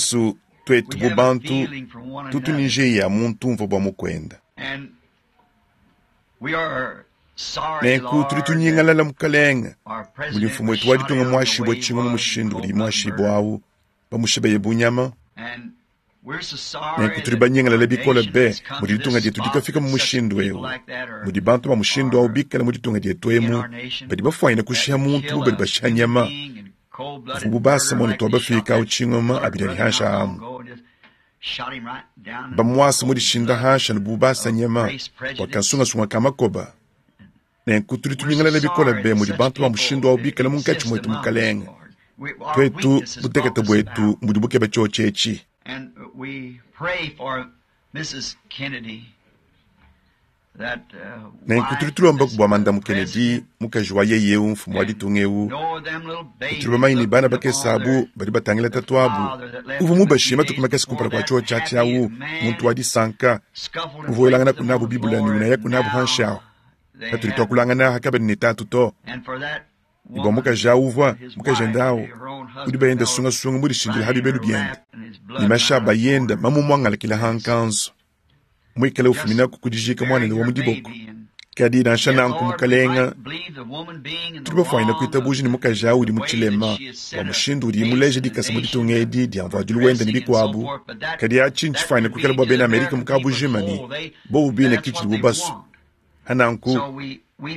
Yesu, twetu bu bantu tutu ni njeya muntu umvua bua mukwenda. Nenku tudi tunyingalala, Mukalenge, mudi mfumu wetu wa ditunga muashibue tshingoma mushindu udi muashibue awu, bamushibeye bu nyama. Nenku tudi banyingalale bikole be mudi ditunga dietu dikafika mu mushindu eu, mudi bantu ba mushindu au bikale mu ditunga dietu emu, badi bafuanyine kushiha muntu bu badi bashiha nyama. Vubu basa muanetu wa bafika au tshingoma abidi adi hansha amu. Bamuasa mu dishinda hansha ne bu basa nyama bua kansungasunga ka makoba. Nenku tudi tunyingalala bikole be mudi bantu ba mushindu au bikale munkatshi muetu, Mukalenge. Tuetu, butekete buetu mbudi bukeba tshiotshi etshi. Nenku tudi tulombaku bua Mandamu Kennedy, mukaji wa yeye eu mfumu wa ditunga eu, tudi bamanye ne bana bakese abu badi batangila tatuabu uvua mubashiye matuku makese kumpala kua tshiotshi atshi au, muntu wa disanka, uvua welanganaku nabu Bible ne unayaku nabu panshi ahu. Patudi tuakulangana hakabadi ne tatu to. Ne bua mukaji au uvua mukajende au udi bayenda sungasunga mudishindile ha bibelu biende, ne mashi a bayenda mamumuangalakile ha nkanzu, muikale ufuminaku ku dijika muanende wa mu diboko. Kadi nansha nanku, Mukalenga, tudi bafuanyine kuitabuja ne mukaji au udi mu tshilema bua mushindu udiye muleje dikasa mu ditunga edi dia mvuadilu wende ne bikuabu, kadi atshi ntshifuanyine kuikala bua bena Amerika mu kabujima ne bobu bine ke tshidibu basue. Hananku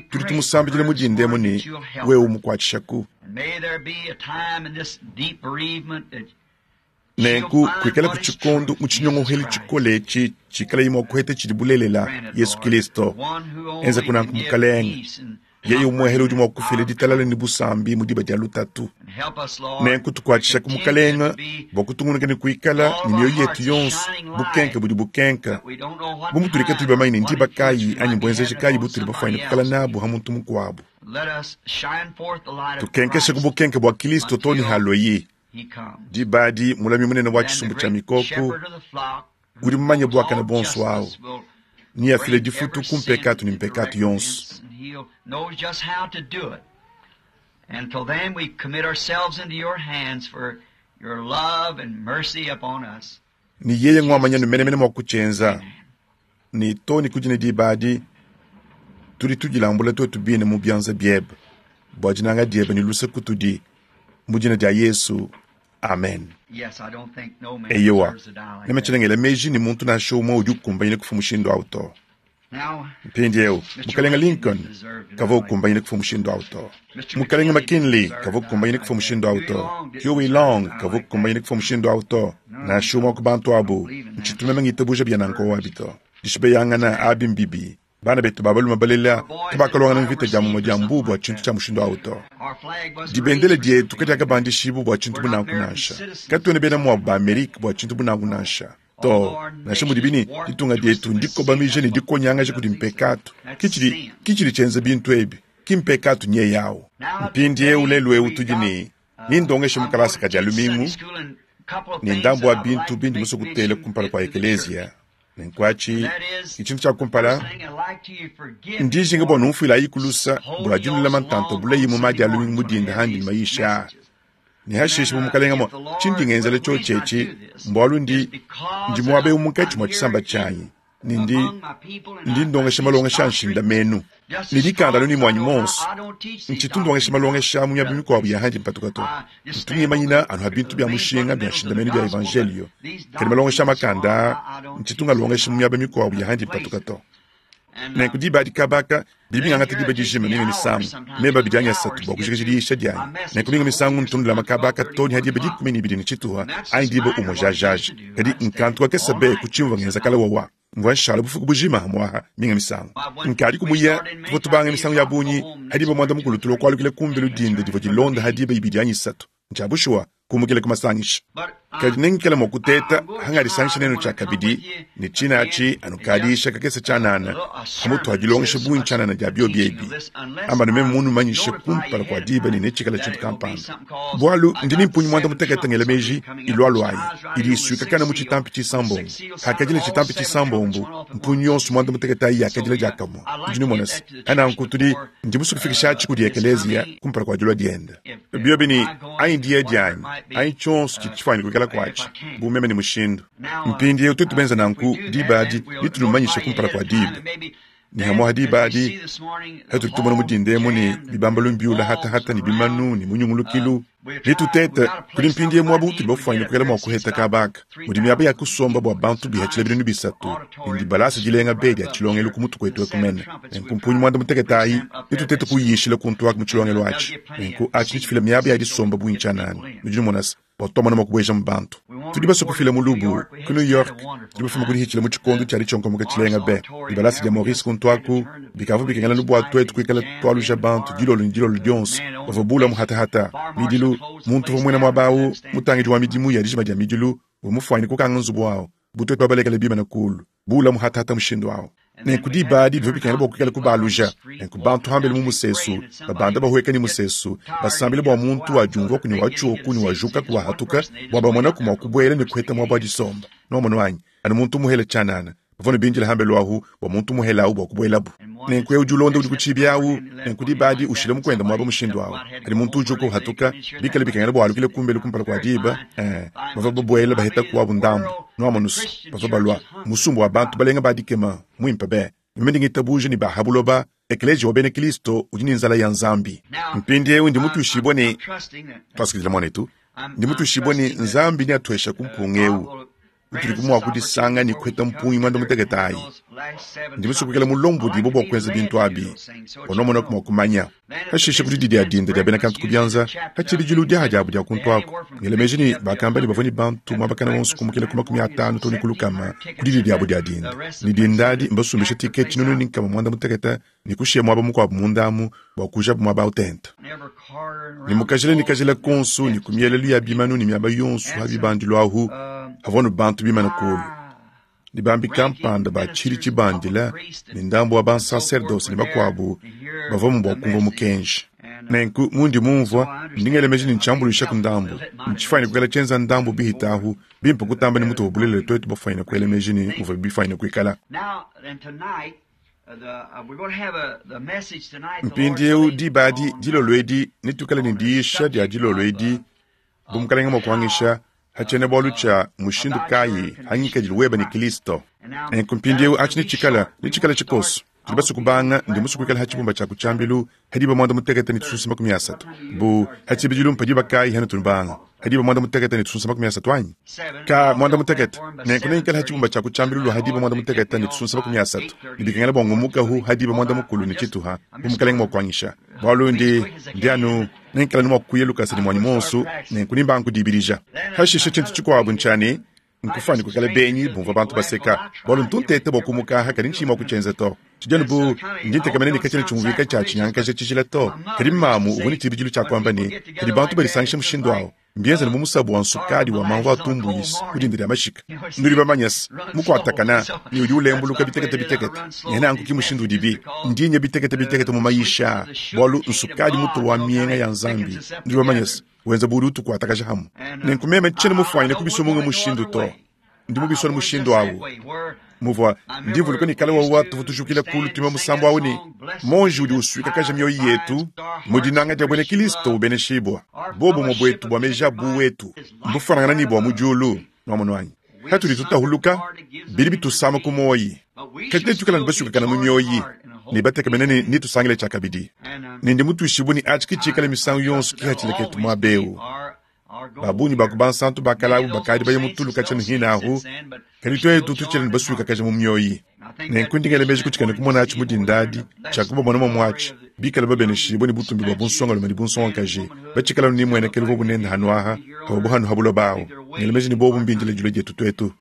tudi tumusambidila mu dinda emu ne wewe umukuatshishaku. Nenku kuikalaku tshikondo mu tshinyongohelu tshikole etshi tshikalaye mua kuheta tshidi bulelela, Yesu Kilisto. Enzaku nanku, Mukalenge. Yeye umuehele udi mua kufila ditalala ne busambi mu diba dia lutatu. Nenku tukuatshishaku, Mukalenge, bua kutungunuka ne kuikala ne mioyo yetu yonso bukenke budi bukenka, bu mutudi katuyi bamanye ne ndiba kayi anyi mbuenzeji kayi butudi bafuanyine kuikala nabu ha muntu mukuabu. Tukenkeshe ku bukenke bua Kilisto too ne halueyi. Diba adi mulami munene wa tshisumbu tshia mikoko udi mumanye buakane buonso awu neafile difutu ku mpekatu ne mpekatu yonso. Ne yeye nguamanya ne menemene mua kutshienza. Ne too ne ku dine diba adi, tudi tudilambula tuetu bine mu bianza biebe bua dinanga diebe ne luse kutudi, mu dina dia Yesu, amen. Eyowa, meme tshiena ngela meji ne muntu nansha umue udi ukumbanyine kufua mushindu au to. Mpindieu, Mukalenge Lincoln kavua ukumbanyine kufua mushindu au to. Mukalenge McKinley kavua ukumbanyine kufua mushindu au to. Huey Long kavua ukumbanyine kufua mushindu au to. Nansha umue wa ku bantu abu, ntshitu meme ngitabuja bia nanku abi to. Dishibeyangana abi mbibi. Bana betu ba balume balela kabakaluangana mvita dia mumue dia mbu bua tshintu tshia mushindu au to. Dibendele dietu kadiakabandishibua bua tshintu bu nanku nansha. Katuena bena muabu ba Amerike bua tshintu bu nanku nansha. To, nansha mudibi ne ditunga dietu ndikobamija ne dikonyangaja kudi mpekatu, ke tshidi ke tshidi tshienza bintu ebi, ki mpekatu nyeye au. Mpindieu lelu eu tudi ne nindongeshe mu kalasa ka Dia lumingu ne ndambu wa bintu bindi musue kutela kumpala kua ekeleziya. Nenku atshi ke tshintu tshia kumpala, ndi njinga bua numfuilayiku lusa bua dinulama ntanta bulayi mu ma Dia lumingu mu dinda handi ne mayisha aa. Ne hashishe bu mukalenga mua tshindi ngenzela tshiotshi etshi mbualu ndi ndi muaba eu munkatshi mua tshisamba tshianyi ne ndi ndi ndongesha malongesha a nshindamenu ne dikanda anu ne muanyi monso. Ntshitu ndongesha malongesha mu miaba mikuabu ya handi mpatuka to. Ntu ngimanyina anu ha bintu bia mushinga bia nshindamenu bia evanjelio, kadi malongesha a makanda aa ntshitu ngalongesha mu miaba mikuabu ya handi mpatuka to. Nenku diba adi kaba aka bidi bingangata diba dijima, minga misangu meba abidi anyi asatu bua kujikija diyisha dianyi. Nenku minga misangu ntu ndulama kaba aka too ne ha diba 12 tshintuha anyi diba umue jajaja. Kadi nkantu kakese be ku tshimvua ngenza kale wawa. Mvua nshala bufuku bujima hamuaha minga misangu. Nkadiku muya, tuvua tubanga misangu ya bungi ha diba 10 tulua kualukila kumbelu dinda divua dilonda ha diba 2 anyi 3. Ntshia bushuwa kumukila ku masangisha. Kadi nengikale mua kuteta hangadisangisha nenu tshiakabidi, ne tshina atshi anu kadiisha kakese tshianana hamutu ha dilongesha bungi tshianana dia biobi ebi. Amba nu meme munumanyishe kumpala kua diba ne netshikale tshintu kampanda. Bualu ndi ne mpungi 18 ngela meji ilualuayi idi isuikakana mu tshitampi tshisambombo. Hakadila tshitampi tshisambombo, mpungi yonso 18 ayi yakadila diakamue. Nudi numona se, hananku tudi ndi musue kufikisha atshi kudi ekeleziya kumpala kua dilua diende. Biobi ne, anyi diya dianyi, anyi tshionso tshidi tshifuanyine kuikala kuatshi, bu meme ne mushindu. Mpindieu tuetu benza nanku, diba adi netunumanyishe kumpala kua diba. Ne hamwaha diba adi, hatudi tumona mu dinda emu ne bibambalu mbiula hatahata ne bimanu ne munyungulukilu, ne tutete kudi mpindieu muaba utudi bafuanyine kuikala mua kuheta kabaka, mudi miaba ya kusomba bua bantu bihatshila 3000, ne dibalasa dilenga be dia tshilongelu ku mutu kuetu eku mene. Nenku mpungi muanda mutekete ayi, netutete kuyishila kuntu aku mu tshilongelu atshi. Nenku atshi netshifile miaba ya disomba bungi tshianana. Nudi numona se, bua tuamona mua kubuejamu bantu. Tudi basue kufila mulubu ku New York, tudi bafuma ku dihitshila mu tshikondo tshia ditshionkomoka tshilenga be. Dibalasa dia Morris kuntu aku, bikavua bikengela nu bua tuetu kuikala tualuja bantu dilolo ne dilolo dionso. Bavua bula muhatahata midilu. Muntu uvua muena muaba au, mutangidi wa midimu ya dijima dia midilu, uvua mufuanyine kukanga nzubu au bu tuetu babalekele bimane kulu bula muhatahata mushindu au. Nenku diba adi bivua bikengela bua kuikala kubaluja. Nenku bantu hambele mu musesu, babanda bahueka ne musesu, basambile bua muntu wadiumvuaku ne watshioku ne wajukaku wahatuka, bua bamonaku mua kubuela ne kuheta muaba wa disomba. Nuamonu anyi? Anu muntu muhele tshianana. Bavua ne bindila hambelu ahu bua muntu muhele awu bua kubuelabu. Nenku eu udi ulonda udi ku tshibi awu, nenku diba adi ushile mukuende muaba mushindu awu. Kadi muntu ujuka uhatuka, bikale bikengela bua alukile kumbelu kumpala kua diba, eh, bavua babuela baheta kuabu ndambu. Nuamonu's, bavua balua, musumba wa bantu balenga ba dikema, muimpe be. Meme ndi ngitabuja ne ba ha buloba, ekeleziya wa bena Kilisto udi ne nzala ya Nzambi. Mpindieu ndi mutuishibue ne, tuasakidila muanetu, ndi mutuishibue ne Nzambi neatueshaku mpunga eu utudi mua kudisanga ne kuheta mpungi muanda mutekete ayi. Ndi musue kuikala mulombodibue bua kuenza bintu abi, bua nuamonaku mua kumanya. Pashishe ku didi dia dinda dia bena kantu ku bianza, pa tshibidilu diaha diabu dia kuntu aku, ngela meji ne bakamba ne bavua ne bantu muabakana wonso kumukila ku 50 too ne ku 100 ku didi diabu dia dinda. Ne dinda adi mbasumbishe tiketi 160 ne kushiya muaba mukuabu munda amu bua kuujabu muaba au tente. Ne mu kajila ne kajila konso ne ku mielelu ya bimanu ne miaba yonso ha bibandilu ahu havua nu bantu bimane kulu. Ne bambi kampanda ba tshidi tshibandila ne ndambu wa bansaserdose ne bakuabu bavuamu bua kumvua mukenji. Nenku mundi mumvua, ndi ngela meji ne ntshiambuluishaku ndambu, ntshifuanyine kuikala tshienza ndambu bihita ahu bimpe kutamba ne mutuvua bulelela tuetu bafuanyine kuela meji ne muvua bifuanyine kuikala. Mpindieu diba adi dilolo edi netuikale ne diyisha dia dilolo edi bu Mukalenge mua kuangisha ha tshiena-bualu tshia mushindu kayi ha ngikadilu weba ne Kilisto. Nenku mpindieu atshi netshikala netshikala tshikoso. Tudi basue kubanga, ndi musue kuikala ha tshibumba tshia ku tshiambilu ha diba muanda mutekete ne tusunsa 30. Bu ha tshibidilu mpa diba kayi hanutu nubanga? Ha diba muanda mutekete ne tusunsa 30 anyi? Ka muanda mutekete. Nenku nengikale ha tshibumba tshia ku tshiambilu lua ha diba muanda mutekete ne tusunsa 30, ne bikengela bua ngumukahu ha diba muanda mukulu ne tshituha, bu Mukalenge mua kuangisha. Bualu ndi, ndi anu nengikale anu mua kuya lukasa ne muanyi muonso, nenku nimbanga kudibidija. Hashishe tshintu tshikuabu ntshia ne, nkufuane kuikala benyi bumvua bantu baseka, bualu ntu nteta bua kumuka aha, kadi ntshiyi mua kutshienza to. Tshidi anu bu ndi ntekemena ne katshiena tshiumvuika tshia tshinyangakaja tshijila to. Kadi mamu uvua ne tshibidilu tshia kuamba ne, padi bantu badisangisha mushindu au, mbienza anu bu musabu wa nsukadi wa mamvu a tumbuis ku dinda dia mashika. Nudi bamanye se, mukuatakana ne udi ulembuluka bitekete bitekete. Ne nanku ki mushindu udibi. Ndi nya bitekete bitekete mu mayisha aa, bualu nsukadi mutu wa mienga ya Nzambi. Nudi bamanye se, wenza bu udi utukuatakaja hamue. Nenku meme tshiena mufuanyine kubisua munga mushindu to. Ndi mubisua ne mushindu au. Muvua, ndi mvuluka ne kale wawa tuvua tujukila kulu tuimba musambu au ne, Monji udi usuikakaja mioyo yetu mu dinanga dia buena Kilisto ubeneshibua. Bobumue buetu bua meji a bu wetu mbufuanangana ne bua mu diulu. Nuamonu anyi? Patudi tutahuluka, bidi bitusama ku muoyi. Kadi netuikale anu basuikakana mu mioyi ne batekemene ne netusangile tshiakabidi. Ne ndi mutuishibue ne atshi ke tshikala misangu yonso kihatshila ketu muaba eu. Ba bungi ba ku bansantu ba kale abu bakadi baye mu tulu katshia ne hine ahu, kadi tuetu tutshila ne basuikakaja mu mioyi. Nenku ndi ngela meji ku tshikena kumona atshi mu dinda adi, tshia kubamona momu atshi, bikale babeneshibue ne butumbi bua bunsongalume ne bunsongakaji, batshikale anu ne muenekelu uvuabu nende hanu aha, pavuabu hanu ha buloba ahu. Ngela meji ne bobu mbindile dilua dietu tuetu.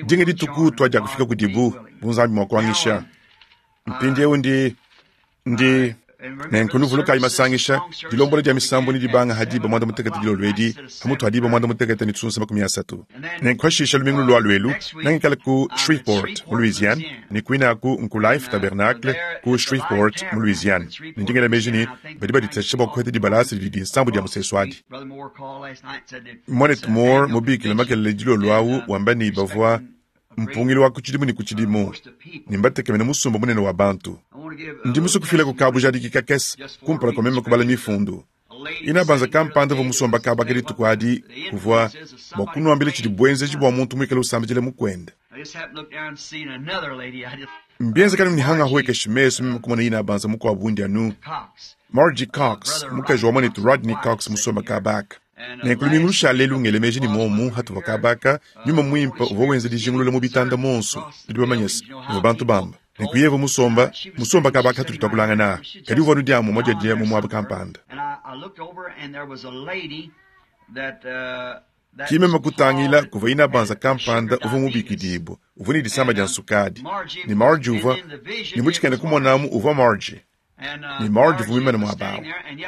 Dinga dituku tuadiakufika kudibu, bu Nzambi mua kuangisha. Mpindieu ndi, ndi nenku nuvulukayi masangisha, dilombola dia misambu ne dibanga ha diba muanda mutekete dilolo edi, ha mutu ha diba muanda mutekete ne tusunsa 30. Nenku hashisha lumingu lulualu elu, nengikale ku Shreveport mu Louisiane, ne kuine aku nku Life Tabernacle ku Shreveport mu Louisiane. Ne ndi ngela meji ne badi baditatshisha bua kuheta dibalasa didi dinsambu dia musesu adi. Muanetu Moore mubikile makelela dilolo awu wamba ne bavua mpungilu wa ku tshidimu ne ku tshidimu, ne mbatekemene musumba munene wa bantu. Ndi musue kufilaku kabujadiki kakese kumpala kua meme kubala mifundu. Inabanza kampanda uvua musomba kaba ka dituku adi kuvua bua kunuambila tshidi buenzeji bua muntu muikale usambidila mukuende. Mbienzeka ne hangahuekesha mesu meme kumona ina banza mukuabu undi anu Margie Cox, mukaji wa mwanetu Rodney Cox musomba kabaka. Nenku lumingu lushale lungele meji ni momu hatuvua kabaka, nyuma muimpe uvua wenza dijingulula mu bitanda monso, tudi bamanye se, muvua bantu bamba. Nenku yeye musomba, musomba kabaka hatudi tuakulangana, kadi uvua nudiamu mwadyadia mu muaba kampanda. Ki meme kutangila kuvua ina banza kampanda uvua mubikidibua, uvua ne disama dia nsukadi. Ne Margie uvua, ne mu tshikena kumonamu uvua Margie. Ne Margie uvua muimane muaba awu.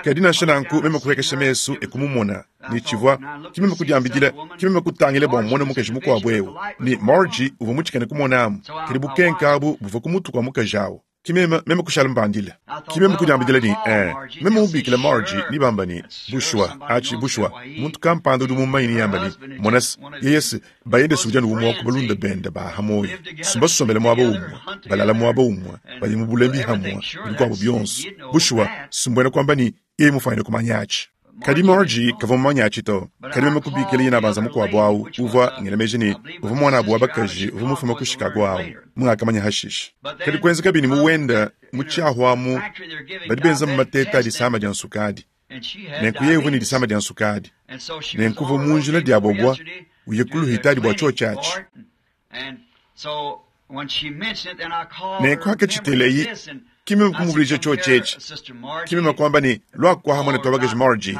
Kadi nansha nanku meme kupuekesha mesu e kumumona, ne tshivua, ki meme kudiambidila, ki meme kutangila bua mmone mukaji mukuabu eu. Ne Margie uvua mu tshikena kumonamu, kadi bukenke abu buvua ku mutu kua mukaji awu. Ki meme, meme kushala mbandila. Ki meme kudiambidila ne, ee, meme mubikila Margie, ne bamba ne, bushuwa, atshi, bushuwa, muntu kampanda udi mumanye ne yamba ne, mona se, yeye se, bayende se udi anu umue wa ku balunda bende ba ha muoyo. Mbasombele muaba umue, balala muaba umue, badi mu bulembi hamue, ne bikuabu bionso. Bushuwa, si mbuena kuamba ne, yeye mufuanyine kumanya atshi. Kadi Margie kavua mumanye atshi to. Kadi meme kubikila yina banza mukuabu awu, uvua, ngela meji ne, uvua muanabu wa bakaji uvua mufume ku Chicago awu, mungakamanya hashishe. Kadi kuenzekabi ne mu wenda mu tshiahu amu, badi benzamu mateta a disama dia nsukadi. Nenku yeye uvua ne disama dia nsukadi. Nenku uvua mu njila diabobua uye ku luhitadi bua tshiotshi atshi. Nenku hakatshiteleyi, ki meme kumuvuluija tshiotshi etshi. Ki meme kuamba ne, Luaku aha muanetu wa bakaji Margie.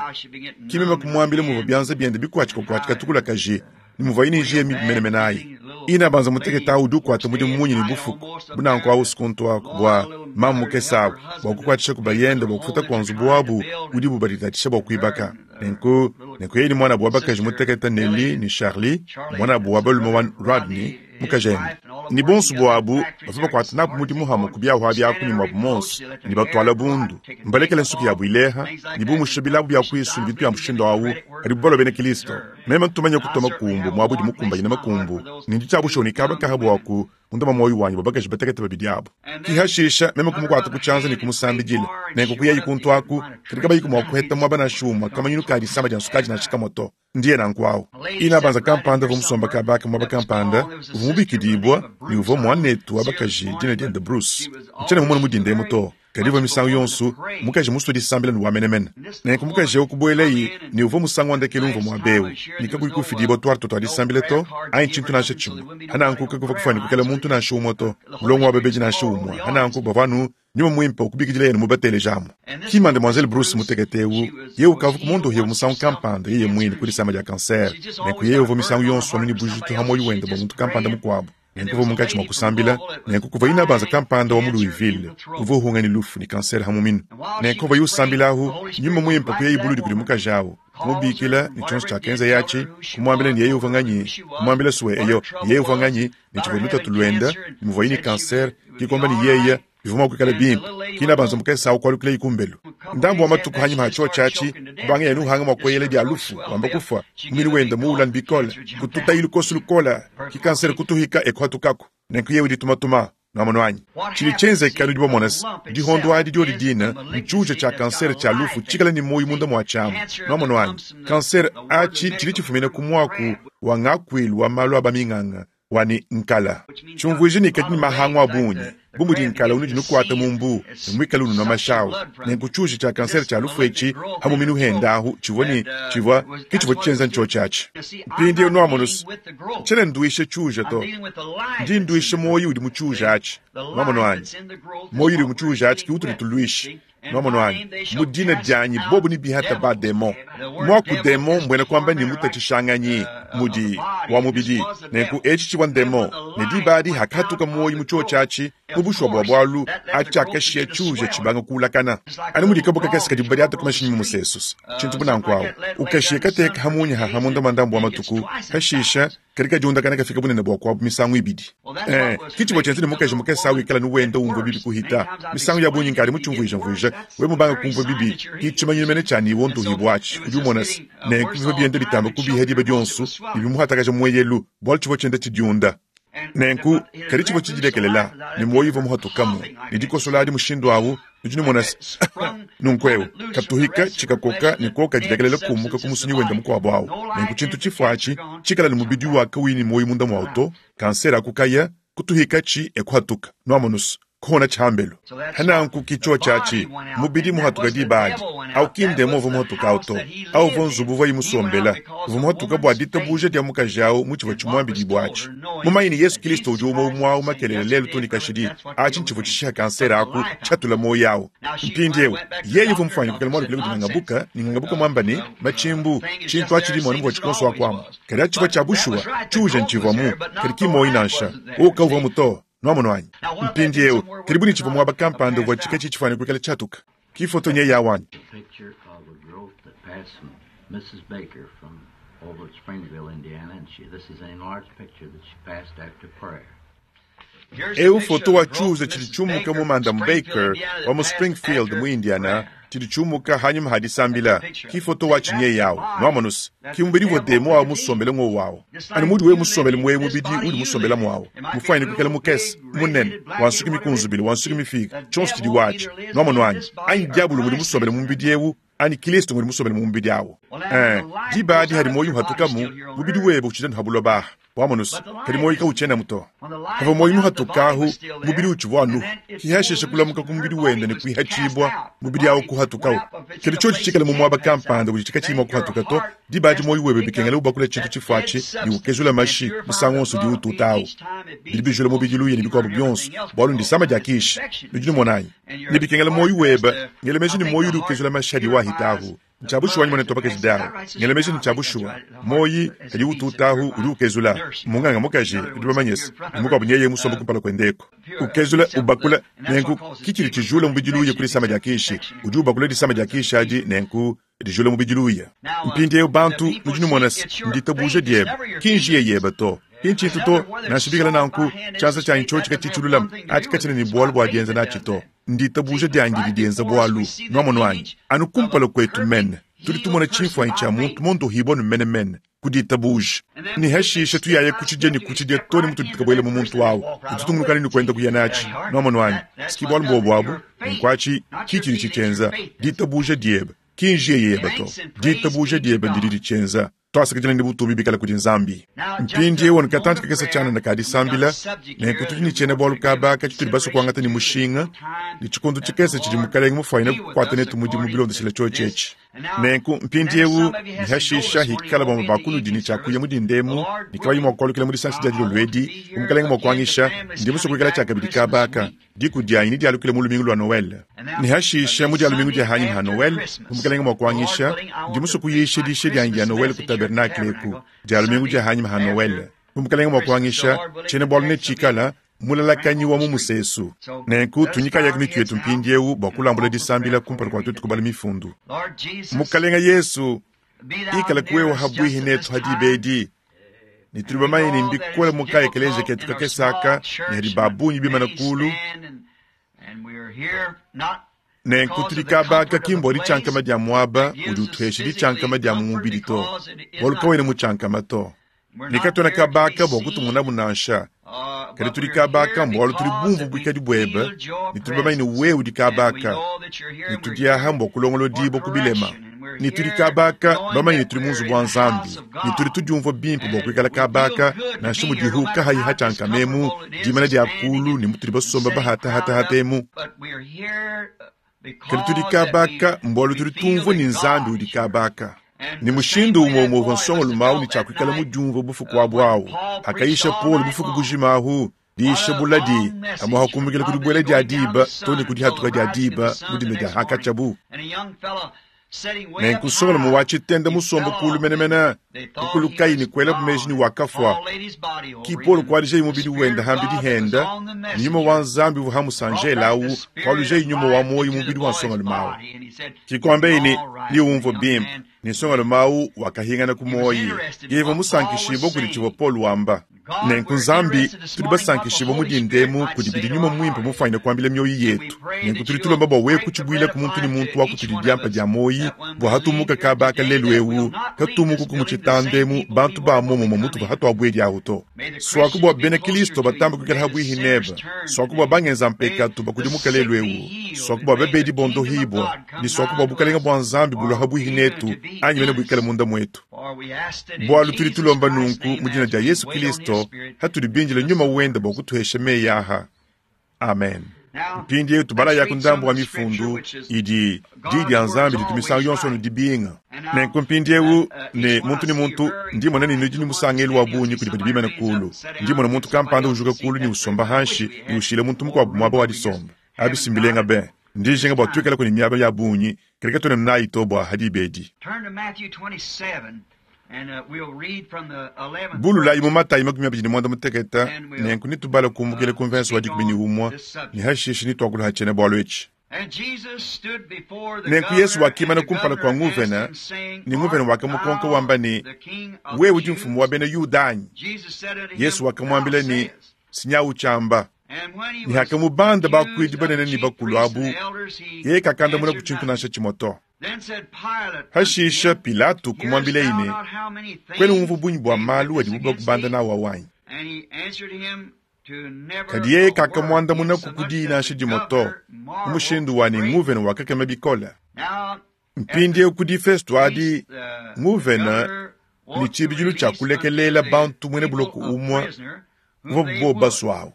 Ki meme kumuambila muvua bianza biende bikuatshikakuatshika tukulakaji, ne muvuaye ne njiya mibi menemene ayi. Ina banza mutekete awu udi ukuata mudimu munyi ne bufuku bu nanku awu usuku ntuaku bua mamu mukese awu bua kukuatshisha ku bayende bua kufuta kua nzubu wabu udibu baditatshisha bua kuibaka. Nenku, nenku yeye ne muanabu wa bakaji mutekete Nellie ne Charlie, muanabu wa balume wa Rodney, mukajende, ne bonso buabu bavua bakuata nabu mudimu hamue ku biahu bia ku ne muabu monso, ne batuala bundu, mbalekele nsuki yabu ileha, ne bumusha bilabu bia kuisu ne bintu bia mushindu awu, kadi balua bena Kilisto. Meme ntumanye kutua makumbu muabu udi mukumbanyine makumbu, ne ndi tshiabusha ne kaba kaha buaku munda mua muoyo wanyi bua bakaji batekete babidi abu. Ki hashisha meme kumukuata ku tshianza ne kumusambidila, nenku kuyayi kuntu aku, kadi kabayiku mua kuheta muaba nansha umue kamanyinu ka disama dia nsukadi nansha kamue to. Ndiye nanku awu. Ina banza kampanda uvua musomba kaba aka muaba kampanda, uvua mubikidibua ne uvua muanetu wa bakaji dina diende Bruce. Ntshiena mumone mu dinda emu to, kadi uvua misangu yonso mukaji musue disambila ne wa menemene. Nenku mukaji eu kubuelaye ne uvua musangu wa ndekelu umvua muaba eu, ne kakuyi kufidibua tuarte tua disambila to, anyi tshintu nansha tshimue. Hananku kakuvua kufuane kuikala muntu nansha umue to, mulongo wa babedi nansha umue. Hananku bavua anu Nyuma muimpe ukubikidila yene mubateleja amu. Ki Mademoiselle Bruce mutekete eu, yeye ukavua kumondohibua musangu kampanda yeye muine ku disama dia kansere. Nenku yeye uvua misangu yonso anu ne bujitu ha muoyo wende bua muntu kampanda mukuabu. Nenku uvua munkatshi mua kusambila, nenku kuvua inabanza kampanda wa mu Louisville uvua uhunga ne lufu ne kansere ha muminu. Nenku pavuaye usambila ahu, nyuma muimpe kuyaye buludi kudi mukaji awu, kumubikila ne tshionso tshiakenzaye atshi, kumuambila ne yeye uvua nganyi, kumuambila sue eyo, ne yeye uvua nganyi, ne tshivua lutatu luende, ne muvuaye ne kansere, ki kuamba ne yeye bivua mua kuikala bimpe. Kina banza mukese awu kualukilayi kumbelu. Ndambu wa matuku hanyima ha tshiotshi atshi, kubanga yene uhanga mua kueyela dia lufu, wamba kufua, muminu wende muula bikole, kututayi lukosu lukola, ki kansere kutuhika e kuhatukaku. Nenku yeye udi tumatuma, nuamono anyi? Tshidi tshienzeka nudi bamona se, dihondo adi diodi dina ntshiuja tshia kansere tshia lufu tshikale ne muoyo munda mua tshiamu. Nuamono anyi? Kansere atshi tshidi tshifumina ku muaku wa ngakuilu wa malu a baminganga wa ne nkala. Tshiumvuija ne kadi ne mahangu a bungi, bu mudi nkala unudi nukuata mu mbu ne muikale ununua mashi awu. Nenku tshiuja tshia kansere tshia lufu etshi ha muminu hende ahu tshivua ne tshivua ke tshivua tshienza ntshiotshi atshi. Mpindieu nuamonu se, tshiena nduisha tshiuja to, ndi nduisha muoyo udi mu tshiuja atshi. Nuamonu anyi? Muoyo udi mu tshiuja atshi ke utudi tuluisha. Nuamonu anyi? Mu dina dianyi bobu ne bihata ba demon. Muaku demon mbuena kuamba ne mutatshishanganyi mudi wa mubidi. Nenku etshi tshivua ndemon, ne diba adi hakahatuka muoyo mu tshiotshi atshi, mu bushuwa bua bualu atshi tshiakashiya tshiuja tshibanga kuulakana. Anu mudi kabuka kakese kadibu badiata ku mashinyi mu musesu, tshintu bu nanku awu, ukashiya kateka ha munya haha munda mua ndambu wa matuku, hashisha kadi kadiundakana kafika bunene bua kuabu misangu ibidi. Eh, ki tshivua tshienza ne mukaji mukese awu ikala ne wenda umvua bibi kuhita. Misangu ya bungi nkadi mutshiumvuijamvuija, we mubanga kumvua bibi, ki tshimanyinu mene tshia ne wondohibua atshi. Udi umona se, nenku bivua bienda bitamba kubiha diba dionso ne bimuhatakaja mueyelu, bualu tshivua tshienda tshidiunda. Nenku, kadi tshivua tshidilekelela, ne muoyo uvua muhatukamu, ne dikosola adi mushindu awu, nudi numona se, Nunku eu, katuhika tshikakoka ne koka dilekelela kumuka ku musunyi wenda mukuabo awu. Nenku tshintu tshifua atshi tshikala ne mubidi wa kawuyi ne muoyo munda muawu to, kansere aku kaya, kutuhikatshi e kuhatuka. Nwamonu's, kuhona tshihambelu. Hananku ki tshowa tshiatshi, mubidi muhatuka diba adi. Awu ki ndemo uvua muhatuka awu to. Awu uvua nzubu uvuaye musombela. Uvua muhatuka bua ditabuja dia mukaji awu mu tshivua tshimuambidibua atshi. Mumanye ne Yesu Kilisto udi umue umue awu makelela, lelu too ne kashidi, atshi ntshivua tshishiha kansere aku, tshiatula muoyo awu. Mpindiewu, yeye uvua mufuanyike kuikala mualukile kudi ngangabuka, ne ngangabuka muamba ne, Matshimbu, tshintu atshi dimona muvua tshikonso aku amu. Kadi atshi tshivua tshia bushuwa, tshiuja ntshivuamu, kadi ki muoyo nansha. Wowu kawuvuamu to. Nwamonu anyi? Mpindiewu, kadi bu ne tshivua muaba kampanda uvua tshika tshifuane kuikala tshiatuka. Ki foto nyeyi awu anyi? Picture of a growth that passed from Mrs. Baker from over at Springville, Indiana, and she, this is an enlarged picture that she passed after prayer. Eu foto wa tshiuza tshidi tshiumuka mu Madam Baker wa mu Springfield mu Indiana tshidi tshiumuka hanyima ha disambila. Ki foto wa tshinyeyi awu. Nwamonu's, ki mubidi uvua demo awu musombele ng'wowu awu. Anu muudi wewe musombele mu ewu mubidi uudi musombela muawu, mufuanyine kuikala mukese, munene, wa nsuki mikunzubile, wa nsuki mifiike, tshionso tshidi watshi. Nwamonu anyi? Anyi diabulu ngudi musombele mu mubidi ewu, anyi Kilisto ngudi musombele mu mubidi awu. Ee, diba adi hadi muoyo uhatukamu, mubidi webe utshidi anu ha buloba aha. Wamonu's, kadi muoyo kawutshienamu to. Pavua muoyo muhatuka ahu, mubidi utshivua anuhu. Kihashisha kulamuka ku mubidi wende ne kuihatshibua, mubidi awu kuhatukawu. Kadi tshiotshi tshikale mu muaba kampanda udi tshikatshiyi mua kuhatuka to, diba adi muoyo webe bikengela ubakula tshintu tshifuatshi ne ukezula mashi musangu wonso udiwu ututa awu. Bidi bijula mubidi luya ne bikuabu bionso, bualu ndisama dia kishi. Nudi numona anyi? Ne bikengela muoyo webe, ngela meji ne muoyo udi ukezula mashi adi wahita ahu. Ntshia bushuwa anyi muanetu wa bakaji Dow? Ngela meji ne ntshia bushuwa. Muoyi kadi utuutahu udi ukezula. Munganga mukaji, nudi bamanye se, ne mukuabu nyeye musombe kumpala kuende eku. Ukezula, ubakula, nenku ki tshidi tshijula mubidi luya ku disama dia kishi. Udi ubakula disama dia kishi adi, nenku dijula mubidi luya. Mpindiewu bantu, nudi numona se, nditabuja diebe, ki njiya yebe to. Ki ntshintu to, nansha bikala nanku, tshianza tshianyi tshiotshi katshiyi tshilulame, atshi katshiena ne bualu bua dienza natshi to. Nditabuja dianyi didi dienza bualu. Nuamonu anyi? Anu kumpala kuetu mene, tudi tumona tshimfuanyi tshia muntu mondohibua nu menemene ku ditabuja. Ne hashishe tuyaya kutshidia ne kutshidia to ne mutudi tukabuela mu muntu awu, ne tutungunukane ne kuenda kuya natshi. Nuamonu anyi? Ski bualu mbuobu abu. Nunku atshi ki tshidi tshitshienza, ditabuja diebe. Ki njiya yebe to. Ditabuja diebe ndidi ditshienza. Tuasakidila ne butumbi bikale kudi Nzambi. Mpindieu anu katantshi kakese tshianana ka disambila, nenku tudi ne tshiena-bualu kaba aka tshitudi basue kuangata ne mushinga, ne tshikondo tshikese tshidi Mukalenge mufuanyine kukuata netu mudimu bilondeshile tshiotshi etshi. Nenku mpindieu, ne hashisha, hikala bamue ba kunudi ne tshia kuya mu dinda emu ne kabayi mua kualukila mu disangisha dia dilolo edi, bu Mukalenge mua kuanyisha, ndi musue kuikala tshiakabidi kaba aka. Diku dianyi nedialukile mu lumingu lua Noele. Ne hashisha, mu dia lumingu dia hanyima ha Noele, bu Mukelenge mua kuanyisha, ndi musue kuyisha diyisha dianyi dia Noele ku tabernakle eku, dia lumingu dia hanyima ha Noele. Bu Mukelenge mua kuanyisha, tshiena bualu netshikala, Mulalakanyi wa mu musesu. Nenku tunyikayaku mitu yetu mpindieu bua kulambula disambila kumpala kua tuetu kubala Mifundu. Mukelenge Yesu, ikala wewe ha buihi netu ha diba edi, Ne tudi bamanye ne mbikole mu ka-ekeleziya ketu kakese aka ne hadi ba bungi bimana kulu. Nenku tudi kaba aka ki mbua ditshiankama dia muaba udi utuhesha ditshiankama dia mu mubidi to, bualu kawena mutshiankama to. Ne katuena kaba aka bua kutumonabu nansha, kadi tudi kaba aka mbualu tudi bumvue buikadi buebe ne tudi bamanye ne wewe udi kaba aka, ne tudi aha mbua kulongolodibua ku bilema. Ne tudi kaba aka bamanye ne tudi mu nzubu wa Nzambi, ne tudi tudiumvua bimpe bua kuikala kaba aka, nansha mudihu kahayi hatshiankamemu, dimana dia kulu ne mutudi basomba bahatahatahata emu. Kadi tudi kaba aka mbualu tudi tumvua ne Nzambi udi kaba aka. Ne mushindu umue umue uvua nsongalume au ne tshia kuikala mudiumvue bufuku abu au, hakayisha Paulo bufuku bujima ahu, diyisha buladi amu hakumbukila ku dibuela dia diba to ne ku dihatuka dia diba mu dinda dia hakatshiabu. Nenku nsongalume wa tshitenda musombe kulu menemene, kukulukayi ne kuelabu meji ne wakafua. Ki Paulo kuadijayi mubidi wende hambidi henda, ne nyuma wa Nzambi uvua hamusanjela awu kualujayi nyuma wa muoyo mu mubidi wa nsongalume awu. Ki kuambaye ne, Niwumvue bimpe. Ne nsongalume awu wakahingana ku muoyi. Yeye uvua musankishibue kudi tshivua Paulo wamba. Nenku Nzambi, tudi basankishibue mu dinda emu kudi bidi Nyuma Muimpe mufwanyine kuambila mioyo yetu. Nenku tudi tulomba bua wewe kutshibuilaku muntu ne muntu wa kutudi diampa dia muoyi, bua hatumuka kaba aka lelu ewu, katumuku mu tshitanda emu bantu ba muomumue mutuvua hatuabuedi awu to. Suaku bua bena Kilisto batambe kuikala habuihi nebe. Suaku bua bangenza mpekatu bakudimuka lelu ewu. Suaku bua babedi bondohibua, ne suaku bua bukalenga bua Nzambi bulua habuihi netu, anyi mene buikale munda muetu. Bualu tudi tulomba nunku mu dina dia Yesu Kilisto, hatudi bindile Nyuma wende bua kutuhesha meyi aha. Amen. Mpindieu tubalayaku ndambu wa mifundu idi Diyi dia Nzambi ditu misangu yonso anu dibinga. Nenku mpindieu ne muntu ne muntu, ndi mmona ne nudi ne musangelu wa bungi kudi badi bimane kuulu. Ndi mmona muntu kampanda ujuka kuulu ne usomba hanshi ne ushila muntu mukuabu muaba wa disomba. Abi si mbilenga be! Ndi njinga bua tuikalaku ne miaba ya bungi, kadi katuena nayi to bua ha diba edi. Bululayi mu Matayi 25, nenku netubale kumbukila ku mvense wa 11 ne hashishe netuakule ha tshiena-bualu etshi. Nenku Yesu wakimana kumpala kua nguvena, ne nguvena wakamukonka wamba ne, Wewe udi mfumu wa bena Yuda anyi? Yesu wakamuambila ne, Sinyawu tshiamba. Ne hakamubanda bakuidi banene ne bakulu abu, yeye kakandamuna ku tshintu nansha tshimue to. Hashisha Pilato kumuambileye ne, Kuena unvua bungi bua malu adibo bakubanda n'au au anyi? Kadi yeye kakamuandamunaku ku diyi nansha dimue to, mu mushindu wa ne nguvena wakakema bikole. Mpindieu ku difesto adi, nguvena ne tshibidilu tshia kulekelela bantu muena buloko umue uvuabu bobu basue au.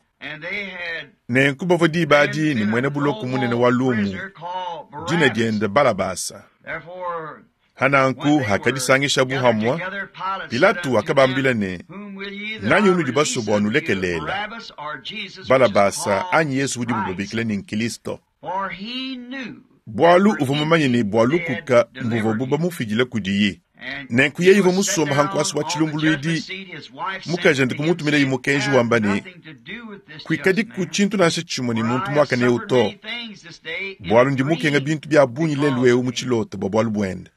Nenku bavua diba adi ne muena buloko munene wa lumu, dina diende Balabasa. Hananku hakadisangishabu hamue, Pilato wakabambila ne, Nganyi unudi basue bua nulekeleela, Balabasa anyi Yesu udibu babikila ne Nkilisto? Bualu uvua mumanye ne bua lukuka mbuvuabu bamufidile kudiye. Nenku yeye uvua musombe ha nkuasa wa tshilumbuluidi, mukajende kumutumilaye mukenji wamba ne, Kuikadiku tshintu nansha tshimue ne muntu muakane eu to, bualu ndi mukenga bintu bia bungi lelu eu mu tshilota bua bualu buende.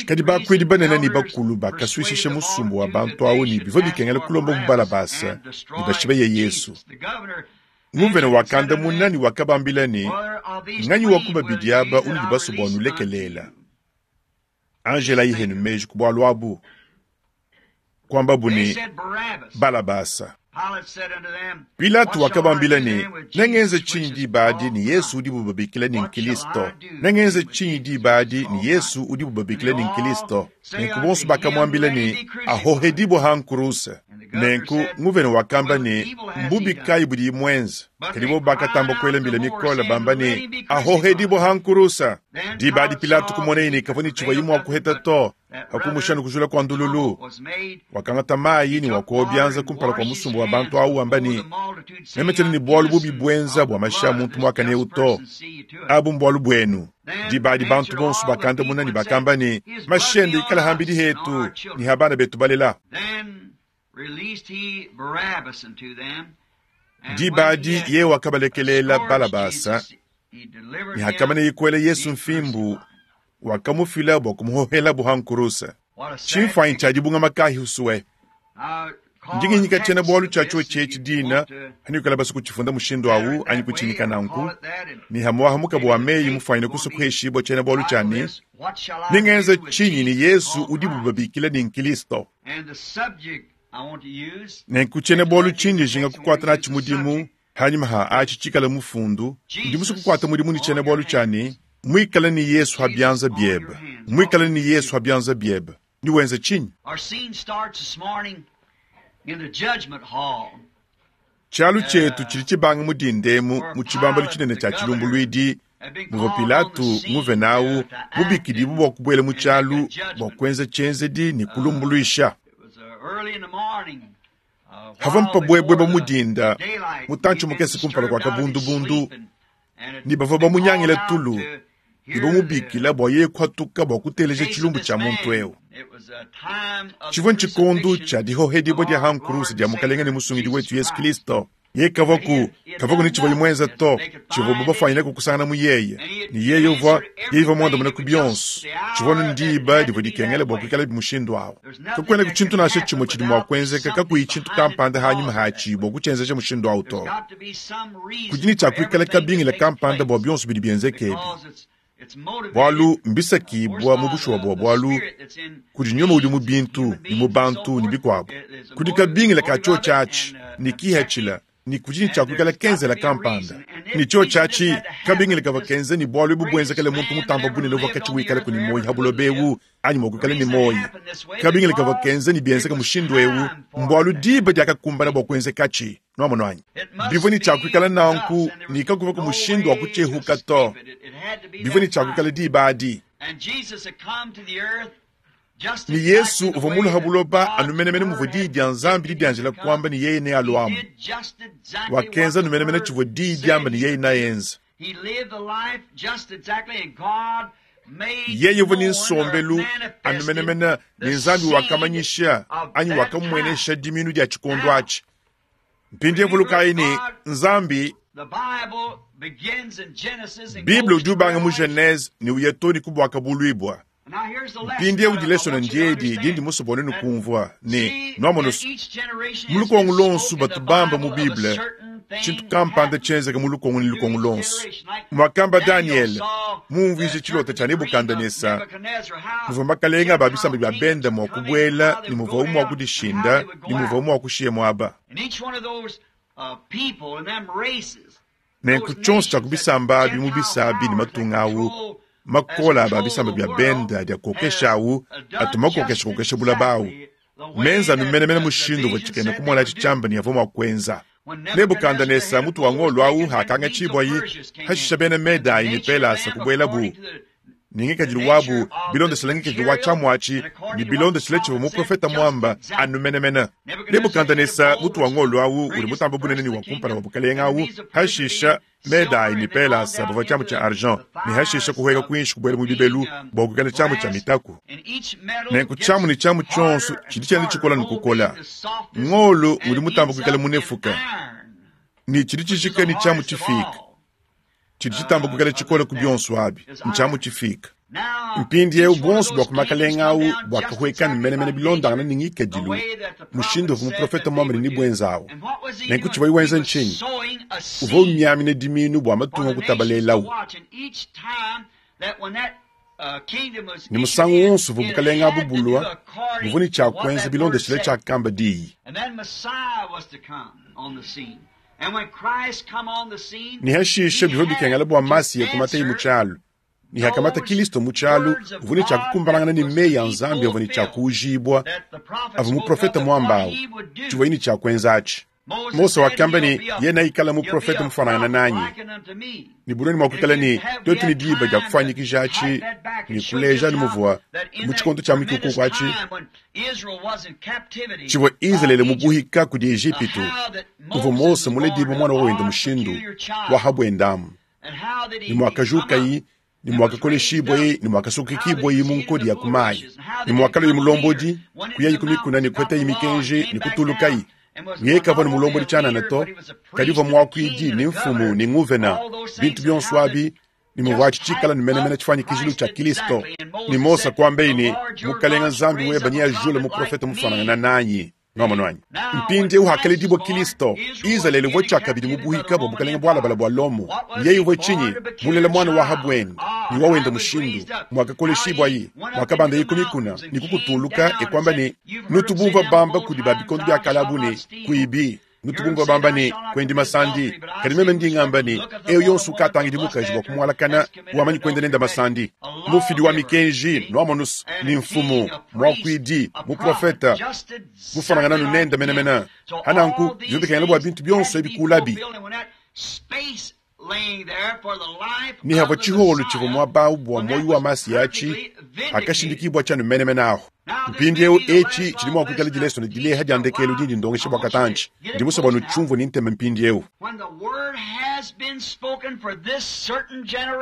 Kadi bakuidi banene ne bakulu bakasuishisha musumba wa bantu au ne bivua bikengela kulomba bu Balabasa ne bashibeye Yesu. Nguvena wakandamuna ne wakabambila ne, Nganyi wa ku babidi aba unudi basue bua nulekeleela? Anjelayi henu meji ku bualu abu. Kuambabu ne, Balabasa. Pilato wakabambila ne, Nengenze tshinyi diba adi ne Yesu udibu babikila ne Nkilisto? Nengenze tshinyi diba adi ne Yesu udibu babikila ne Nkilisto? Nenku bonso bakamuambila ne, Ahohedibue ha nkuruse. Nenku nguvena wakamba ne, Mbubi kayi budiye muenze? Kadi bobo bakatamba kuela mbila mikole bamba ne, Ahohedibue ha nkurusa. Diba adi Pilato kumoneye ne kavua ne tshivuaye mua kuheta to, hakumusha ne kujula kua ndululu, wakangata mayi ne wakowa bianza kumpala kua musumba wa bantu au wamba ne, Meme tshiena ne bualu bubi buenza bua mashi a muntu muakane eu to, abu mbualu buenu. Diba adi bantu bonso bakandamuna ne bakamba ne, Mashi ende ikale hambidi hetu ne ha bana betu balela. Diba adi yeye wakabalekeleela Balabasa, ne hakamaneye kuela Yesu mfimbu, wakamufila bua kumuhohelabo ha nkuruse. Tshimfuanyi tshia dibungama kahi usue. Ndi nginyika tshiena-bualu tshia tshiotshi etshi dina, hanuikala basue kutshifunda mushindu au anyi kutshinyika nanku, ne hamuaha mukaba wa meyi mufuanyine kusua kuheshibua tshiena-bualu tshia ne, Nengenze tshinyi ne Yesu udibu babikila ne Nkilisto? Nenku tshiena-bualu tshindi njinga kukuata natshi mudimu hanyima ha atshi tshikale mufundu, ndi musue kukuata mudimu ne tshiena-bualu tshia ne, Muikale ne Yesu ha bianza biebe. Muikale ne Yesu ha bianza biebe. Newenze tshinyi? Tshialu tshietu tshidi tshibanga mu dinda emu mu tshibambalu tshinene tshia tshilumbuluidi muvua Pilato nguvena au mubikidibue bua kubuela mu tshialu bua kuenza tshienzedi ne kulumbuluisha. Havua mpabuebue mu dinda, mutantshi mukese kumpala kua kabundubundu, ne bavua bamunyangile tulu ne bamubikila bua yeye kuhatuka bua kuteleja tshilumbu tshia muntu eu. Tshivua ntshikondo tshia dihohedibua dia ha nkuruse dia Mukalenge ne Musungidi wetu Yesu Kristo. Yeye kavwaku, kavwaku ne tshivwaye mwenze to, tshivwabo bafwanyine kukusangana mu yeye. Ne yeye uvwa, yeye uvwa mwandamune ku byonso. Tshivwa anu ndiba divwa dikengela bwa kwikalabi mushindu awu. Kakwenaku tshintu nansha tshimwe tshidi mwa kwenzeka kakuyi tshintu kampanda hanyima haatshi bwa kutshenzeja mushindu awu to. Kudi ne tshia kwikala kabingila kampanda bwa byonso bidi byenzeka ebi. Bwalu mbisakibwa mu bushuwa bwa bwalu kudi nyuma udi mu bintu ne mu bantu ne bikwabo. Kudi kabingila ka tshiotshi atshi ne kihatshila ne kudi ne tshia kwikala kenzela kampanda. Ne tshiotshi atshi kabingila kavwa kenza ne bwalu ebu buenzekele muntu mutamba bunene uvwa katshi wikalaku ne muoyi ha buloba ebu anyi mwa kwikala ne muoyi. Kabingila kavwa kenza ne bienzeka mushindu ewu mbwalu diba diakakumbana bwa kuenzekatshi. Nwamonu anyi? Bivwa ne tshia kwikala nanku ne kakuvwa ku mushindu wa kutshehuka to. Bivwa ne tshia kwikala diba adi. Ne Yesu uvwa mulue ha buloba anu menemene muvwa Diyi dia Nzambi didianjila kuamba ne yeye nealuamu. Wakenza anu menemene tshivwa Diyi diamba ne yeye naenza. Yeye uvwa ne nsombelu anu menemene ne Nzambi wakamanyisha anyi wakamumuenesha dimiinu dia tshikondo atshi. Mpindieu vulukayi ne, Nzambi, Bible udi ubanga mu Genese ne uya too ne ku Buakabuluibua. Mpindieu dilesona ndiedi dindi musue bua nuenu kumvua ne, Nuamonu's, mu lukongo luonso batu bamba mu Bible tshintu kampanda tshienzeka mu lukongo ne lukongo luonso. Muakamba Danyele mumvuije tshilota tshia Nebukadenesa, muvua makalenge a ba bisamba bia bende mua kubuela ne muvuawu mua kudishinda ne muvuawu mua kushiya muaba. Nenku tshionso tshia ku bisamba abi mu bisa abi ne matunga awu makole a ba bisamba bia bende adi akokesha awu atu makokeshakokesha bulaba awu menza anu menemene mushindu uvua tshikena kumona atshi tshiamba ne avua mua kuenza. Nebukadenesa mutu wa ngolo awu akaangatshibuayi, hashisha bena Medayi ne Pelasa kubuelabu ne ngikadilu wabu bilondeshile ngikadilu wa tshiamu atshi ne bilondeshile tshivua muprofete muamba anu menemene. Nebukadenesa mutu wa ngolo awu udi mutambe bunene ne wa kumpala wa bukalenge awu, hashisha Medayi ne Pelasa bavua tshiamu tshia argent ne hashisha kuhueka kuinshi kubuela mu bibelu bua kuikala tshiamu tshia mitaku. Nenku tshiamu ne tshiamu tshionso tshidi tshienda tshikola ne kukola. Ngolo udi mutambe kuikala munefuka ne tshidi tshijika ne tshiamu tshifiika. Tshidi tshitamba kuikala tshikole ku bionso abi ntshiamu tshifiika. Mpindieu buonso bua ku makalenge au buakahueka ne menemene bilondangane ne ngikadilu mushindu uvua muprofete muambe ne nebuenza au. Nenku tshivuaye wenza ntshinyi? Uvua umiamina dimiinu bua matunga kutabalelawu. Ne musangu wonso uvua bukalenge abu bulua, buvua ne tshia kuenza bilondeshile tshiakamba diyi. Ne hashishe bivua bikengela bua Masiya kumataye mu tshialu. Ne hakamata Kilisto mu tshialu, uvua ne tshia kukumbanangana ne meyi a Nzambi avua ne tshia kuujibua, avua muprofete muamba au, tshivuaye ne tshia kuenza atshi. Mose wakamba ne, yeye neikale muprofete mufuanangane nanyi. Ne bunene mua kuikala ne tuetu ne diba dia kufuanyikija atshi ne kuleja anu muvua mu tshikondo tshia mikukuku atshi tshivua Izalele mubuhika kudi Ejipitu, kuvua Mose muledibue muana wa wende mushindu wa ha buendamu, ne muakajukayi ne muakakoleshibuaye ne muakasukikibuaye mu nkodi ya ku mayi, ne muakaluaye mulombodi, kuyaye ku mikuna ne kuhetaye mikenji ne kutulukaye. Yeye kavua ne mulombodi tshianana to, kadi uvua muakuidi ne mfumu ne nguvena, bintu bionso abi ne muvuatshi tshikala ne menemene tshifuanyikijilu tshia Kilisto. Ne Mose kuambaye ne, Mukalenga Nzambi weba neajule muprofete mufuanangana nanyi. Nwamonu anyi? Mpindieu hakaledibua Kilisto, Izalele uvua tshiakabidi mu buhika bua bukalenge bualabala bua Lomo. Yeye uvua tshinyi? Mulela muana wa ha buende ne wa wende mushindu, muakakoleshibuaye, muakabandaye ku mikuna ne kukutuluka e kuamba ne, Nutu bumvua bamba kudi ba bikondo bia kale abu ne, Kuibi. Nutu bumvua bamba ne, Kuendi masandi. Kadi meme ndi ngamba ne, eu yonso ukatangidi mukaji bua kumualakana, wamanyi kuenda nende masandi. Mufidi wa mikenji, nwamonus, ni mfumu, muakuidi, muprofete, mufuanangana nu nende menemene. Hananku, bivua bikengela bua bintu bionso ebi kulabi. Ne havua tshiholo tshivua muaba au bua muoyo wa Masiya atshi, akashindikibua tshianu menemene ahu. Mpindieu etshi tshidi mua kuikala dilesona dileha dia ndekelu dindi ndongesha bua katantshi. Ndi musue bua nutshiumvue ne ntema mpindieu.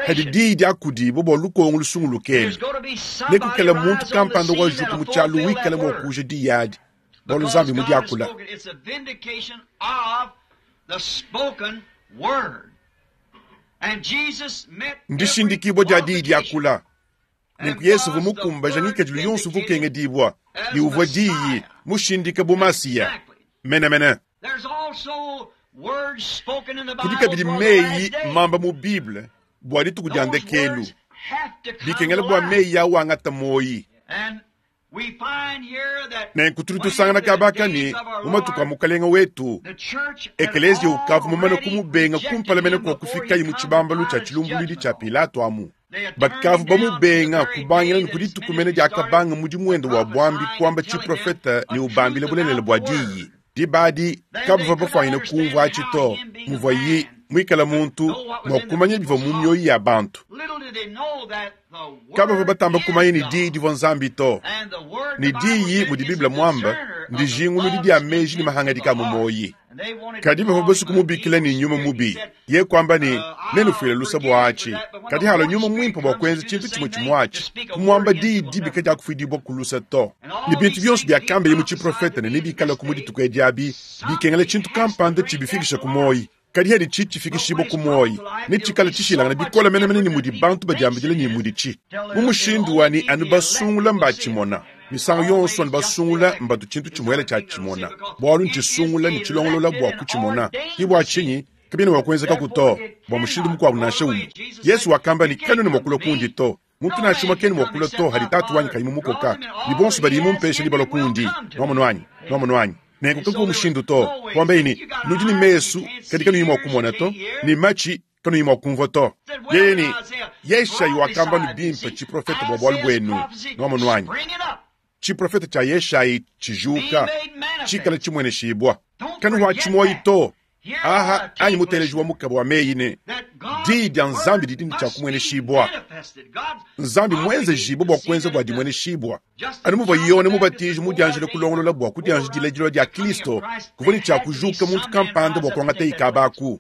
Hadi diyi diakudibua bua lukongo lusunguluke elu, nekukale muntu kampanda wajuka mu tshialu wikala mua kuuja diyi adi, bualu Nzambi mudiakula. Ndishindikibua dia diyi diakula. Nenku Yesu uvua mukumbaja ngikadilu yonso uvua ukengedibua, ne uvua Diyi mushindika bu Masiya menemene. Kudi kabidi meyi mamba mu Bible bua dituku dia ndekelu, bikengela bua meyi au angata muoyi. Nenku tudi tusangana kaba aka ne, mu matuku a Mukalenge wetu, ekeleziya ukavua mumane kumubenga kumpala mene kua kufikaye mu tshibambalu tshia tshilumbuluidi tshia Pilato amu. Bakavua bamubenga kubangila ne ku dituku mene diakabanga mudimu wende wa buambi kuamba tshiprofete ne ubambila bulelela bua diyi. Diba adi kabavua bafuanyine kumvua atshi to, muvuaye muikale muntu mua kumanya bivua mu mioyo ya bantu. Kabavua batamba kumanya ne diyi divua Nzambi to. Ne diyi, mudi Bible muambe, ndijinguludi dia meji ne mahangadika a mu muoyi. Kadi bavua basue kumubikila ne nyuma mubi. Ye kuamba ne, Nenufuile luse bua atshi. Kadi halua nyuma muimpe bua kuenza tshintu tshimue tshimue atshi, kumuamba diyi dibi kadiakufuidibua ku luse to. Ne bintu bionso biakambeye mu tshiprofete ne nebikalaku mu dituku edi abi, bikengela tshintu kampanda tshibifikisha ku muoyi. Kadi haditshi tshifikishibua ku muoyi, netshikale tshishilangane bikole menemene ne mudi bantu badiambidila ne muditshi. Mu mushindu wa ne anu basungula mbatshimona. Misangu yonso anu basungula mbatu tshintu tshimuele tshia tshimona, bualu ntshisungula ne tshilongolola bua kutshimona. Ke bua tshinyi kabiena mua kuenzekaku to, bua mushindu mukuabu nansha umue. Yezu wakamba ne, Kanuena mua kulua kundi to. Muntu nansha umue kena mua kulua to hadi Tatu wanyi kayi mumukoka, ne bonso badiye mumpeshe nebalue kundi. Nuamonu anyi? Nuamonu anyi? Nenku kakuvua mushindu to. Kuambaye ne, Nudi ne mesu, kadi kanuyi mua kumona to, ne matshi, kanuyi mua kumvua to. Yeye ne, Yeshayi wakamba nu bimpe tshiprofete bua bualu buenu. Nuamonu anyi? Tshiprofete tshia Yeshayi tshijuka, tshikale tshimueneshibua. Kanuhuatshi muoyo to. Aha anyi muteleji wa mukaba wa meyi ne, Diyi dia Nzambi didi ne tshia kumueneshibua. Nzambi muenzejibue bua kuenza bua dimueneshibua. Anu muvua Yone Mubatiji mudianjile kulongolola bua kudianjidila dilua dia Kristo, kuvua ne tshia kujuka muntu kampanda bua kuangata ikaba aku.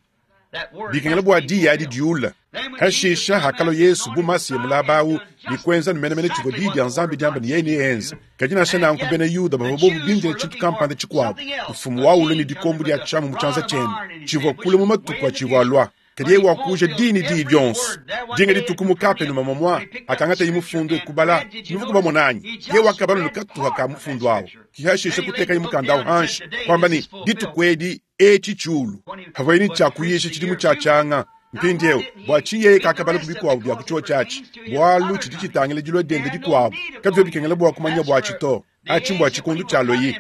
Bikengela bua diyi adi diule. Hashisha hakalua Yesu bu Masiya mulaba au ne kuenza nu menemene tshivua diyi dia Nzambi diamba ne yeye neenze. Kadi nansha nanku bena Yuda bavua bobu bindile tshintu kampanda tshikuabu, mfumu waulua ne dikombo dia tshiamu mu tshianza tshiende, tshivua kule mu matuku atshivua alua. Kadi yeye wakuuja diyi ne diyi dionso. Dinga dituku mu Kapenuma momua hakangataye mufundu e kubala, nuvua kubamona anyi? Yeye wakabala ne katuha ka mufundu au, ki hashisha kutekaye mukanda au hanshi, kuamba ne, Dituku edi etshi tshiulu. Havuaye ne tshia kuyisha tshidimu tshia tshianga. Mpindieu, bua tshinyi yeye kakabala ku bikuabu bia ku tshiotshi atshi? Bualu tshidi tshitangila dilua diende dikuabu. Kabivua bikengela bua kumanya buatshi to. Atshi mbua tshikondo tshia loyi.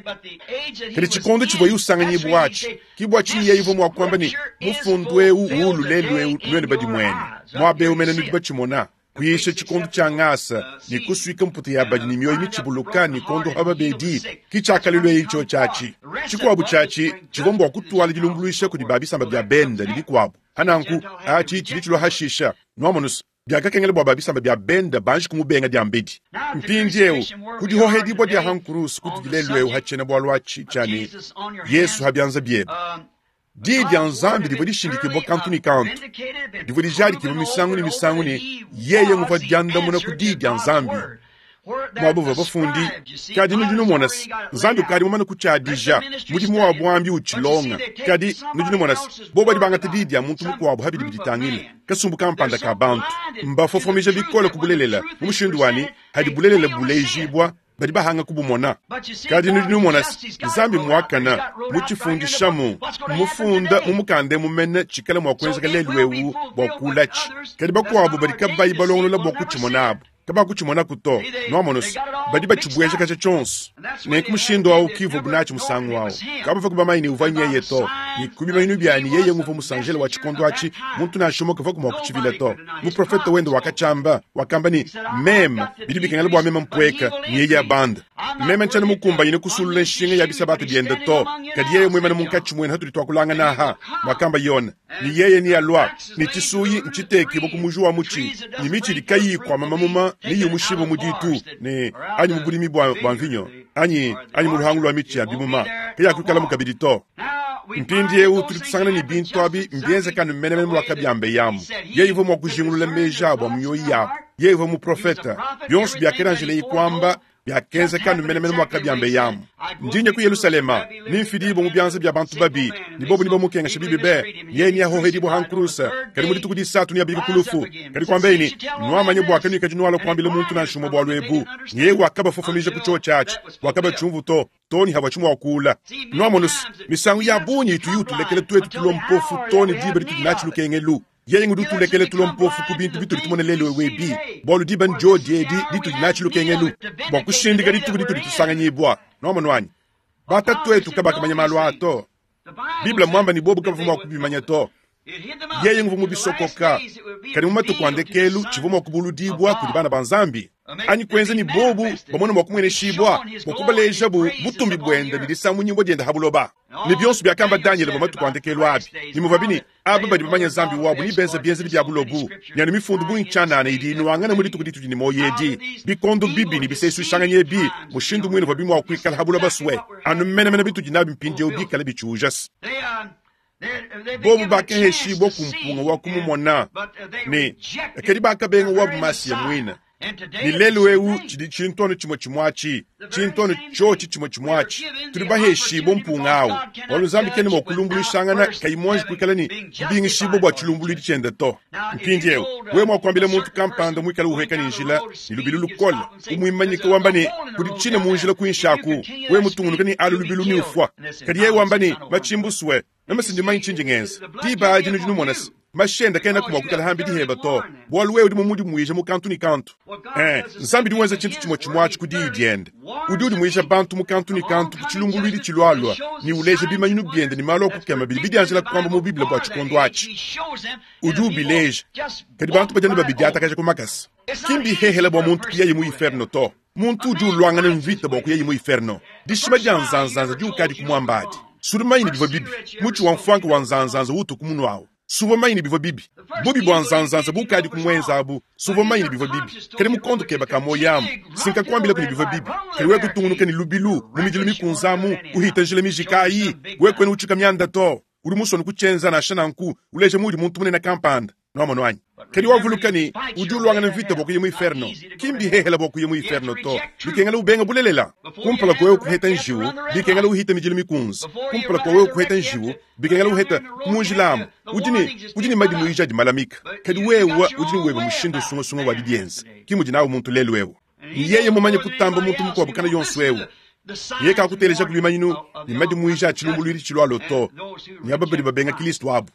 Kadi tshikondo tshivuaye usanganyibua atshi, ke bua tshinyi yeye uvua mua kuamba ne, Mufundu eu uulu lelu eu nuenu badimuene. Muaba eu mene nudi batshimona. Kuyisha tshikondo tshia ngasa ne kusuika mputa ya badi ne mioyo mitshibuluka ne kuondopa babedi, ke tshiakalelu eyi tshiotshi atshi. Tshikuabu tshiatshi tshivua mbua kutuala dilumbuluisha kudi ba bisamba bia bende ne bikuabu. Hananku, atshi tshidi tshilua hashisha. Nuamonus, biakakengela bua ba bisamba bia bende banji kumubenga diambedi. Mpindieu, ku dihohedibua dia ha nkuruse kutudi lelu eu ha tshiena-bualu atshi tshia ne, Yesu ha bianza biebe. Diyi dia Nzambi divua dishindikibua kantu ne kantu, divua dijadikibua misangu ne misangu ne, yeye nguvua diandamuna ku Diyi dia Nzambi. Muaba uvua bafundi, kadi nudi numona se, Nzambi ukadi mumane kutshiadija mudimu wa buambi utshilonga. Kadi nudi numona se, bobu badi bangata diyi dia muntu mukuabu ha bidi biditangila kasumbu kampanda ka bantu, mbafofomija bikole ku bulelela mu mushindu wa ne, hadi bulelela bulejibua, badi bahanga kubumona. Kadi nudi numona se, Nzambi muakane, mutshifundishamu, mmufunda mu mukanda emu mene tshikala mua kuenzeka lelu eu bua kuulatshi. Kadi bakuabu badi kabayi balongolola bua kutshimona abu, kabakutshimonaku to. Nuamonu se, badi batshibuejakaja tshionso. Nenku mushindu au ki uvuabu natshi musangu au. Kabavua bamanye ne uvua nyeye to, ne ku bimanyinu bia ne yeye nguvua musanjele wa tshikondo atshi, muntu nansha umue kavuaku mua kutshivila to. Muprofete wende wakatshiamba, wakamba ne, Meme, bidi bikengela bua meme mpueka, ne yeye abanda. Meme ntshiena mukumbanyine kusulula nshinga ya bisabata biende to, kadi yeye muimane munkatshi muenu hatudi tuakulangana aha, muakamba Yone, ne yeye nealua, ne tshisuyi ntshitekibue ku muji wa mutshi, ne mitshi idi kayiyi ikuama mamuma neyumushibue mu ditu, ne anyi mu budimi bua, bua mvinyo, anyi, anyi mu luhangu lua mitshi ya bimuma, kayakuikalamu kabidi to. Mpindieu tudi tusangana ne bintu abi mbienzeke anu menemene muakabiambeyamu. Yeye uvua mua kujingulula meji abu a mu mioyo yabu. Yeye uvua muprofete. Bionso biakelanjileye kuamba Biakenzeka anu menemene muakabiambeyamu. Ndi nya ku Yelushalema, nemfidibue mu bianza bia bantu babi, ne bobo nebamukengeshe bibi be, ne yeye neahohedibue ha nkuruse, kadi mu dituku disatu neabike ku lufu. Kadi kuambeye ne, Nuamanye bua kanuikadi nualua kuambila muntu nansha umue bualu ebu. Ne yeye wakabafofomija ku tshiotshi atshi, bua kabatshiumvu to, too ne havuatshi mua kuula. Nuamonu's, misangu ya bungi ituyi utulekela tuetu tulua mpofu too ne diba ditudi natshi lukengelu. Yeye ngudi utulekela tulua mpofu ku bintu bitudi tumona lelu eu ebi, bualu diba ndiodi edi ditudi natshi lukengelu bua kushindika dituku ditudi tusanganyibua. Nuamonu anyi? Batatuetu kabakamanya malu aa to. Bible mmuambe ne, bobu kabavua mua kubimanya to. Yeye nguvua mubisokoka, kadi mu matuku a ndekelu tshivua mua kubuludibua kudi bana ba Nzambi, anyi kuenza ne bobu bamone mua kumueneshibua, bua kubalejabu butumbi buende ne disamunyibua diende ha buloba. Ne bionso biakamba Danyele bua matuku a ndekelu abi, ne muvuabi ne, aba badi bamanye Nzambi wabu ne benza bienzedi bia bulobu, ne anu mifundu bungi tshianana idi inuangana mu dituku ditudi ne muoyo edi, bikondo bibi ne bisesuishanganyi ebi, mushindu muine uvuabi mua kuikala ha buloba sue, anu menemene bitudi nabi mpindieu bikale bitshiuja. Bobu bakeheshibua ku mpunga wa kumumona, ne kadi bakabenga wabu Masiya muine. Ne lelu eu tshidi tshintu anu tshimue tshimue atshi, tshintu anu tshiotshi tshimue tshimue atshi. Tudi baheshibue mpunga au, bualu Nzambi kena mua kulumbuluishangana kayi muanji kuikala ne dibingishibua bua tshilumbuluidi tshiende to. Mpindieu, wewe mua kuambila muntu kampanda muikale uhueka ne njila ne lubilu lukole, umuimanyika wamba ne, kudi tshina mu njila kuinshi aku, wewe mutungunuke ne alu lubilu ne ufua. Kadi yeye wamba ne, matshimbusue, meme si ndi mumanye tshindi ngenza. Diba adi nudi numona se, mashi ende kaenaku mua kuikala hambi diheba to, bualu wewe udi mumudimuije mu kantu ne kantu. Eh, Nzambi udi wenza tshintu tshimue tshimue atshi ku Diyi diende. Udi udimuija bantu mu kantu ne kantu ku tshilumbuluidi tshilualua ne uleja bimanyinu biende ne malu a kukema bidi bidianjila kuamba mu Bible bua tshikondo atshi. Udi ubileja, kadi bantu badi anu babidiatakaja ku makasa. Ki mbihehele bua muntu kuyaye mu inferno to. Muntu udi uluangana mvita bua kuyaye mu inferno. Dishima dia nzanzanza diukadi kumuamba adi. Sudi mumanye ne bivua bibi. Mutshi wa mfuanka wa nzanzanza utu ku munu awu. Suvua mumanye ne bivua bibi. Bubi bua nzanzanza bukadi kumuenza abu. Suvua mumanye ne bivua bibi. Kadi mu kondo keba ka muoyo amu, si nkakuambilaku ne bivua bibi. Kadi wewe kutungunuka ne lubilu mu midilu mikunze amu, uhita njila mijika ayi, wewe kuena utshuka mianda to. Udi musue kutshienza nansha nanku, uleja muudi muntu munene kampanda. Nuamonu anyi? Kadi wavuluka ne, udi uluangana mvita bua kuya mu inferno. Ki mbihehela bua kuya mu inferno to. Bikengela ubenga bulelela. Kumpala kua wewe kuheta njiwu, bikengela uhita midilu mikunze. Kumpala kua wewe kuheta njiwu, bikengela uheta mu njila amu. Udi ne, udi ne madimuija adi malamika. Kadi wewe udi ne webe mushindu usungasunga wa didienza. Ki mudi nawu muntu lelu eu. Ne yeye mumanye kutamba muntu mukuabu kana yonso eu, yeye kakuteleja ku bimanyinu ne madimuija a tshilumbuluidi tshilualua to, ne aba badi babenga Kristo abu.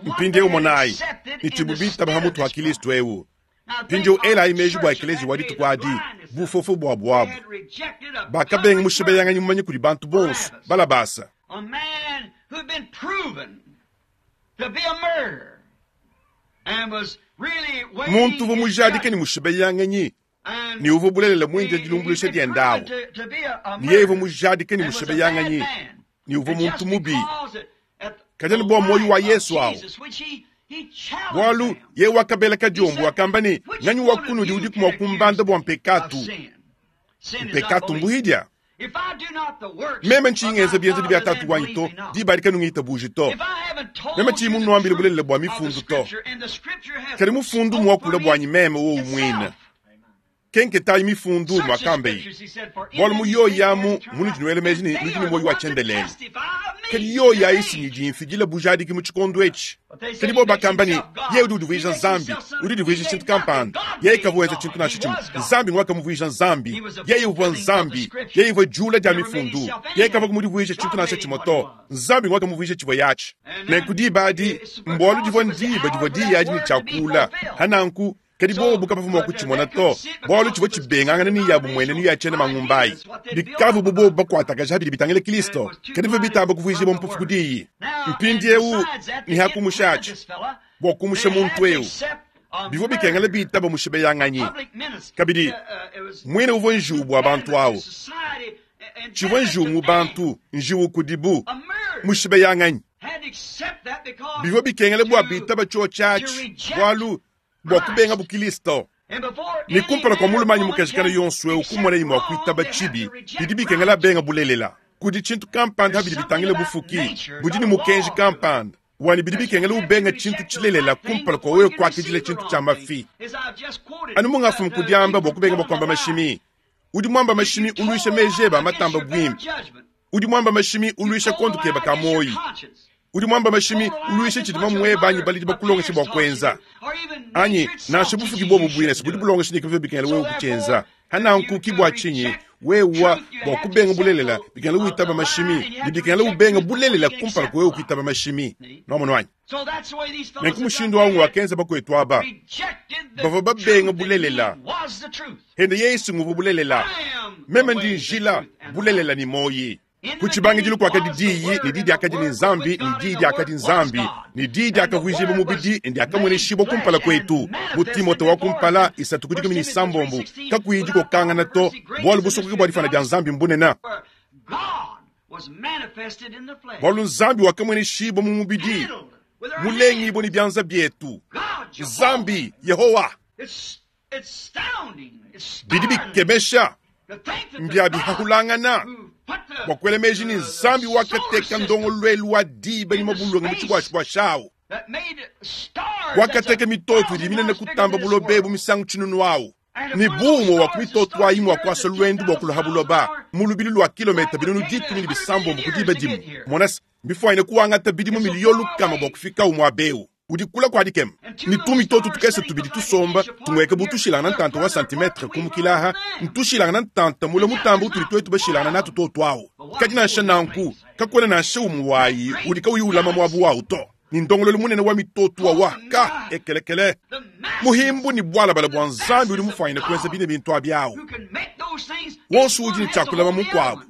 Mpindieu monayi ne tshibu bitaba ha mutu ha Kristo eu. Mpindieu elayi meji bua ekeleziya wa dituku adi, bufofo buabu abu. Bakabenga mushibeyanganyi mumanye kudi bantu bonso, Balabasa. Muntu uvua mujadike ne mushibeyanganyi ne uvua bulelela muindile dilumbuluisha diende awu, ne yeye uvua mujadike ne mushibeyanganyi ne uvua muntu mubi, kadi anu bua muoyo wa Yesu awu, bualu yeye wakabela kadiombo, wakamba ne, Nganyi wa kunudi udiku mua kumbanda bua mpekatu? Mpekatu mbuhidia. Meme ntshiyi ngenza bienzedi bia Tatu wanyi to, diba adi kanungitabuji to. Meme tshiyi munuambile bulelela bua mifundu to. Kadi mufundu mmuakule buanyi meme wowu muine. Kenketayi mifundu, muakambeyi, bualu mu yoyi amu munudi nuela meji ne nudi ne muoyo wa tshiendelele. Kadi yoyi ayi si nyidi imfidila bujadiki mu tshikondo etshi. Kadi bobu bakamba ne, Yeye udi udivuija Nzambi, udi udivuija tshintu kampanda. Yeye kavua wenza tshintu nansha tshimue. Nzambi ngwakamuvuija Nzambi. Yeye uvua Nzambi. Yeye uvua diula dia Mifundu. Yeye kavua mudivuije tshintu nansha tshimue to. Nzambi ngwakamuvuija tshivuaye atshi. Nenku diba adi, mbualu divua ndiba divua diyi adi ne tshiakula. Pa nanku, Kadi bobu kabavua mua kutshimona to, bualu tshivua tshibengangana ne yabu mmuenenu ya tshiena mangumba ayi. Bikavua bu bobu bakuatakaja bidi bitangila Kristo, kadi bivua bitamba kuvuijibua mpofu ku diyi. Mpindieu ne ha kumushatshi, bua kumusha muntu eu, bivua bikengela bitaba mushibeyanganyi. Kabidi, muine uvua njiwu bua bantu au. Tshivua njiwu mu bantu, njiwu kudibu, mushibeyanganyi. Bivua bikengela bua bitaba tshiotshi atshi, bualu bua kubenga bukristo. Ne kumpala kua mulume anyi mukaji kana yonso eu kumonaye mua kuitaba tshibi, bidi bikengela abenga bulelela. Kudi tshintu kampanda bidi bitangila bufuki budi ne mukenji kampanda. Wanyi bidi bikengela ubenga tshintu tshilelela kumpala kua wewe kuakidila tshintu tshia mafi. Anu mungafumu kudiamba bua kubenga bua kuamba mashimi. Udi muamba mashimi uluisha meji ebe a matamba buimpe. Udi muamba mashimi uluisha kondo kebe ka muoyo. Udi muamba mashimi uluisha tshidi mamuebe anyi baledi bakulongeshe bua kuenza. Anyi nansha bufuki buobu buine budi bulongesha ne kibivua bikengela wewe kutshienza. Hananku ki bua tshinyi wewa bua kubenga bulelela bikengela witaba mashimi, ne bikengela ubenga bulelela kumpala kua wewe kuitaba mashimi. Nwamonu anyi? Nenku mushindu awu ngwakenza bakwetu aba. Bavua babenga bulelela. Hende Yesu nguvua bulelela. Meme ndi njila, bulelela ne muoyi. Ku tshibangidilu kuakadi Diyi, ne Diyi diakadi ne Nzambi, ne Diyi diakadi Nzambi, ne Diyi diakavuijibua mubidi ne diakamueneshibua kumpala kuetu. Mu Timote wa kumpala 3:16, kakuyi dikokangana to, bualu busokoke bua difuana dia Nzambi mbunene. Bualu Nzambi wakamueneshibua mu mubidi, mulengibue ne bianza bietu. Nzambi, Yehowa. Bidi bikemesha, mbia bihahulangana bua kuela meji ne Nzambi wakateka ndongoluelu wa diba ne mabulunge mu tshibuashibuashi awu, wakateka mitoto idi minene kutamba buloba ebu misangu tshinunu awu, ne bu umue wa ku mitoto ayi mua kuasa luendu bua kulua ha buloba mu lubilu lua kilometa 160 ku diba dimue. Mona se, mbifuanyine kuangata bidimu miliyo lukama bua kufikawu muaba eu. Udi kula kua dikema, ne tumitoto tukese tubidi tusomba tumueka bu tushilangana ntanta wa santimetre kumukila aha, ntushilangana ntanta mule mutamba utudi tuetu bashilangana natu tuotu awu. Kadi nansha nanku, kakuena nansha umue wayi udi kauyi ulama muabu wawu to. Ne ndongoluelu munene wa mitoto wawa ka ekelekele muhimbu ne bualabala bua Nzambi udi mufuanyine kuenza bine bintu abi awu. Wonso udi ne tshia kulama mukuabu.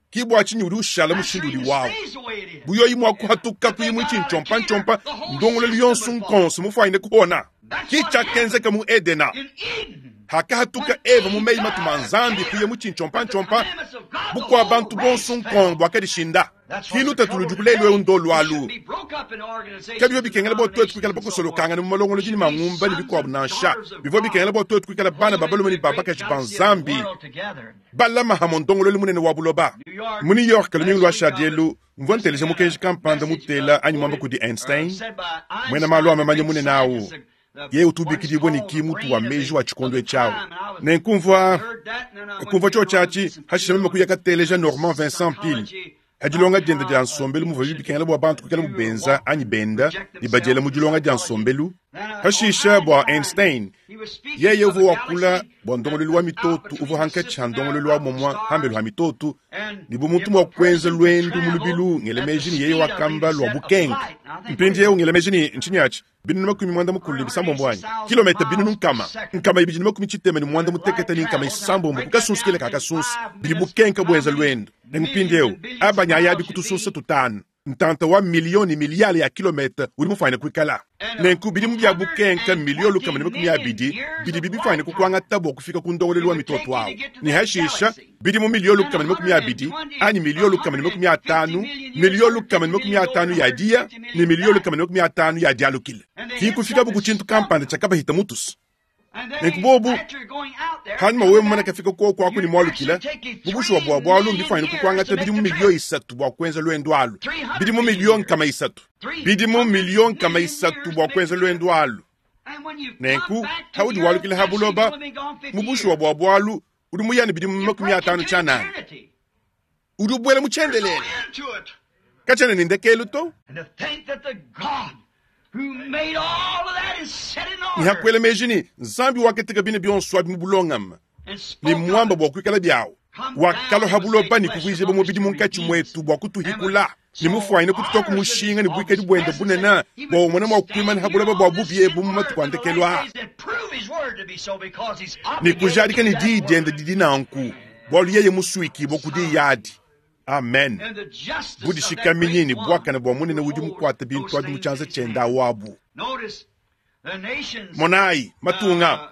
Ki bua tshinyi udi ushala mushindu udi wawu. Bu yoyi mua kuhatuka ku imue tshintshompa-ntshompa, ndongoluelu yonso nkonso mufuanyine kuhona. Ki tshiakenzeka mu Edena. Hakahatuka Eva mu meyi matuma a Nzambi kuya mu tshintshompa-ntshompa, bukua bantu bonso nkong buakadishinda. Ki lutatu ludiku lelu eu ndolu alu. Kabivua bikengela bua tuetu kuikala bakosolokangane mu malongolodi ne mangumba ne bikuabu nansha. Bivua bikengela bua tuetu kuikala bana ba balume ne ba bakaji ba Nzambi. Balama hamue ndongoluelu munene wa buloba. Mu New York lumingu luashadi elu, mvua nteleja mukenji kampanda mutela anyi muamba kudi Einstein, muena malu a mamanya munene au. Yeye utu ubikidibua ne ki mutu wa meji wa tshikondo etshi au. Nenku mvua kumvua tshiotshi atshi, hashishe meme kuya kateleja Norman Vincent Peale ha dilonga diende dia nsombelu muvuabi bikengela bua bantu kuikalabu benza anyi benda ne badiela mu dilonga dia nsombelu. Hashishe bua Einstein, yeye uvua wakula bua ndongoluelu wa mitoto uvua hankatshi ha ndongoluelu wa muomua hambelu ha mitoto ne bu muntu mua kuenza luendu mu lubilu ngela meji ne yeye wakamba lua bukenke. Mpindieu ngela meji ne ntshinyi atshi? 36 anyi? Kilometa 286 ku kasunsu kele ka kasunsu bidi bukenke buenza luendu. Ne mpindieu abanya ayabi ku tusunsa tutanu, ntanta wa miliyo ne miliyale ya kilometa udi mufuanyine kuikala. Nenku bidimu bia bukenke miliyo 120 bidi bifuanyine kukuangata bua kufika ku ndongoluelu wa mitoto au. Ne hashisha bidimu miliyo 120 anyi miliyo 150, miliyo 150 ya diya ne miliyo 150 ya dialukila. Ki kufikabu ku tshintu kampanda tshiakabahita mutusu. Nenku bobu, hanyima wewe mumane kafika kuoku aku ne mualukila, mu bushuwa bua bualu mbifuanyine kukuangata bidimu miliyo 3 bua kuenza luendu alu. Bidimu miliyo 300. Bidimu miliyo 300 bua kuenza luendu alu. Nenku, haudi walukila ha buloba, mu bushuwa bua bualu, udi muyane bidimu 50 tshianana. Udi ubuela mu tshiendelele. Katshiena ne ndekelu to. Ne hakuela meji ne Nzambi wakateka bine bionso abi mu bulongame ne muamba bua kuikala biawu, wakalua ha buloba ne kuvuijibua mubidi munkatshi muetu bua kutuhikula, ne mufuanyine kututua ku mushinga ne buikadi buende bunene bua umone mua kuimana ha buloba bua bubi ebu mu matuku a ndekelu aa, ne kujadika ne diyi diende didi nanku, bualu yeye musuikibue ku diyi adi. Amen. Budishikaminyi ne buakane bua munene udi mukuate bintu abi mu tshianza tshiende awabu. Monayi, matunga,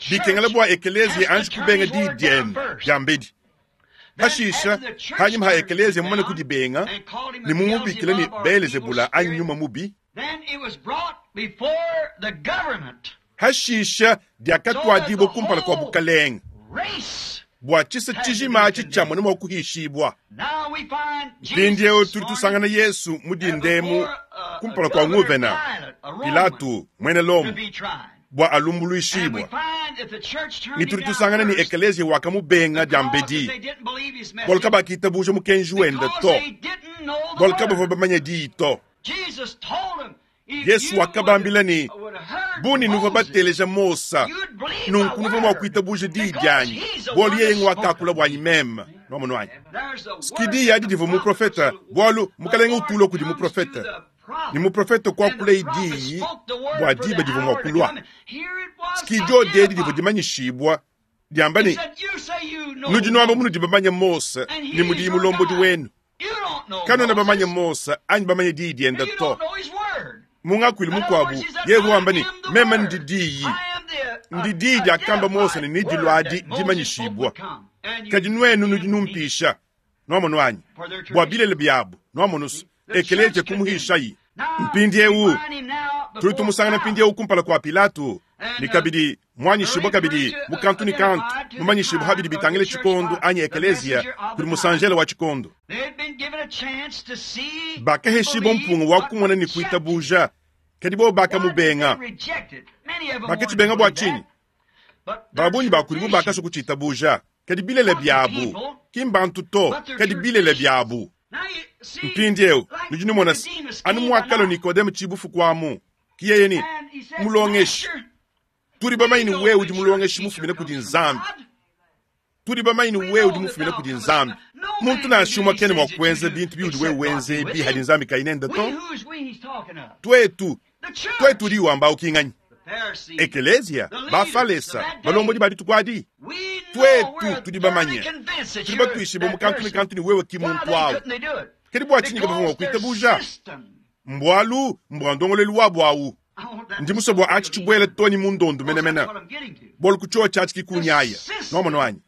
bikengela bua ekeleziya anji kubenga diyi diende diambedi. Hashisha, hanyima ha ekeleziya mumane kudibenga ne mumubikile ne Beelezebula anyi nyuma mubi, hashisha diakatuadibua kumpala kua bukalenge bua tshisa tshijima atshi tshiamona mua kuhishibua. Mpindieu tudi tusangana Yesu mu dindemu. Kumpala kua nguvena Pilatu, muena Lomo, bua alumbuluishibua, ne tudi tusangana ne ekeleziya wakamubenga diambedi, bualu kabakitabuja mukenji wende to, bualu kabavua bamanye diyi to. Yesu wakabambila ne, Bu ne nuvua bateleja Mosa, nunku nuvua mua kuitabuja diyi dianyi, bualu yeye nguakakula buanyi meme. Nwamonu anyi? Ski diyi adi divua muprofete, bualu Mukalenge utulua kudi muprofete, ne muprofete kuakulaye diyi bua diba divua mua kulua. Ski diodi edi divua dimanyishibua diamba ne, Nudi nuamba munudi bamanye Mose ne mudiyi mulombodi wenu. Kanuena bamanye Mose anyi bamanye diyi diende to. Mu ngakuilu mukuabu, yeye wamba ne, meme ndi diyi. Ndi diyi diakamba Mose ne nediluadi dimanyishibua. Kadi nuenu nudi numpisha. Nuamonu anyi? Bua bilele biabu, nuamonu ekeleziya kumuhishayi. Mpindieu tudi tumusangana mpindieu kumpala kua Pilato, ne kabidi muanyishibua kabidi mu kantu ne kantu, mumanyishibua ha bidi bitangila tshikondo anyi ekeleziya kudi musanjele wa tshikondo. Bakaheshibua mpunga wa kumona ne kuitabuja, kadi bobo bakamubenga. Bakatshibenga bua tshinyi? Ba bungi ba kudibu bakasua kutshitabuja, kadi bilele biabu, ki mbantu to, kadi bilele biabu. Mpindieu nudi numona se, anu muakalua Nikodeme tshibufuku amu, ki yeye ne, Mulongeshi, tudi bamanye ne wewe udi mulongeshi mufumine kudi Nzambi. Tudi bamanye ne wewe udi mufumine kudi Nzambi. Muntu nansha umue kena mua kuenza bintu biudi wewe wenza ebi hadi Nzambi kayi nende to. Tuetu, tuetu udi wamba ki nganyi? Ekeleziya, Bafalesa, balombodi ba dituku adi. Tuetu tudi bamanye, tudi batuishibue mu kantu ne kantu ne wewe ki muntu awu. Kadi bua tshinyi kabavua mua kuitabuja? Mbualu mbua ndongoluelu wabu awu. Ndi musue bua atshi tshibuele too ne mu ndondu menemene, bualu ku tshiotshi atshi ki kunyaya. Nwamonu anyi?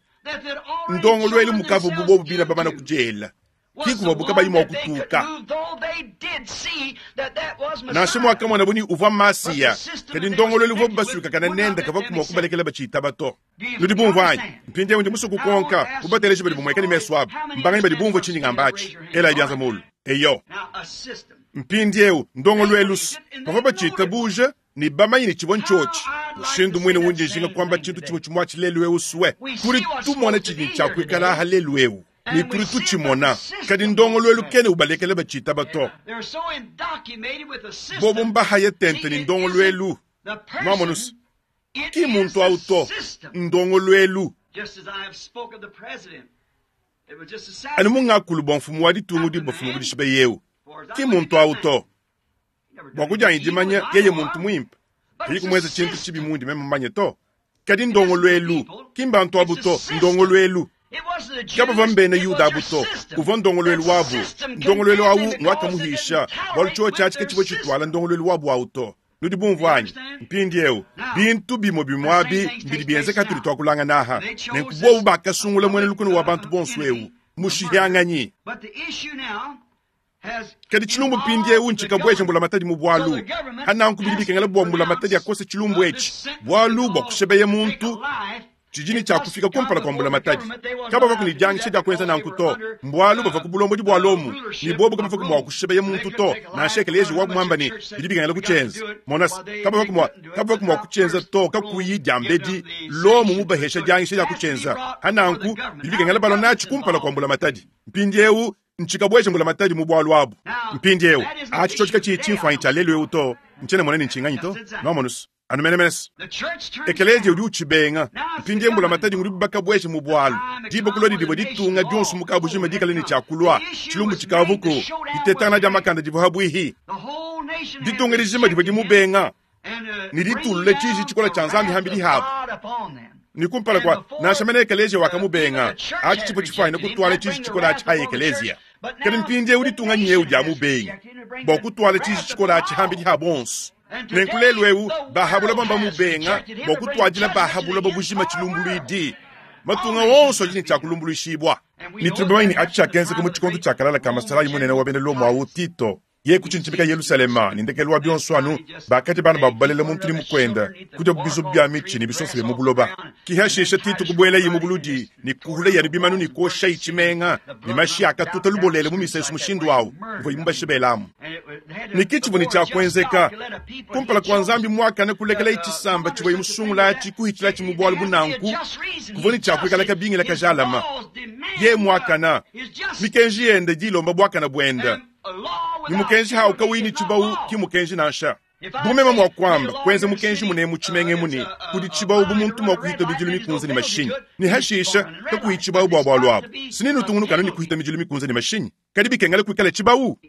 Ndongoluelu mukavuabu bobu bine bamane kudiela, ki kuvuabu kabayi mua kutuka. Nansha muakamonabu ne uvua Masiya, kadi ndongoluelu uvuabu basuikakane nende kavua mua kubalekela batshitaba to. Nudi bumvua anyi? Mpindieu ndi musue kukonka bu bateleji badi bumueka ne mesu abu, mbanganyi badi bumvua tshindi ngamba atshi? Elayi bianza mulu. Eyo. Mpindieu ndongoluelu bavua batshitabuja ne bamanye ne tshivua ntshiotshi. Mushindu muine undi njinga kuamba tshintu tshimue tshimue atshi lelu eu sue, tudi tumona tshidi tshia kuikala aha lelu eu ne tudi tutshimona, kadi ndongoluelu kena ubalekela batshitaba to. Bobu mbahaye tente ne ndongoluelu. Nwamonu se, ki mmuntu au to, ndongoluelu. Anu mu ngakulu bua mfumu wa ditunga udi bafuma ku dishipa eu, ki muntu au to. Bua kudianyi dimanya, yeye muntu muimpe, kayi kumuenza tshintu tshibi mundi meme mumanye to. Kadi ndongoluelu, ki mbantu abu to, ndongoluelu. Kabavua mbena Yuda abu to, uvua ndongoluelu wabu. Ndongoluelu au nguakamuhisha, bualu tshiotshi atshi katshivua tshituala ndongoluelu wabu au to. Nudi bumvua anyi? Mpindieu, bintu bimue bimue abi mbidi bienzeka hatudi tuakulangana aha. Nenku bobu bakasungula muena lukuna wa bantu bonso eu, mushihianganyi. Kadi tshilumbu mpindieu ntshikabueja mbulamatadi mu bualu. Hananku bidi bikengela bua mbulamatadi akose tshilumbu etshi, bualu bua kushebeya muntu tshidi ne tshia kufika kumpala kua mbulamatadi. Kabavua ne dianyisha dia kuenza nanku to, mbualu bavua ku bulombodi bua Lomo, ne bobu kabavua mua kushibeya muntu to, nansha ekeleziya wabu muamba ne, bidi bikengela kutshienza. Mona se, kabavua mua, kabavua mua kutshienza to kakuyi diambedi Lomo mubahesha dianyisha dia kutshienza. Pa nanku, bidi bikengela balua natshi kumpala kua mbulamatadi. Mpindieu, ntshikabueje mbulamatadi mu bualu abu. Mpindieu, atshi tshiotshi katshiyi tshimfuanyi tshia lelu eu to, ntshiena mmona ne ntshinganyi to. Nuamonu se, Anu menemene se, Ekeleziya udi utshibenga. Mpindieu mbulamatadi ngudi bakabueje mu bualu. Diba kulua didivua ditunga dionso mu kabujima dikale ne tshia kulua, tshilumbu tshikavuku, ditetangana dia makanda divua pabuihi. Ditunga dijima divua dimubenga ne ditulula tshiji tshikola tshia Nzambi hambidi habu. Ne kumpala kua nansha mene ekeleziya wakamubenga, atshi tshivua tshifuanyine kutuala tshiji tshikola atshi ha ekeleziya. Kadi mpindieu ditunga nyeu dia mubengi bua kutuala tshiji tshikola atshi hambidi ha bonso. Nenku lelu eu ba buloba mbamubenga bua kutuadila ba buloba bujima tshilumbuluidi. Matunga onso adi ne tshia kulumbuluishibua. Ne tudi bamanye ne atshi tshiakenzeka mu tshikondo tshia kalala ka masalayi munene wa bena Lomo au Tito. Yeye kutshintshimika Yelushalema, ne ndekelu wa bionso anu bakadia bana babu balela muntu ne mukuende, kudiabu bizubu bia mitshi ne bisonsa bia mu buloba. Ke hashisha Tito kubuelaye mu buludi ne kuhulaye anu bimanu ne kuoshaye tshimenga, ne mashi akatuta lubolele mu misesu mushindu au uvua mubashibelamu. Ne ke tshivua ne tshia kuenzeka kumpala kua Nzambi muakane kulekelaye tshisamba tshivuaye musungula atshi kuhitshilatshi mu bualu bu nanku, kuvua ne tshia kuikala kabingila kajalama. Yeye muakana, mikenji yende idi ilomba buakane buende, ne mukenji hawu kawuyi ne tshibawu ki mmukenji nansha. Bu meme mua kuamba, kuenza mukenji munemu mu tshimenga emu ne, kudi tshibawu bu muntu mua kuhita midilu mikunze ne mashinyi, ne hashisha kakuyi tshibawu bua bualu abu, sinenutungunuka anu ne kuhita midilu mikunze ne mashinyi. Kadi bikengela kuikale tshibawu,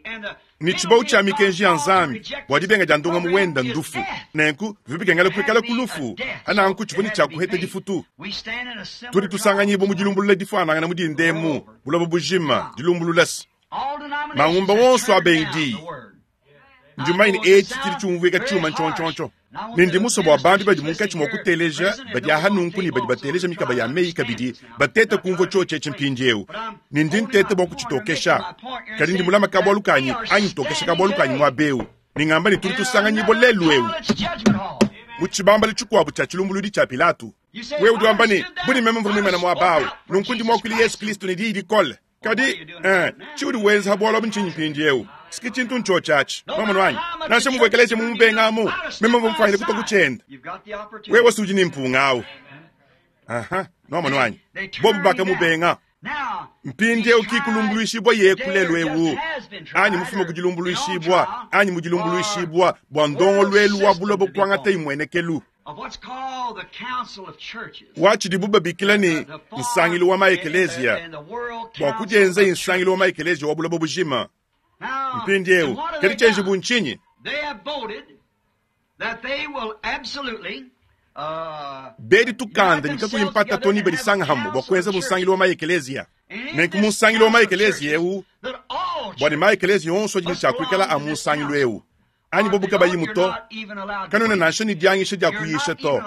ne tshibawu tshia mikenji ya Nzambi bua dibenga dia ndongamu wenda ndufu. Nenku bivua bikengela kuikala ku lufu, ananku tshivua ne tshia kuheta difutu. Tudi tusanganyibua mu dilumbulula difuanangana mu dinda emu, buloba bujima, dilumbulula se mangumba wonso abengi diyi. Ndi mumanye ne etshi tshidi tshiumvuika tshiuma ntshiontshiontshio, ne ndi musue bua bantu badi munkatshi mua kuteleja badi aha nunku ne badi bateleja mikaba ya meyi kabidi batete kumvua tshiotshi etshi mpindieu, ne ndi nteta bua kutshitokesha. Kadi ndi mulame kabualu kanyi anyi ntokesha kabualu kanyi muaba eu, ne ngamba ne tudi tusanganyibua lelu'eu mu tshibambalu tshikuabu tshia tshilumbuluidi tshia Pilato. Wewe udi wamba ne, Bu ne meme mvua muimane muaba au, nunku ndi muakuile Yesu Kristo ne diyi dikole. Kadi, eh, tshiudi wenza ha bualu abu ntshinyi mpindieu? Siki tshintu ntshiotshi atshi. Wamonu anyi? Nansha muvua ekeleziya mumubengamu, meme mvua mufuanyine kutua ku tshiende. Wewe si udi ne mpunga au. Aha, nwamonu anyi? Bobu bakamubenga. Mpindieu ki kulumbuluishibua yeku lelu eu, anyi mufume ku dilumbuluishibua, anyi mu dilumbuluishibua bua ndongoluelu wa buloba kuangata imuenekelu. Wa tshidibu babikila ne nsangilu wa maekeleziya, bua kudienza nsangilu wa maekeleziya wa buloba bujima. Mpindieu, kadi tshienjibu ntshinyi? Bedi tukanda ne kakuyi mpata to ne badisanga hamue bua kuenza nsangilu wa maekeleziya. Nenku mu nsangilu wa maekeleziya eu, bua ne maekeleziya onso adi ne tshia kuikala a mu nsangilu eu, anyi bobu kabayimu to, kanuena nansha ne dianyisha dia kuyisha to,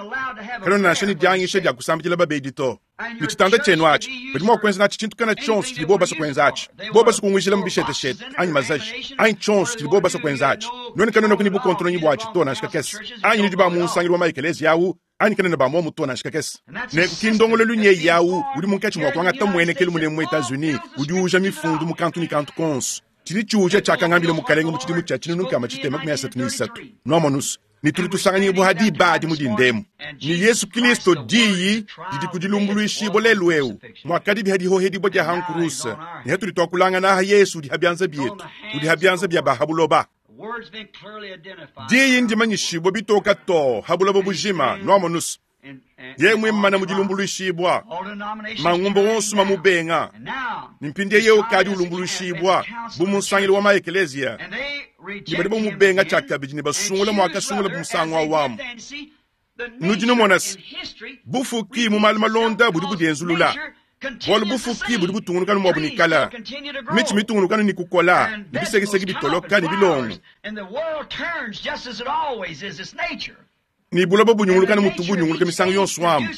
kanuena nansha ne dianyisha dia kusambidila babedi to. Ne tshitanda tshienu atshi, badi mua kuenza natshi tshintu kana tshionso tshidi bobu basue kuenza atshi. Bobu basue kunguijila mu bisheteshete anyi mazaji anyi tshionso tshidi bobu basue kuenza atshi, nuenu kanuenaku ne bukontononyi buatshi to nansha kakese. Anyi nudi ba mu nsangilu wa maekeleziya au, anyi kanuena ba muomu to nansha kakese. Nenku ki ndongoluelu nyeyi au udi munkatshi mua kuangata mmuenekelu munene mu Etats-Unis udi uuja mifundu mu kantu ne kantu konso. Tshidi tshiuja tshiakangambila Mukalenge mu tshidimu tshia 1333. Nuamonus, ne tudi tusanganyibua ha diba adi mu dinda emu. Ne Yesu Kilisto, Diyi, didi ku dilumbuluishibua lelu eu, muakadi ha dihohedibua dia ha nkuruse, ne hatudi tuakulangana aha Yesu udi ha bianza bietu, udi ha bianza bia ba ha buloba. Diyi ndimanyishibua bitoka too ha buloba bujima. Nuamonus, Yeye muimana mu dilumbuluishibua, mangumba wonso mamubenga, ne mpindieu yeye ukadi ulumbuluishibua bu mu nsangilu wa maekeleziya, ne badi bamubenga tshiakabidi ne basungula muakasungula bu musangu au amu. Nudi numona se, bufuki mu malu malonda budi budienzulula, bualu bufuki budi butungunuka ne muabu ne kala, mitshi mitungunuka ne kukola, ne bisekiseki bitoloka ne bilongo. Ne buloba bunyunguluka ne mutu bunyunguluka misangu yonso amu.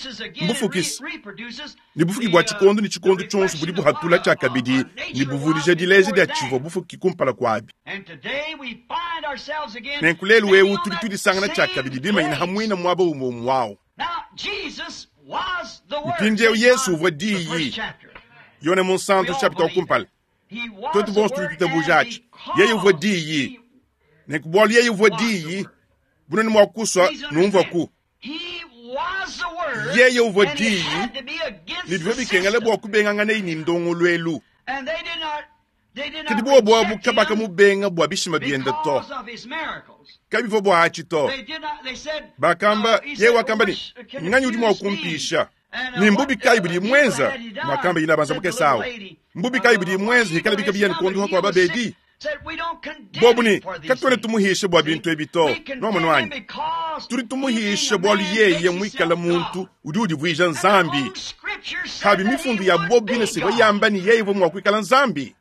Mbufukisi ne bufuki bua tshikondo ne tshikondo tshionso budi buhatula tshiakabidi ne buvudija dileja dia tshivua bufuki kumpala kuabi. Nenku lelu eu tudi tudisangana tshiakabidi bimanyine ha muine muaba umue umue au. Mpindieu Yesu uvua Diyi. Yone Munsantu chapita wa kumpala. Tuetu bonso tudi tuitabuja atshi. Yeye uvua Diyi. Nenku bualu yeye uvua Diyi, bunene mua kusua numvuaku. Yeye uvua Diyi, ne bivua bikengela bua kubenganganaye ne ndongoluelu. Kadi buobu abu kabakamubenga bua bishima biende to. Kabivua bua atshi to. Bakamba, yeye wakamba ne, Nganyi udi mua kumpisha? Ne mbubi kayi budi muenza? Makamba yina banza mukese awu. Mbubi kayi budi muenza hikala bika biya ne kwa babedi? Bobu ne, katuena tumuhisha bua bintu ebi to. Nwamonu anyi? Tudi tumuhisha bualu yeye muikala muntu udi udivuija Nzambi. Habi mifundu ya bobu bine sivua yamba ne yeye uvua mua kuikala Nzambi.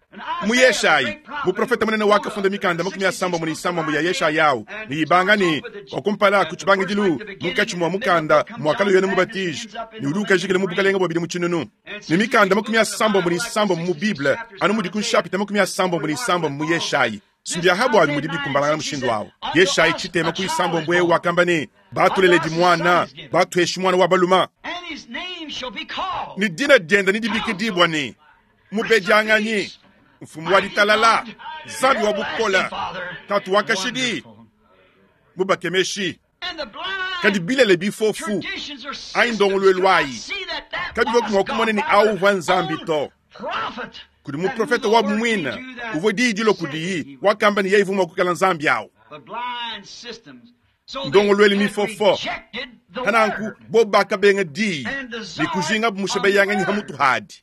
Mu Yeshayi, muprofete munene wakafunda mikanda 36 ya Yeshaya au ne ibanga ne wa kumpala ku tshibangidilu munkatshi mua mukanda muakalua Yone Mubatiji ne udi ukajikila mu bukalenge bua bidimu tshinunu. Ne mikanda 36 mu Bible anu mudi ku nshapita 36 mu Yeshayi. Sindi aha bualu mudi bikumbalangana mushindu au. Yeshayi tshitema ku isambombo eu wakamba ne, batuleledi muana, batuheshi muana wa baluma, ne dina diende nedibikidibua ne, Mubedianganyi, Mfumu wa ditalala, Nzambi wa bukole, Tatu wa kashidi, Mubakemeshi. Kadi bilele bifofu anyi ndongoluelu ayi kabivua mua kumona ne awu uvua Nzambi to. Kudi muprofete wabu muine uvua diyi dilua kudiyi, wakamba ne yeye uvua mua kuikala Nzambi awu. Ndongoluelu mifofo. Pananku bobu bakabenga diyi ne kujingabu mushebeyanganyi ha mutu hadi.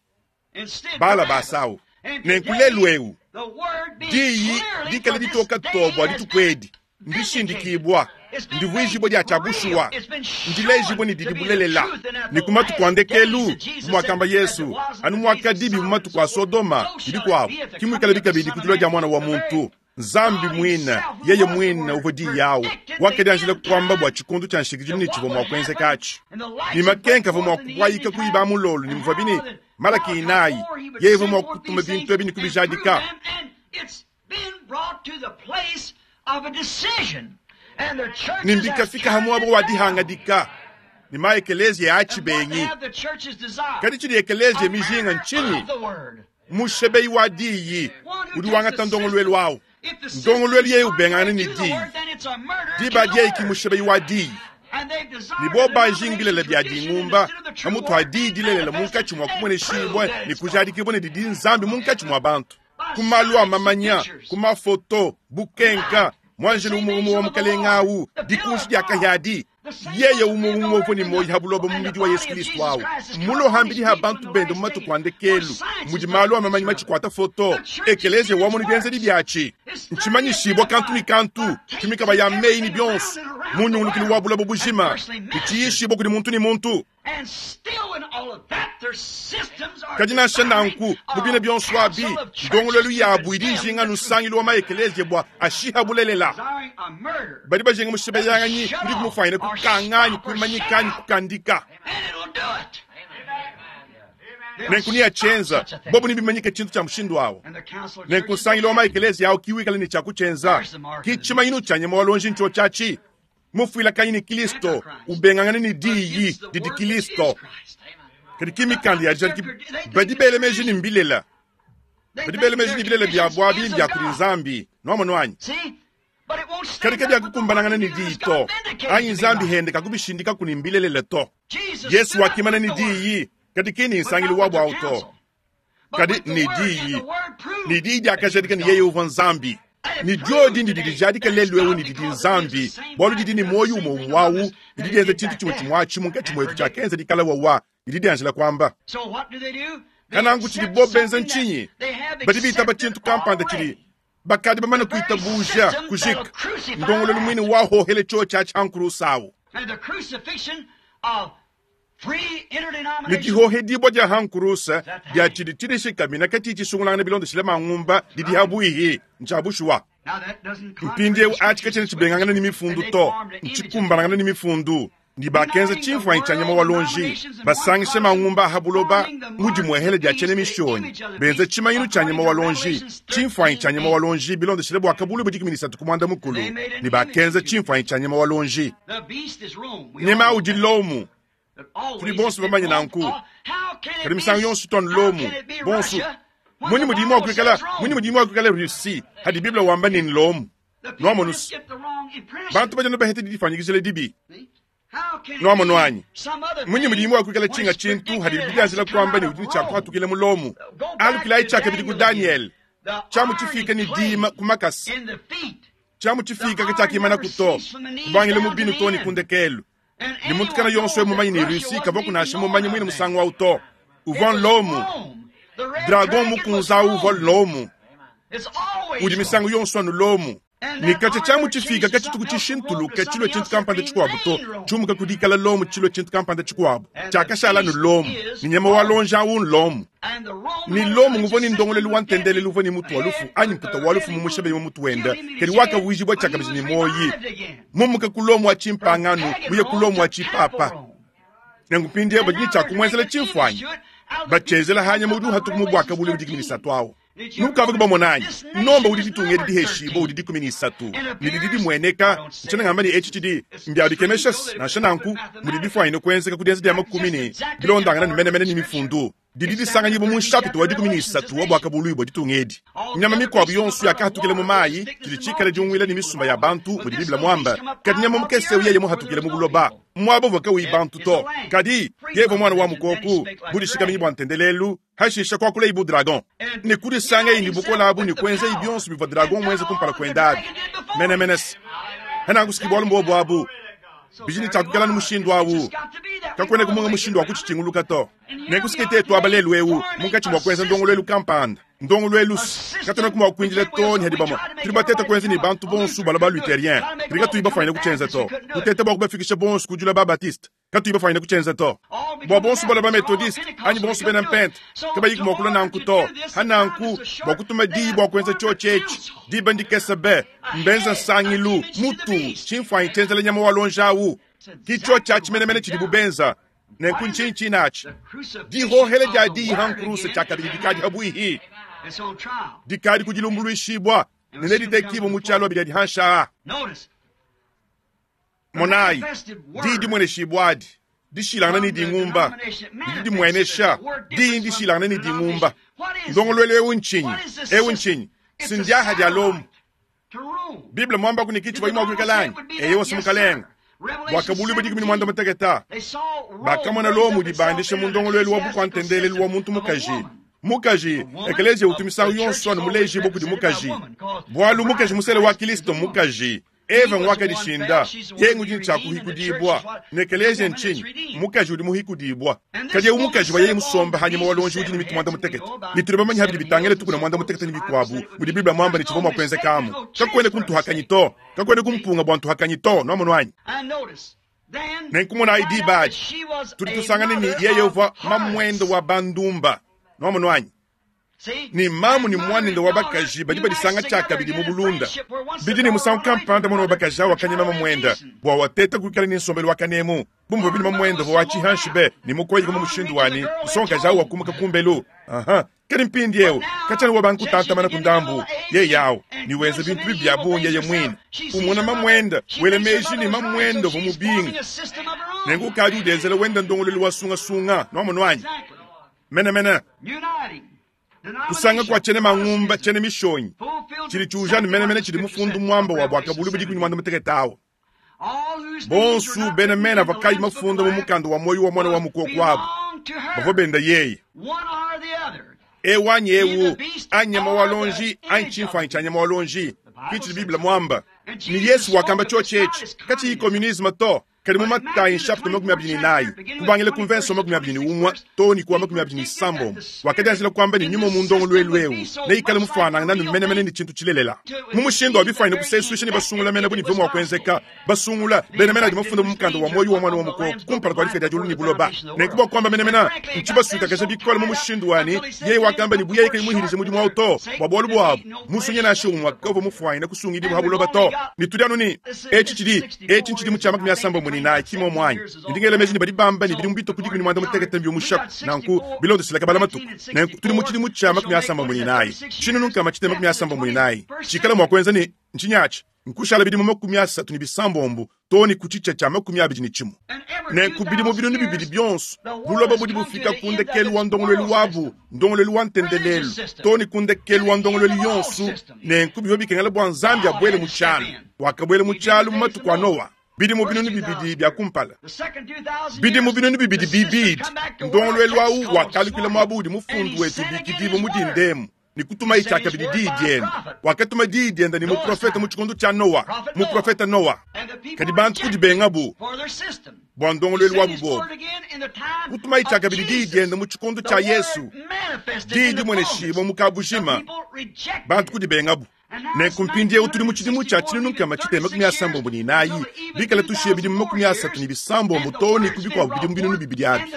Bala basawu. Nenku lelu eu diyi dikale ditoka too bua dituku edi ndishindikibua, ndivuijibua dia tshia bushuwa, ndilejibua ne didi bulelela. Ne ku matuku a ndekelu, bu muakamba Yesu, anu muakadibi mu matuku a Sodoma ne bikuabu, ki muikalabi kabidi ku dilua dia Muana wa muntu. Nzambi muine, yeye muine uvua Diyi awu, wakadianjila kuamba bua tshikondo tshia nshikidilu ne tshivua mua kuenzeka atshi, ne makenka avua mua kubuayika ku iba mulolo, ne muvuabi ne Malaki inayi, yeye uvua mua kutuma bintu ebi ne kubijadika. Ne mbikafika ha muaba wa dihangadika ne ma ekeleziya a tshibengi. Kadi tshidi ekeleziya mijinga ntshinyi? Mushebeyi wa diyi udi wangata ndongoluelu au. Ndongoluelu yeye ubengangana ne diyi, diba adi yeye ki mushebeyi wa diyi. Ne bobu bajinga bilele bia dingumba pamutu ha diyi dilelela munkatshi mua kumueneshibua ne kujadikibua ne didi Nzambi munkatshi mua bantu, ku malu a mamanya, ku mafoto, bukenka, muanjelu umue umue wa Mukalenge au, dikunshi dia kahia adi, yeye umue umue uvua ne muoyo ha buloba mu mubidi wa Yesu Kristo au, muloha mbidi ha bantu bende mu matuku a ndekelu, mudi malu a mamanyi matshikuata foto, ekeleziya wamonu bienzedi biatshi, ntshimanyishibua kantu ne kantu, ku mikaba ya meyi ne bionso, mu nyungulukilu wa buloba bujima, ne tshiyishibua kudi muntu ne muntu. Kadi nansha nanku, mu bina bionso abi, ndongoluelu yabu idi ijinga anu nsangilu wa ma-ekeleziya bua ashiha bulelela. Badi bajinga mushibeyanganyi udi kumufuanyina kukanga anyi kuimanyika anyi kukandika. Nenku neatshienza bobu nebimanyike tshintu tshia mushindu awu. Nenku nsangilu wa ma-ekeleziya awu ki wikala ne tshia kutshienza, ki tshimanyinu tshia nyama wa luonji ntshiotshi atshi. Mufuilakanyi ne Kilisto, ubengangane ne Diyi didi Kilisto. Kadi ki mikanda ya dijadiki. Badi bela meji ne mbilela. Badi bela meji ne bilele biabu abi mbia kudi Nzambi. Nwamonu anyi? Kadi kabiakukumbanangana ne Diyi to, anyi Nzambi hende kakubishindikaku ne mbilelela to. Yesu wakimana ne Diyi, kadi ki ne nsangilu wabu awu to. Kadi ne Diyi, ne Diyi diakajadika ne yeye uvua Nzambi. Ne diodi ndidi dijadika lelu eu ne didi Nzambi, bualu didi ne muoyo umue umue awu, didi dienza tshintu tshimue tshimue atshi munkatshi muetu tshiakenza dikala wawa, didi dianjila kuamba. Kananku tshidibo benza ntshinyi? Badi bitaba tshintu kampanda tshidi bakadi bamane kuitabuja kujika, ndongoluelu muine wahohele tshiotshi atshi ha nkurusa awu. Ne dihohedibua dia ha nkurusa dia tshidi tshidishikamina katshiyi tshisungulangana bilondeshile mangumba didi ha buihi ntshia bushuwa. Mpindieu atshi katshiena tshibengangana ne mifundu to, ntshikumbanangana ne mifundu. Ne bakenza tshimfuanyi tshia nyama wa luonji, basangishe mangumba a ha buloba mu dimuehela dia tshiena mishonyi, benza tshimanyinu tshia nyama wa luonji, tshimfuanyi tshia nyama wa luonji bilondeshile Buakabuluibua 13 ku muanda mukulu, ne bakenza tshimfuanyi tshia nyama wa luonji. Nyama udi Lomu. Tudi bonso bamanye nanku. Kadi misangu yonso tuanu Lomu, bonso. Munyi mudi mua kuikala, munyi mudi mua kuikala Russie, hadi Bible wamba ne Lomu? Nuamonu, bantu badi anu baheta didifanyikijila dibi. Nuamonu anyi? Munyi mudi mua kuikala tshinga tshintu hadi bidianjila kuamba ne udi ne tshia kuhatukila mu Lomu? Alukilayi tshiakabidi ku Daniele, tshiamu tshifika ne dima ku makasa. Tshiamu tshifiika katshiakimanaku to, kubangila mu binu too ne ku ndekelu. Ne muntu kena yonso eu mumanye ne Russie kavua nansha mumanye muine musangu au to. Uvua Lomu. Dragon mukunza au uvua Lomu. Udi misangu yonso anu Lomu. Ne katshia tshiamu tshifiika katshituku tshishintuluka tshilue tshintu kampanda tshikuabu to, tshiumuka ku dikala Lomu tshilue tshintu kampanda tshikuabu. Tshiakashala anu Lomu, ne nyama wa luonji au n'Lomu. Ne Lomu nguvua ne ndongoluelu wa ntendelelu uvua ne mutu wa lufu anyi mputa wa lufu mumushebe mu mutu wende, kadi wakavuijibua tshiakabidi ne muoyi, mumuka ku Lomu wa tshimpangano muye ku Lomu wa tshipapa. Nenku mpindieu badi ne tshia kumuenzela tshimfuanyi, batshienzela ha nyama udi uhatuka mu buaka bule budi 13 au. Nukavua bamona anyi? Nomba udi ditunga edi diheshibua udi 13, ne didi dimueneka. Ntshiena ngamba ne etshi tshidi mbia bikemesha, nansha nanku mudi bifuanyine kuenzeka ku dienza dia makumi ne bilondangana ne menemene ne mifundu. Didi disanganyibua mu nshapita wa 13 wa Buakabuluibua ditunga edi. Nyama mikuabu yonso yakahatukila mu mayi, tshidi tshikale diunguila ne misumba ya bantu, mudi Bible muambe. Kadi nyama mukese eu yeye muhatukile mu buloba, muaba uvua kawuyi bantu to. Kadi yeye uvua muana wa mukoko, budishikaminyi bua ntendelelu, hashishe kuakulayi bu dragon. Ne kudisangayi ne bukole abu ne kuenzayi bionso bivua dragon muenze kumpala kuende abi. Menemene se. Hananku bualu mbuobu abu. Bidi ne tshiakukala ne mushindu awu. Kakuena kumunga mushindu wa kutshitshinguluka to. Nenku tetu aba lelu eu munkatshi mua kuenza ndongoluelu kampanda. Ndongoluelu katuena mua kuindila to ne hadi bamue. Tudi bateta kuenza ne bantu bonso balua ba luthérien. Tudi katuyi bafanyine kutshienza to. Kuteta bua kubafikisha bonso kujula ba baptiste. Katuyi bafanyine kutshienza to. Bua bonso balua ba methodiste anyi bonso bena mpente. Kabayi mua kulua nanku to. Hananku bua kutuma diyi bua kuenza tshiotshi etshi. Diba ndikese be. Mbenza nsangilu mutu tshimfuanyi tshienzela nyama wa lonja awu. Ki tshiotshi atshi menemene tshidibu benza. Nenku ntshinyi atshi? Dihohela dia diyi ha nkuruse tshiakabidi dikadi habuihi. Dikadi kudilumbuluishibua ne neditekibua mu tshialo abidi adi hanshaa. Monayi, diyi dimueneshibua adi dishilangana ne dingumba. Didi dimuenesha diyi ndishilangana ne dingumba. Ndongoluelu eu ntshinyi? Eu ntshinyi? Sindiaha dia Lomo. Bible muamba ku ne kitshi bayimwa kuikala anyi? Eyo wasi mukalenga. Buakabuluibua 18. Bakamona Lomo dibandisha mu ndongoluelu wa bukua-ntendelelu wa muntu mukaji. Mukaji, ekelezia utu misangu yonso anu mulejibua kudi mukaji. Bualu mukaji musele wa Kristo mukaji. Eva ngwakadishinda, yengu dini tshia kuhikudibua. Ne ekelezia ntshinyi? Mukaji udi muhikudibua. Kadi eu mukaji wa yeye musomba hanyima wa lonji udi ne mitu mwanda mutekete. Ne tudi bamanye habidi bitangile tukuna mwanda mutekete ne bikuabu, mudi Bible muamba ne tshivua mua kuenzekamu. Kakuena kuntuhakanyi to. Kakuena kumpunga bua ntuhakanyi to, nuamono anyi? Nenku monayi diba adi, tudi tusangana ne yeye uvua mamuende wa bandumba, nuamono anyi? Ni mamu ni mwanende wa bakaji badi badisanga tshiakabidi mu bulunda. Bidi ne musangu kampanda mwana wa bakaji awu wakanyema mamuende bua wateta kuikala ne nsombelu wa kanemu. Bumvua bidi mamuende uvua wa tshihanshi be ne mukoyi mu mushindu wani nsongakaji awu wakumuka kumbelu. Aha, kadi mpindi eu katshiana wa bantu kutantamana ku ndambu yeye yawu ni wenza bintu bibi bia bungi yeye mwine. Umona mamuende wele meji ni mamuende uvua mubinga. Nenku ukadi udenzela wenda ndongoluelu wa sungasunga nuamono anyi? Mene mene. Kusanga kwa tshiene mangumba tshiene mishonyi tshidi tshiujana menemene tshidi mufundu muamba wa Buakabuluibua 16 awu. Bonso bena mena vakayi mafunda mu mukanda wa moyo wa mwana wa mukoko wabu bavua benda yeye. Ewanyi ewu anyama wa lonji anyi tshimfuanyi tshia nyama wa lonji kitshi Bible muamba. Ni Yesu wakamba tshiotshi etshi katshiyi communisme to. Kadi mu Matayi chapitre 24 kubangila ku verse 21 to ni ku 26 wakadianjila kwamba ni nyuma mu ndongoluelu eu neikale mufuanangana ne menemene ne tshintu tshilelela. Mu mushindu wa bifanyine kusesuisha ne basungula mena bu ne bivua mua kuenzeka. Basungula bena mena adi mafunda mu mukanda wa moyo wa mwana wa mukoko kumpala kua difika dia diulu ne buloba. Nenku bua kuamba menemene ntshibasuikakaja bikole mu mushindu wani yeye wakamba ne buye kayi muhirize mudimu wawu to bua bualu buabu musunye nansha umwe kavua mufuanyine kusungidibua ha buloba to. Ne tudi anu ne etshi tshidi etshi ntshidimu tshia 64 kimo mwanyi. Ndingela meji ne badi bamba ne bidimu bito ku 16 mbio mushaku nanku bilondeshila kabala matuku. Nenku tudi mu tshidimu tshia 64 tshinunu nkama tshitema 64 tshikala mua kuenza ne ntshinyatshi nkushala bidimu 36 to ne ku tshitsha tshia 21. Nenku bidimu 20 bionso buloba budi bufika ku ndekelu wa ndongoluelu wabu, ndongoluelu wa ntendelelu to ne ku ndekelu wa ndongoluelu yonso. Nenku bivua bikengela bua Nzambi abuele mu tshialu. Wakabuela mu tshialu mu matuku a Noa. Bidimu 2000 bia kumpala. Bidimu 2000 bibidi. Ndongoluelu awu wakalukila muaba udi mufundu wetu bikidibua mu dindemu. Ni kutuma ichakabidi diyi diende. Wakatuma diyi diende ni muprofeta mu tshikondo tshia Noa, muprofeta Noa. Kadi bantu kudibengabu bua ndongoluelu wabu bobu. Kutuma ichakabidi diyi diende mu tshikondo tshia Yesu. Diyi dimweneshibua mu kabujima. Bantu kudibengabu. Nenku mpindieu tudi mu tshidimu tshia tshinunu nkama tshitema 64 bikala tushiye bidimu 36 to ne ku bikuabu bidimu 2000 abi.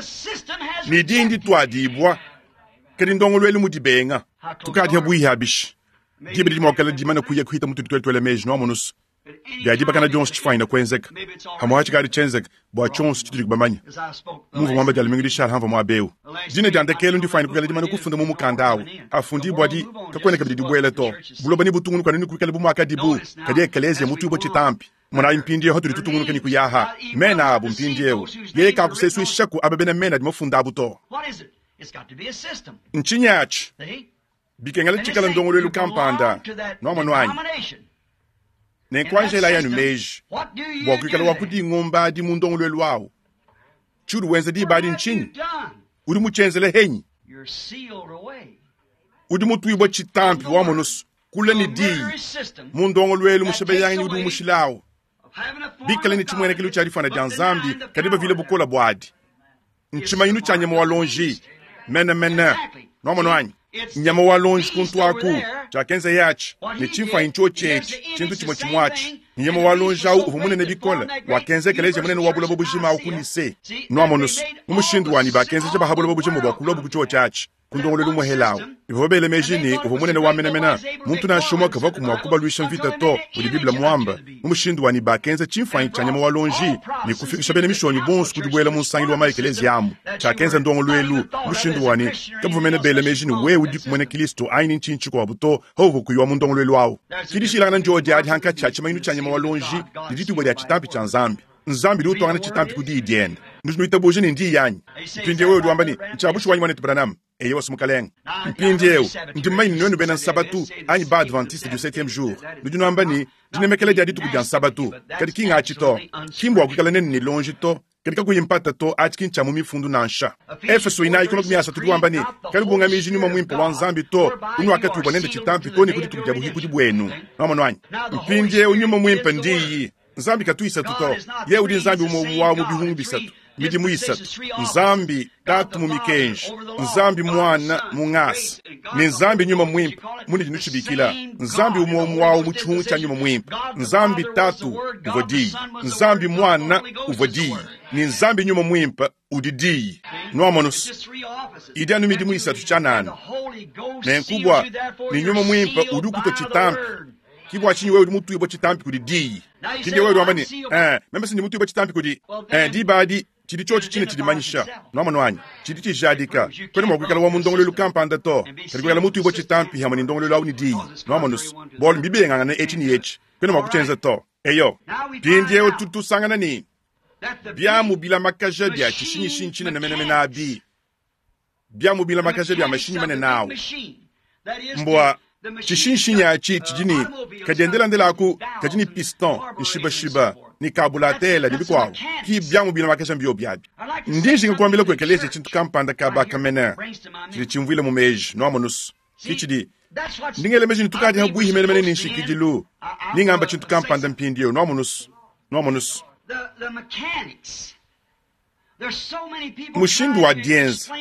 Ne diyi ndituadibua. Kadi ndongoluelu mu dibenga. Tukadi habuihi abishi. Diba didi mua kukala dimana kuya kuhita mutu tuetuele meji nuamonusu. Bia dibakana dionso tshifanyine kuenzeka. Hamwe tshikadi tshienzeka bua tshionso tshitudi kubamanya. Muvua muamba dia lumingu dishala hamva muaba eu. Dina dia ndekelu ndifanyine kukala dimana kufunda mu mukanda awu. Afundibua di kakuena kabidi dibuela to. Buloba ne butungunuka ne kuikala bu muakadibu. Kadi ekelezia mutuibua tshitampi. Monayi mpindieu hatudi tutungunuka ne kuyaha. Mena abu mpindieu. Yeye kakusesuishaku aba bena mena adi mafunda abu to. Ntshinyi atshi? Bikengela tshikala ndongoluelu kampanda, nwamonu anyi? Nenku anjelayi anu meji bua kuikala wa ku dingomba adi mu ndongoluelu awu. Tshiudi wenza diba adi ntshinyi? Udi mutshienzele henyi? Udi mutuibue tshitampi wamonu's kule ne Diyi mu ndongoluelu mushebeyanganyi udi umushilawu. Bikale ne tshimuenekelu tshia difuana dia Nzambi, kadi bavile bukole buadi. Ntshimanyinu tshia nyama wa luonji menemene. Nwamonu anyi? Nyama wa luonji kuntu aku, tshiakenzeye atshi, ne tshimfuanyi ntshiotshi etshi, tshintu tshimue tshimue atshi. Ne nyama wa luonji awu uvua munene bikole, wakenza ekeleziya munene wa buloba bujima awu ku Nicee. Nwamonu's, mu mushindu wanyi bakenzeja ba ha buloba bujima bua kuluabu ku tshiotshi atshi. Ku ndongoluelu umuehela au, bavua bela meji ne, uvua munene wa menemene, muntu nansha umue kavuaku mua kubaluisha mvita to, mudi Bible muambe, mu mushindu wa ne, bakenza tshimfuanyi tshia nyama wa luonji ne kufikisha bena Mishonyi bonso ku dibuela mu nsangilu wa ma-ekeleziya amu. Tshiakenza ndongoluelu mu mushindu wa ne, kabavua mene bela meji ne, wewe udiku muena Kristo anyi ne ntshinyi tshikuabu to, pauvua kuyi wa mu ndongoluelu au. Ke dishilangana ndiodi adi pankatshi ha tshimanyinu tshia nyama wa luonji ne dituibua dia tshitampi tshia Nzambi. Nzambi udi utuangana tshitampi ku Diyi diende. Nudi nuitabuja ne n'Diyi anyi? Mpindiewu wewe udi wamba ne, Ntshia bushuwa anyi, Mwanetu Branham? Eyowa, mukalenge. Mpindiewu, ndi mumanye ne nuenu bena Nsabatu, anyi ba-Adventiste du Septieme Jour, nudi nuamba ne, Dinemekela dia dituku dia Nsabatu. Kadi ki ng'atshi to. Ki mbua kuikala nenu ne lonji to, kadi kakuyi mpata to, atshi ki ntshia mu Mifundu nansha. Efeso 4:30 udi wamba ne, Kanubungamiji Nyuma Muimpe wa Nzambi to, unuakatuibua nende tshitampi too ne ku dituku dia buhikudi buenu. Nwamonu anyi? Mpindiewu, Nyuma Muimpe n'Diyi. Nzambi katu isatu to. Yeye udi Nzambi umue umue wa mu bihungu bisatu, midimu isatu, Nzambi Tatu mu mikenji, Nzambi Muana mu ngasa, ne Nzambi Nyuma Muimpe munudi nutshibikila. Nzambi umue umue wawu mu tshihungu tshia Nyuma Muimpe. Nzambi Tatu uvua Diyi, Nzambi Muana uvua Diyi, ne Nzambi Nyuma Muimpe udi Diyi. Nuamonu's, idi anu midimu isatu tshianana. Nenku bua ne Nyuma Muimpe udi ukutua tshitampi. Ki bua tshinyi wewe udi mutuibue tshitampi kudi Diyi. Mpindieu wewe udi wamba ne, Ee, meme si ndi mutuibue tshitampi kudi. Ee, diba adi, tshidi tshiotshi tshine tshidimanyisha. Nuamonu anyi? Tshidi tshijadika. Kuena mua kuikala wa mu ndongoluelu kampanda to, kadi kuikala mutuibue tshitampi hamue ne ndongoluelu au ne Diyi. Nuamonu's, bualu mbibengangane etshi ne etshi. Kuena mua kutshienza to. Eyo. Mpindieu tudi tusangana ne, biamu bilamakaja bia tshishinyishinyi tshinene menemene abi, biamu bilamakaja bia mashinyi manene au mbua tshishinshinyi atshi tshidi ne kadiendelandela aku kadi ne piston nshibashiba ne kabulatela ne bikuabu ki biamu bilamakaja mbiobi abi. Ndi njinga kuambila ku ekeleziya tshintu kampanda kaba kamene tshidi tshimvuila mu meji nuamonusu ki tshidi ndi ngela meji ne tukadi habuihi menemene ne nshikidilu ni ngamba tshintu kampanda mpindieu nuamonusu nuamonusu Mushindu wa dienza.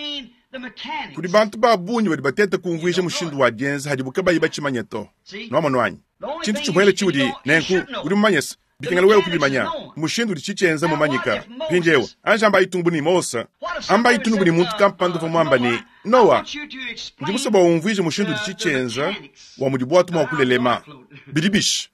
Kudi bantu ba bungi badi bateta kumvuija mushindu wa dienza hadibu kabayi batshimanye to. Nwamonu anyi? Tshintu tshimuele tshiudi nenku udi mumanye se, bikengela wewe kubimanya. Mushindu udi tshitshienza mumanyika. Mpindieu, anji ambayi tung bu ne Mose, ambayi tung bu ne muntu kampanda uvua muamba ne, Noa, ndi musue bua umvuije mushindu udi tshitshienza wa mudi buatu mua kulelema. Bidi bishi?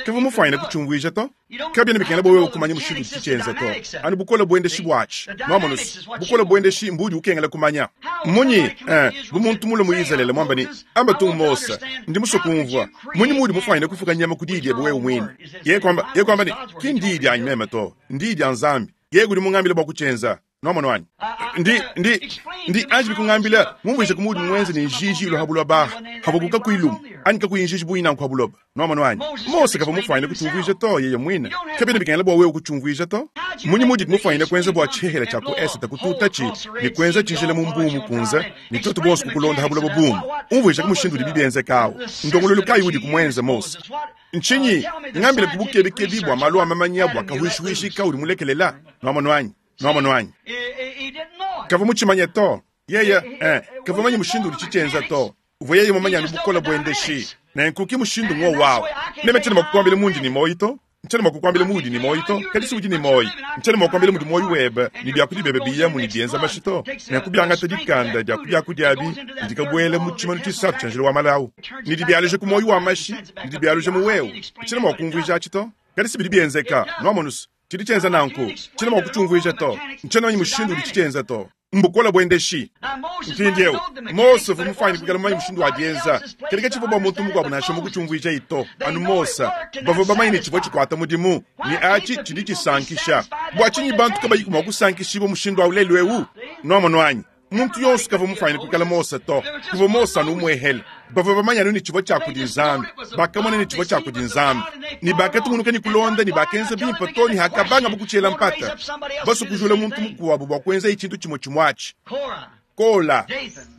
Kavua mufuanyine kutshiumvuija to. Kabiena bikengela bua wewe kumanya mushindu udi tshitshienza to, anu bukole buendeshi buatshi. Nwamonu-se, bukole buendeshi mbuudi ukengela kumanya. Mmunyi, eh, bu muntu mulue mu Izalele muambe ne, Amba tung Mose, ndi musue kumvua, mmunyi muudi mufuanyine kufuka nyama ku diyi diebe wewe muine? Yeye kuamba, yeye kuamba ne, Ki ndiyi dianyi meme to, ndiyi dia Nzambi. Yeye udi mungambile bua kutshienza. Nwamonu anyi? Ndi, ndi, ndi anji bikungambila, mumvuije ku muudi muenze ne njiji ilua ha buloba aha, havuaku kakuyi lumu, anyi kakuyi njiji bungi nanku ha buloba. Nwamonu anyi? Mose kavua mufuanyine kutshiumvuija to, yeye muine. Kabiena bikengela bua wewe kutshiumvuija to. Mmunyi muudi mufuanyine kuenza bua tshihela tshia ku esete kututatshi ne kuenza tshijila mu Mbuu Mukunze, ne tuetu bonso kukulonda ha buloba buume? Umvuijaku mushindu udibi bienzeka awu. Ndongoluelu kayi udiku muenze, Mose? Ntshinyi? Ngambila ku bukebekebi bua malu a mamanya bua kahuishihuishi kaudi mulekelela. Nwamonu anyi? Nwamonu anyi? Kavua mutshimanye to. Yeye, eh, kavua mumanye mushindu udi tshitshienza to. Uvua yeye mumanye anu bukole buendeshi. Nenku ki mushindu ng'wowu awu. Meme tshiena mua kukuambila mundi ne muoyo to. Ntshiena mua kukuambila muudi ne muoyo to, kadi si udi ne muoyo. Ntshiena mua kukuambila mudi muoyo webe ne biakudia biebe biyamu ne bienza mashi to. Nenku biangata dikanda dia ku biakudia abi ne dikabuela mu tshimanu tshisatu tshia njila wa malawu, ne dibialuja ku muoyo wa mashi ne dibialuja mu wewe. Ntshiena mua kumvuija atshi to, kadi si bidi bienzeka. Nwamonu's? Tshidi tshienza nanku, tshiena mua kutshiumvuija to. Ntshiena mumanye mushindu udi tshitshienza to. Mbukole buendeshi. Mpindieu, Mose uvua mufuanyine kuikala mumanye mushindu wa dienza, kadi katshivua bua muntu mukuabu nansha umue kutshiumvuijaye to, anu Mose. Bavua bamanye ne, tshivua tshikuata mudimu, ne atshi tshidi tshisankisha. Bua tshinyi bantu kabayiku mua kusankishibua mushindu au lelu'eu? Nuamonu anyi? Muntu yonso kavua mufuanyine kuikala Mose to. Kuvua Mose anu umuehele. Bavua bamanye anu ne tshivua tshia kudi Nzambi. Bakamona ne tshivua tshia kudi Nzambi. Ne bakatungunuka ne kulonda ne bakenza bimpe too ne hakabangabu kutshiela mpata. Basue kujula muntu mukuabu bua kuenzaye tshintu tshimue tshimue atshi. Kola,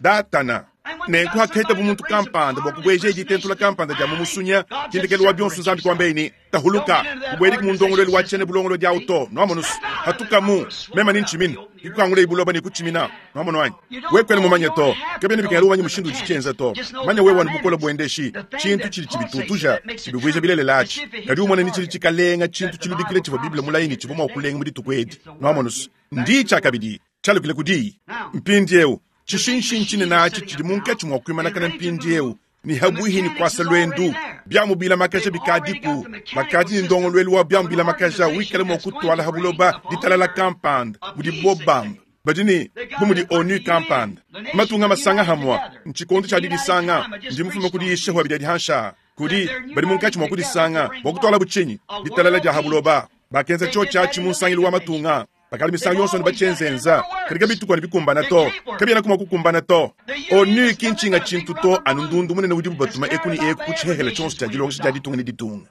Datana. Nenku haketabu muntu kampanda bua kubuejaye ditentula kampanda dia mu musunya, ki ndekelu wa bionso Nzambi kuambaye ne, Tahuluka, kubuediki mu ndongoluelu wa tshiena bulongolodi awu to. Nuamonu's? Patukamu, meme ne ntshimina, ne kukangulaye buloba ne kutshimina. Nuamonu anyi? Wewe kuena mumanye to. Kabiena bikengela umanye mushindu udi tshienza to. Manya wewe anu bukole buendeshi, tshintu tshidi tshibitutuja, tshibivuija bilelela atshi. Kadi umone ne tshidi tshikalenga tshintu tshiludikile tshivua Bible mulaye ne tshivua mua kulenga mu dituku edi. Nuamonu's? Ndi tshiakabidi. Tshialukile ku Diyi. Mpindiewu, tshishinshinyi tshinene atshi tshidi munkatshi mua kuimanakana mpindiewu ne habuihi ne kuasa luendu. Biamu bilamakaja bikadiku. Bakadi ne ndongoluelu wa biamu bilamakaja wikala mua kutuala ha buloba ditalala kampanda, mudibo bamba. Badi ne, bu mudi ONU kampanda, matunga masanga hamua. Ntshikondo tshia didisanga. Ndi mufume ku diyisha hua bidia dihansha kudi badi munkatshi mua kudisanga bua kutualabu tshinyi? Ditalala dia ha buloba. Bakenza tshiotshi atshi mu nsangilu wa matunga. Bakadi misangu yonso ne batshienzenza, kadi kabituku anu bikumbana to. Kabienaku mua kukumbana to. ONU ki ntshinga tshintu to, anu ndundu munene udibu batuma eku ne eku ku tshihehele tshionso tshia dilongesha dia ditunga ne ditunga.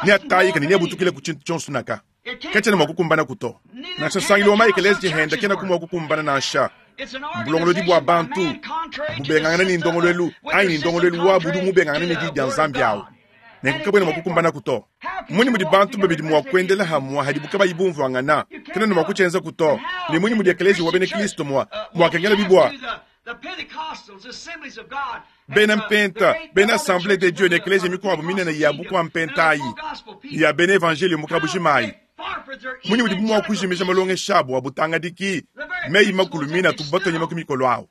Neatayike ne neabutukile ku tshintu tshionso naka. Katshiena mua kukumbanaku to. Nansha nsangilu wa ma-ekeleziya henda kenaku mua kukumbana nansha. Mbulongolodi bua bantu bubengangane ne ndongoluelu anyi ne ndongoluelu wabu udi mubengangane ne Diyi dia Nzambi awu. Nenku kabuena mua kukumbanaku to. Mmunyi mudi bantu babidi mua kuendela hamua hadibu kabayi bumvuangana? Kena ne mua kutshienzaku to. Ne munyi mudi ekeleziya wa bena Kristo mua mua kengela bua bena mpenta, bena Assemblee de Dieu ne ekeleziya mikuabu minene ya bukua mpenta ayi ne ya bena evanjeliyo mu kabujima ayi? Munyi mudibu mua kujimija malongesha abu a butangadiki, meyi-makulu mine atubu batua nyama ku mikolo awu?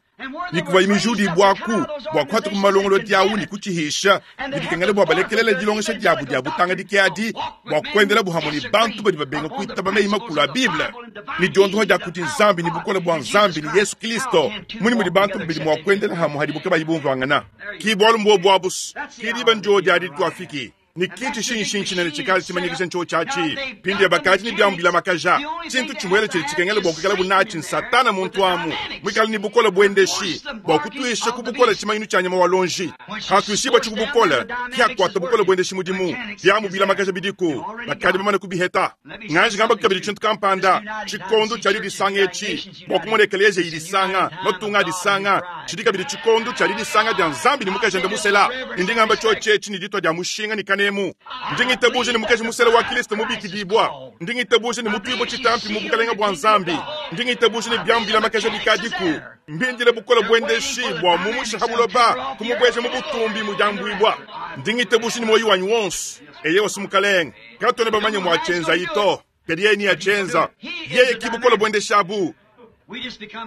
Ne kuvua mijudibuaku bua kuhatuka mu malongolodi au ne kutshihisha, ne bikengela bua balekelele dilongesha diabu dia butangadiki adi bua kuendelabu hamue ne bantu badi babenga kuitaba meyi-makulu a Bible ne diondoha dia kudi Nzambi ne bukole bua Nzambi ne Yesu Kristo. Mmunyi mudi bantu babidi mua kuendela hamue hadibu kabayi bumvuangana? Ki bualu mbuobu abu's, ki diba ndiodi adi dituafiki. Ne ki tshishinshinyi tshinene tshikale tshimanyikija ntshiotshi atshi. Mpindieu bakadi ne biamu bilamakaja. Tshintu tshimuele tshidi tshikengela bua kuikalabu natshi n'Satana muntu amu muikale ne bukole buendeshi bua kutuisha ku bukole tshimanyinu tshia nyama wa luonji. Hatuishibuatshi ku bukole, ke hakuata bukole buendeshi mudimu. Biamu bilamakaja bidiku, bakadi bamane kubiheta. Nganji ngamba kabidi tshintu kampanda, tshikondo tshia didisanga etshi, bua kumona ekeleziya idisanga, matunga adisanga, tshidi kabidi tshikondo tshia didisanga dia Nzambi ne mukajende musela. Ne ndi ngamba tshiotshi etshi ne ditua dia mushinga ne kanemu. Ndi ngitabuja ne mukaji musela wa Kristo mubikidibua. Ndi ngitabuja ne mutuibua tshitampi mu bukalenge bua Nzambi. Ndi ngitabuja ne biamu bilamakaja bikadiku. Mbindile bukole buendeshi bua mumusha ha buloba kumubueja mu butumbi mu diambuibua. Ndi ngitabuja ne muoyo wanyi wonso. Eyewa, si Mukalenge. Katuena bamanye muatshienzayi to, kadi yeye neatshienza. Yeye ki bukole buendeshi abu.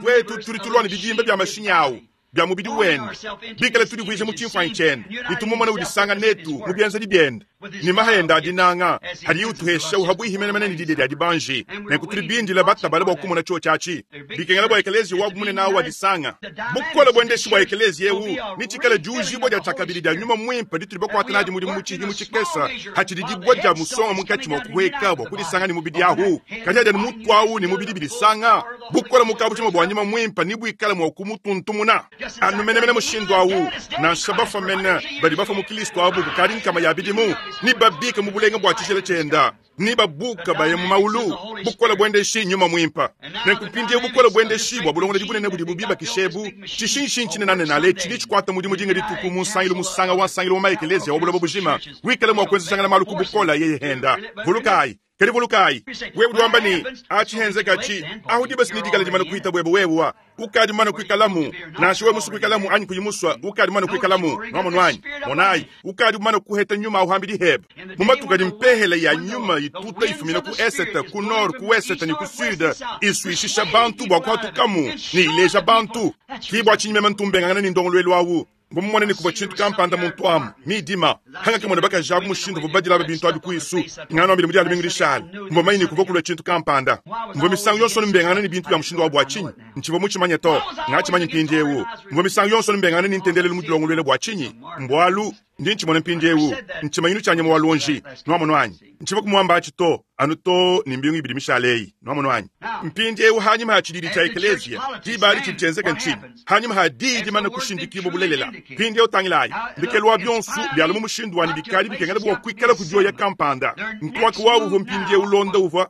Tuetu tudi tulua ne bidimba bia mashinyi awu bia mubidi wende, bikale tudivuija mu tshimfuanyi tshiende ne tumumona udisanga netu mu bienzedi biende ne maha ende a dinanga hadiye utuhesha uhabuihi menemene ne didia dia dibanji. Nenku tudi bindile batabale bua kumona tshiotshi atshi. Bikengela bua ekeleziya wabu munene awu adisanga. Bukole buendeshi bua ekeleziya eu netshikale diujibua dia tshiakabidi dia Nyuma Muimpe ditudi bakuate nadi mudimu mu tshihimu tshikese hatshidi dibue dia musonga munkatshi mua kuhueka bua kudisanga ne mubidi ahu. Kadi hadi anu mutu awu ne mubidi bidisanga, bukole mu kabujima bua Nyuma Muimpe nebuikale mua kumutuntumuna anu menemene mushindu awu. Nansha bafua mene badi bafua mu Kilisto abu kukadi nkama ya bidimu, nebabike mu bulenga bua tshijila tshienda. Ne babuka baya mu maulu, bukole buendeshi nyuma muimpe. Nenku mpindieu bukole buendeshi bua bulongolodi bunene budibu bibakisha ebu, tshishinshinyi tshinenanenaale tshidi tshikuata mudimu dinga dituku mu nsangilu musanga wa nsangilu wa ma-ekeleziya wa buloba bujima, wikala mua kuenzejangana malu ku bukole yeye henda. Vulukayi, kadi vulukayi, wewe udi wamba ne, Atshi henzekatshi, ahu diba si nedikale dimane kuhita buebe wewe. Ukadi mumane kuikalamu, nansha wewe musue kuikalamu anyi kuyi musue, ukadi mumane kuikalamu. Nuamonu anyi? Monayi, ukadi mumane kuheta nyuma awu hambidi hebe. Mu matuku adi mpehele ya nyuma ituta ifumina ku esete, ku nord, ku wesete ne ku sude, isuishisha bantu bua kuhatukamu ne ileja bantu. Ki bua tshinyi meme ntu mbengangana ne ndongoluelu awu. Mvua mumone ne, kuvua tshintu kampanda muntu amu, midima. Hangakamona bakaji abu mushindu uvuabu badila aba bintu abi kuisu, nganuambile mu Dia lumingu dishale, mvua mumanye ne, kuvua kulua tshintu kampanda. Mvua misangu yonso anu mbengangana ne bintu bia mushindu awu bua tshinyi? Ntshivua mutshimanye to. Ngatshimanye mpindieu. Mvua misangu yonso anu mbengangana ne ntendelelu mudilongoluela bua tshinyi? Mbualu. Ndi ntshimona mpindiewu, ntshimanyinu tshia nyama wa luonji. Nwamonu anyi? Ntshivua kumuamba atshi to, anu too ne mbingu ibidi mishale eyi. Nwamonu anyi? Mpindiewu hanyima ha tshididi tshia ekeleziya, diba adi tshidi tshienzeka ntshinyi? Hanyima ha diyi dimane kushindikibua bulelela. Mpindiewu tangilayi, ndekelu wa bionso, bialua mu mushindu wa ne bikadi bikengela bua kuikala kudioya kampanda. Nkuaka wabu uvua mpindiewu ulonda uvua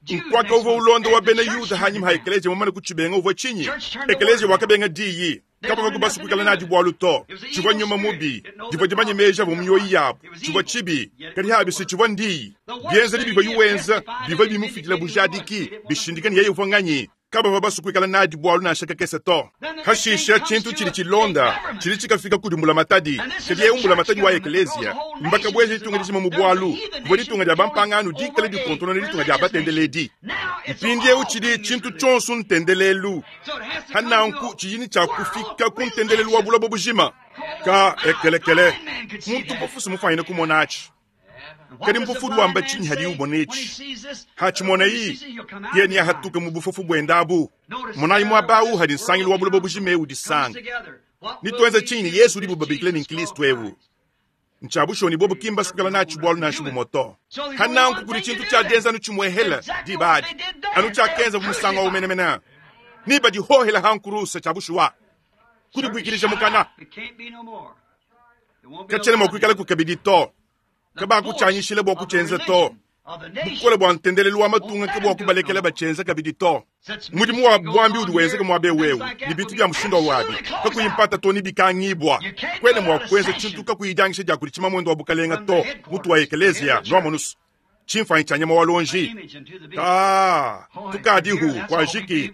Nkuaka uvua ulonda wa bena Yuda hanyima ha ekeleziya mumane kutshibenga uvua tshinyi? Ekeleziya wakabenga diyi. Kabavua basue kuikala nadi bualu to. Tshivua nyuma mubi, divua dimanye meji avua mu mioyo yabu. Tshivua tshibi, kadi abi si tshivua ndiyi. Bienzedi bivuaye wenza bivua bimufidila bujadiki, bishindika ne yeye uvua nganyi. Kabavua basue kuikala nadi bualu nansha kakese to. Hashishe, tshintu tshidi tshilonda tshidi tshikafika kudi mbulamatadi. Kadi eu mbulamatadi wa ekeleziya. Mbakabueja ditunga dijima mu bualu, kuvua ditunga dia bampangano dikale dikontonona ditunga dia batendeledi. Mpindieu tshidi tshintu tshionso ntendelelu. Pa nanku tshidi ne tshia kufika ku ntendelelu wa buloba bujima. Ka ekelekele, muntu mpofu si mufwanyine kumona atshi. Kadi mpofu udi wamba tshinyi hadiye umona etshi? Hatshimoneye, yeye neahatuke mu bufofu buende abu. Monayi muaba au hadi nsangilu wa buloba bujima eu udisanga. Netuenze tshinyi ne Yesu udibu babikila ne Nkristo eu? Ntshia bushuwa ne bobu ki mbasue kuikala natshi bualu nansha bumue to. Pa nanku kudi tshintu tshia dienza anu tshimuehela diba adi, anu tshiakenzabu musangu au menemene, ne badihohela ha nkuruse. Tshia bushuwa kudibuikilija mukana katshiena mua kuikalaku kabidi to. Kabakutshianyishila bua kutshienza to. Bukole bua ntendelelu wa matunga ke bua kubalekela batshienza kabidi to. Mudimu wa buambi udi wenzeka muaba eu eu ne bintu bia mushindu au abi kakuyi mpata to ne bikangibua. Kuena mua kuenza tshintu kakuyi dianyisha dia kudi tshimamuende wa bukalenga to, mutu wa ekeleziya. Nuamonu's, tshimfuanyi tshia nyama wa luonji. Kaa, tukadihu, kuajiki,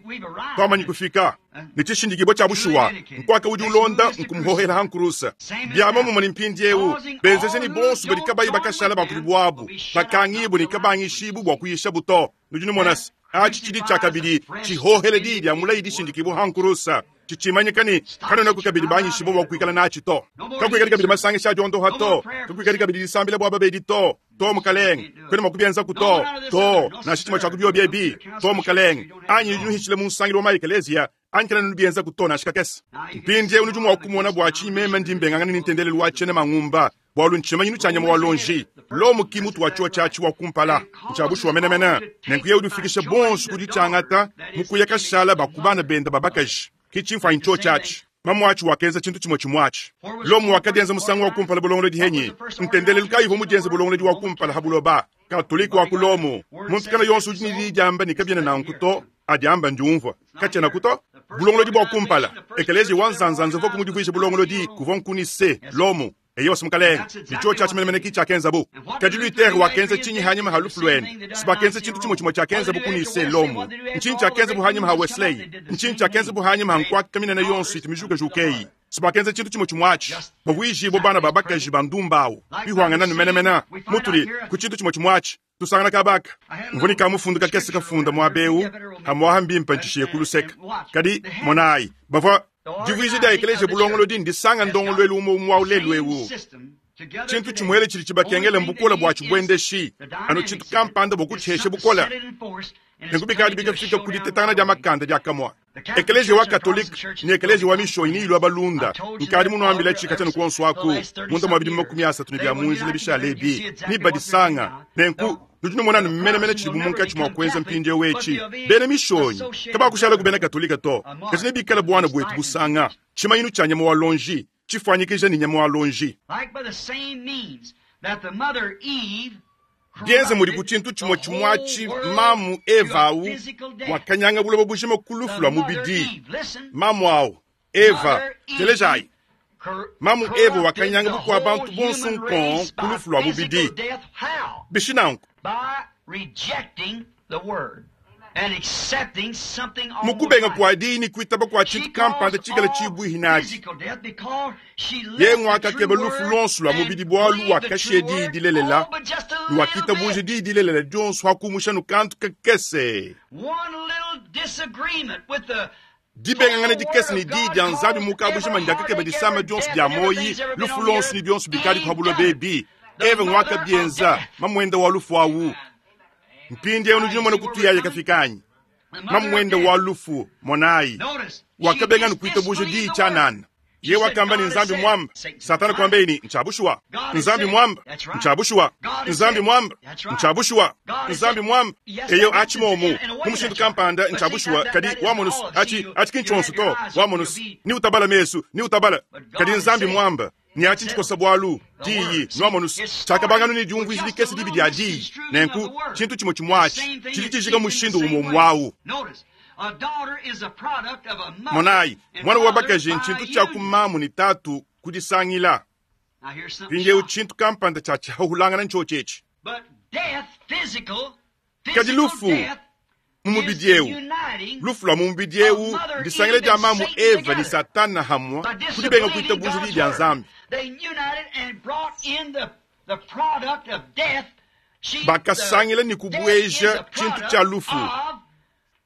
tuamanyi kufika. Ne tshishindikibua tshia bushuwa, nkuaka udi ulonda nkumuhohela ha nkuruse. Bia momumue ne mpindieu, benzeja ne bonso badi kabayi bakashala ba kudi buabu, bakangibue ne kabangishibu bua kuyishabu to. Nudi numona se, atshi tshidi tshiakabidi tshihohela diyi dia mulayi dishindikibua ha nkuruse, tshitshimanyika ne kanuenaku kabidi banyishibua bua kuikala natshi to. Kakuikadi kabidi masangisha a diondoha to, kakuikadi kabidi disambila bua babedi to. To, mukalenge, kuena mua kubienzaku to, to, nansha tshimue tshia ku biobi ebi, to, mukalenge, anyi nudi nuhitshila mu nsangilu wa ma-ekeleziya, anyi kena nubienzaku to, nansha kakese. Mpindieu nudi mua kumona bua tshinyi meme ndi mbengangana ne ntendelelu wa tshiena mangumba, bualu ntshimanyinu tshia nyama wa luonji. Lomo ki mutu wa tshiwa tshiatshi wa kumpala, ntshia bushuwa menemene. Nenku yeye udi ufikisha bonso ku ditshiangata mu kuya kashala ba ku bana bende ba bakaji. Ki tshimfuanyi tshiotshi atshi. Mamuatshi wakenza tshintu tshimue tshimue atshi. Lomo wakadienza musangu wa kumpala bulongolodi henyi? Ntendelelu kayi uvua mudienze bulongolodi wa kumpala ha buloba? Katolike wa ku Lomo. Muntu kana yonso udi ne diyi diamba ne kabiena nanku to, adiamba ndiumvua. Katshienaku to. Bulongolodi bua kumpala, ekeleziya wa nzanzanza uvua kumudivuija bulongolodi, kuvua nku Nicee, Lomo. Eyo si mukalenge, ne tshiotshi atshi menemene ki tshiakenzabu. Kadi Luther wakenza tshinyi hanyima ha lufu luende? Si bakenza tshintu tshimue tshimue tshiakenzabu ku Nicee, Lomo. Ntshinyi tshiakenzabu hanyima ha Wesley? Ntshinyi tshiakenzabu hanyima ha nkuaka minene yonso itu mijukajuka eyi? Si bakenza tshintu tshimue tshimue atshi, bavuijibue bana ba bakaji ba ndumba awu, bihuangana nu menemene mutudi ku tshintu tshimue tshimue atshi. Tusangana kaba aka, mvua ne kamufundu kakese kafunda muaba eu, pamu'apa mbimpe ntshishiye ku luseke. Kadi, monayi, bavua. Divuija dia ekeleziya bulongolodi ndisanga ndongoluelu umue umue wa lelu'eu. Tshintu tshimuele tshidi tshibakengela mbukole bua tshibuendeshi, anu tshintu kampanda bua kutshihesha bukole. Nenku bikadi bikafika ku ditetangana dia makanda diakamue. Ekeleziya wa Katolike ne ekeleziya wa Mishonyi neyilua balunda. Nkadi munuambila tshi katshia ne kuonso aku, munda mua bidimu 30 ne bia mu njila bishale ebi, nebadisanga. Nenku nudi numona anu menemene tshidibu munkatshi mua kuenza mpindieu etshi. Bena Mishonyi kabakushalaku bena Katolike to, kadi nebikale buana buetu busanga, tshimanyinu tshia nyama wa luonji, tshifuanyikija ne nyama wa luonji. Bienze mudi ku tshintu tshimue tshimue atshi mamu Eva au wakanyanga buloba bujima ku lufu lua mubidi. Mamu au Eva, telejayi. Mamu Eva wakanyanga bukua bantu bonso nkong ku lufu lua mubidi. Bishi nanku? Mu kubenga kua diyi ne kuitaba kua tshintu kampanda tshikale tshibuihi nadi, yeye nguakakeba lufu luonso lua mubidi bualu wakashiya diyi dilelela ne wakitabuja diyi dilelela dionso ha kumusha nu kantu kakese. Dibengangana dikese ne diyi dia Nzambi mu kabujima ndiakakeba disama dionso dia muoyi, lufu luonso ne bionso bikadi pa buloba ebi. Eva nguakabienza, mamuende wa lufu awu. Mpindieu nudi numona kutuyaye kafika anyi? Mamuende wa lufu, monayi, wakabenga ne kuitabuja diyi tshianana. Yeye wakamba ne, Nzambi mwamba. Satana kuambaye ne, Ntshia bushuwa. Nzambi mwamba. Ntshia bushuwa. Nzambi mwamba. Ntshia bushuwa. Nzambi mwamba. Eyo achi momu. Mu mushindu kampanda ntshia bushuwa, kadi wamonu's achi, achi ki ntshionso to. Wamonu's. Ni utabala mesu, ni utabala. Kadi Nzambi mwamba. Ne achi ntshikosa bwalu, Diyi, nwamonu's. Tshiakabanganu ne diumvuija dikese dibi dia Diyi. Nenku, tshintu tshimue tshimue achi, tshidi tshijika mushindu umue umue awu. Monayi, mwana wa bakaji ntshintu tshia ku mamu ne tatu ku disangila. Mpindieu tshintu kampanda tshia tshihahulangana ntshiotshi etshi. Kadi lufu mu mubidi eu, lufu lua mu mubidi eu ndisangila dia mamu Eva ne Satana hamue ku dibenga kuitabuja Diyi dia Nzambi. Bakasangila ne kubueja tshintu tshia lufu.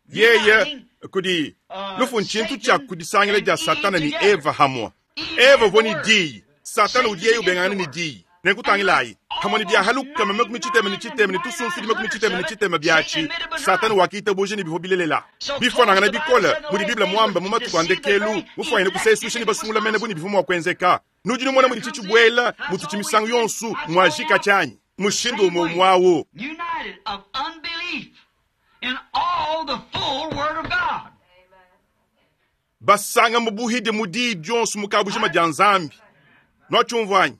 Yeye kudi lufu ntshintu tshia kudisangila dia Satana ne Eva hamue. Eva uvua ne Diyi, Satana udi yeye ubengangana ne Diyi. Nenku tangilayi, hamue ne bia halukama 63 ne tusunsudi 63 biatshi, Satana wakitabuja ne bivua bilelela. Bifuanangana bikole mudi Bible muambe mu matuku a ndekelu, mufuanyine kusesuisha ne basungula mene bu ne bivua mua kuenzeka. Nudi numona mudi tshitshibuela mututshi misangu yonso muajika tshianyi? Mushindu umue umue au. Basanga mu buhidi mu diyi dionso mu kabujima dia Nzambi. Nuatshiumvua anyi?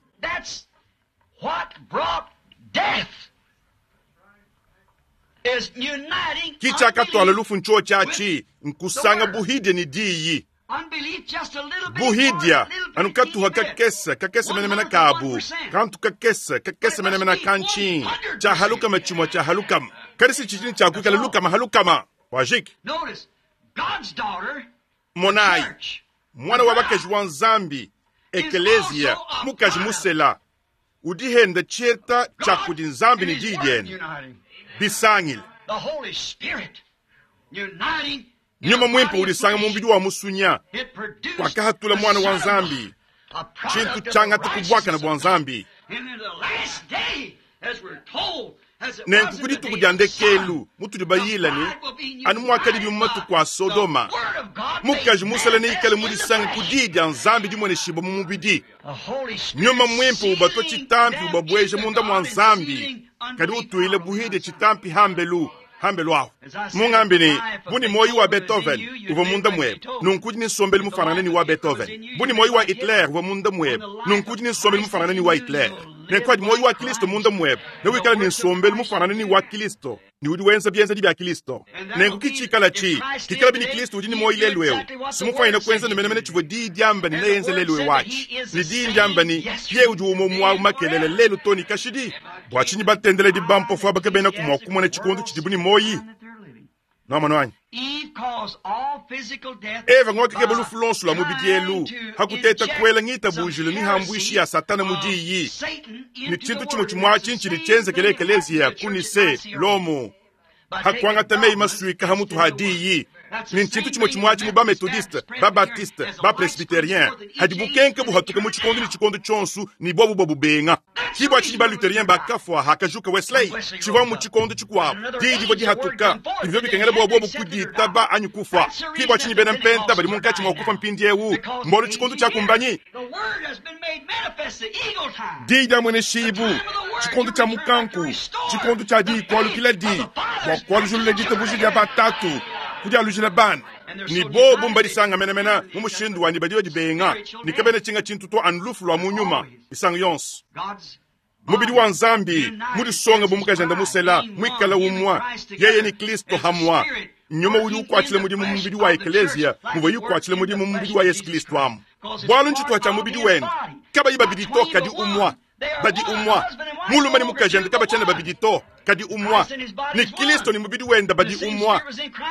Ki tshiakatuala lufu ntshiotshi atshi, nkusanga buhidi ne diyi. Buhidia, anu katuha kakese kakese menemene kabu, kantu kakese kakese menemene ka ntshinyi tshia halukama tshimue tshia halukama, kadi si tshidi ne tshia kuikala lukama halukama. Wajiki. Monayi, muana wa bakaji wa Nzambi, Ekeleziya, mukaji musela, udi henda tshieta tshia kudi Nzambi ne Diyi diende bisangile. Nyuma Muimpe udisanga mu mubidi wa musunya, wakahatula Muana wa Nzambi, tshintu tshiangata ku buakane bua Nzambi. Nenku ku dituku dia ndekelu mutudi bayila ne, anu muakadibi mu matuku a Sodoma, mukaji musela neikale mudisange ku Diyi dia Nzambi dimueneshibua mu mubidi. Nyuma Muimpe ubatua tshitampi ubabueja munda mua Nzambi, kadi utuile buhidi tshitampi hambelu. Hambelu ahu mungambi ne, bu ne muoyo wa Beethoven uvua munda muebe, nunku udi ne nsombelu mufanangane ne wa Beethoven. Bu ne muoyo wa Hitler uvua munda muebe, nunku udi ne nsombelu mufanangane ne wa Hitler. Nenku adi muoyo wa Kristo munda muebe, newikale ne nsombelu mufanangane ne wa Kristo, ne udi wenza bienzedi bia Kristo. Nenku ki tshikala tshi, kikalabi ne Kristo udi ne muoyo lelu eu, si mufuanyine kuenza ne menemene tshivua Diyi diamba ne neenze lelu eu atshi. Ne Diyi ndiamba ne, Yeye udi umue muawu makelela lelu too ne kashidi. Bua tshinyi batendeledi bampofo aba kabenaku mua kumona tshikondo tshidibu ne muoyi? Nuamonu anyi? Eva ng'wakakeba lufu luonso lua mubidi elu ha kuteta kuela ngitabujilu mihambuishi ya Satana mu diyi. Ne tshintu tshimue tshimue atshi ntshidi tshienzekele ekeleziya ku Nicee, Lomo. Ha kuangata meyi masuika ha mutu ha diyi. Ne ntshintu tshimue tshimue atshi mu ba-Methodiste, ba-Baptiste, ba-Presbyterien, hadi bukenke buhatuka mu tshikondo ne tshikondo tshionso ne bobu babubenga. Ki bua tshinyi ba-Lutherien bakafua hakajuka Wesley. Tshivua mu tshikondo tshikuabu, diyi divua dihatuka, ne bivua bikengela bua bobu kuditaba anyi kufua. Ki bua tshinyi bena Mpenta badi munkatshi mua kufua mpindieu, mbualu tshikondo tshiakumbanyi. Diyi dia mueneshibu, tshikondo tshia mukanku, tshikondo tshia diyi kualukila di bua kualujulula ditabuja dia batatu kudialujila bana, ne bobu mbadisanga menemene mu mushindu wa ne badi badibenga ne kabena tshinga tshintu to anu lufu lua mu nyuma misangu yonso. Mubidi wa Nzambi mudisonge bu mukajende musela muikale umue, yeye ne Kristo hamue. Nyuma udi ukuatshila mudimu mu mubidi wa ekeleziya muvuaye ukuatshila mudimu mu mubidi wa Yesu Kristo amu, bualu ntshituha tshia mubidi wende. Kabayi babidi to, kadi umue. Badi umue. Mulume ne mukajende kabatshiena babidi to, kadi umue. Ne Kristo ne mubidi wende badi umue.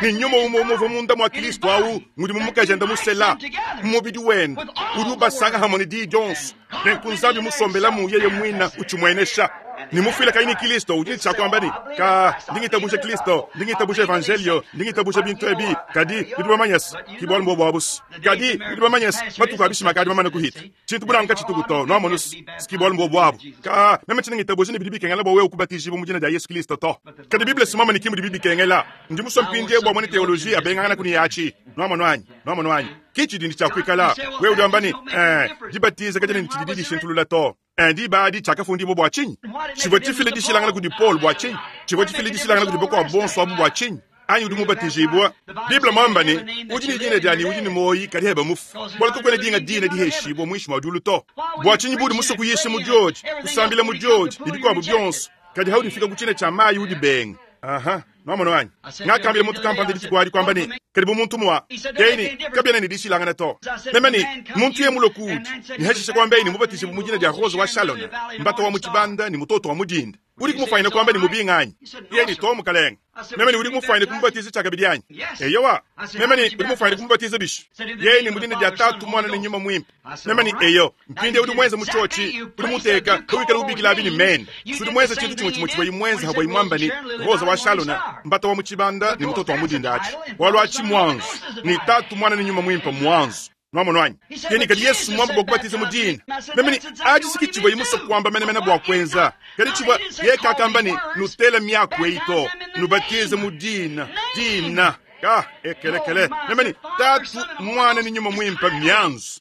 Ne nyuma umue umue uvua munda mua Kristo au ngudi mu mukajende musela, mu mubidi wende, udi ubasanga hamue ne diyi dionso. Nenku Nzambi musombelamu yeye muine utshimuenesha. Ne mufuila kayi ne Kristo udi ne tshia kuamba ne, Ka, ndi ngitabuja Kristo, ndi ngitabuja Evanjelio, ndi ngitabuja bintu ebi, kadi nudi bamanye se, ki bualu mbuobu abu se. Kadi nudi bamanye se, matuku a bishima akadi mamane kuhita. Tshintu bu nanku katshituku to, nuamonu se, ki bualu mbuobu abu. Ka, meme tshiena ngitabuja ne bidi bikengela bua wewe kubatijibua mu dina dia Yesu Kristo to. Kadi Bible si muamanye ki mudibi bikengela. Ndi musue mpindieu bua muena teoloji abenganganaku ne atshi. Nwamonu anyi? Nwamonu anyi? Ki tshidi ne tshia kuikala. Wewe udi wamba ne, Ee, dibatiza kadiena ne tshididi dishintulula to. Ee, diba adi tshiakafundibua bua tshinyi? Tshivua tshifile dishilangana kudi Paulo bua tshinyi? Tshivua tshifile dishilangana kudi bakuabu bonso abu bua tshinyi? Anyi udi mubatijibua? Bible muamba ne, Udi ne dina dia ne udi ne muoyi kadi heba mufu, bualu kakuena dinga dina diheshibua muinshi mua diulu to. Bua tshinyi buudi musue kuyisha mu diodi, kusambila mu diodi, ne bikuabu bionso, kadi haudi ufika ku tshina tshia mayi udibenga? Aha, nwamonu anyi? Ngakambila muntu kampanda dituku adi kwamba ne, Kadi bu muntu mua yeye ne, kabiena ne dishilangana to. Meme ne, Muntu yeye mulue kuudi, ne hashishe kuambeye ne mubatijibue mu dina dia Rose wa Shalona, mbata wa mu tshibanda ne mutoto wa mu dinda, udi kumufwanyina kuamba ne mubinga anyi? Yeye ne, To, mukalenge. Meme ne, Udi kumufwanyina kumubatiza tshiakabidi anyi? Eyowa. Meme ne, Udi mufwanyina kumubatiza bishi? Yeye ne, Mu dina dia Tatu, Muana ne Nyuma Muimpe. Meme ne, Eyo. Mpindieu udi muenze mu tshiotshi, udi muteka, kawikala ubikila abi ne mena. Udi muenze tshintu tshimue tshimue tshivuaye muenze havuaye muamba ne, Rosa wa Shalona, mbata wa mu tshibanda ne mutoto wa mu dinda atshi. Bualu atshi mmuanzu, ne Tatu, Muana ne Nyuma Muimpe mmuanzu. Nwamonu anyi? Yeye kadi Yesu muamba bua kubatiza mu dina. Meme ne, atshi si ke tshivuaye musue kuamba menemene bua kuenza. Kadi tshivua, yeye kakamba ne, nutele miaku eyi to, nubatize mu dina, dina. Ka, ekelekele. Meme ne, Tatu, Muana ne Nyuma Muimpe mmianzu.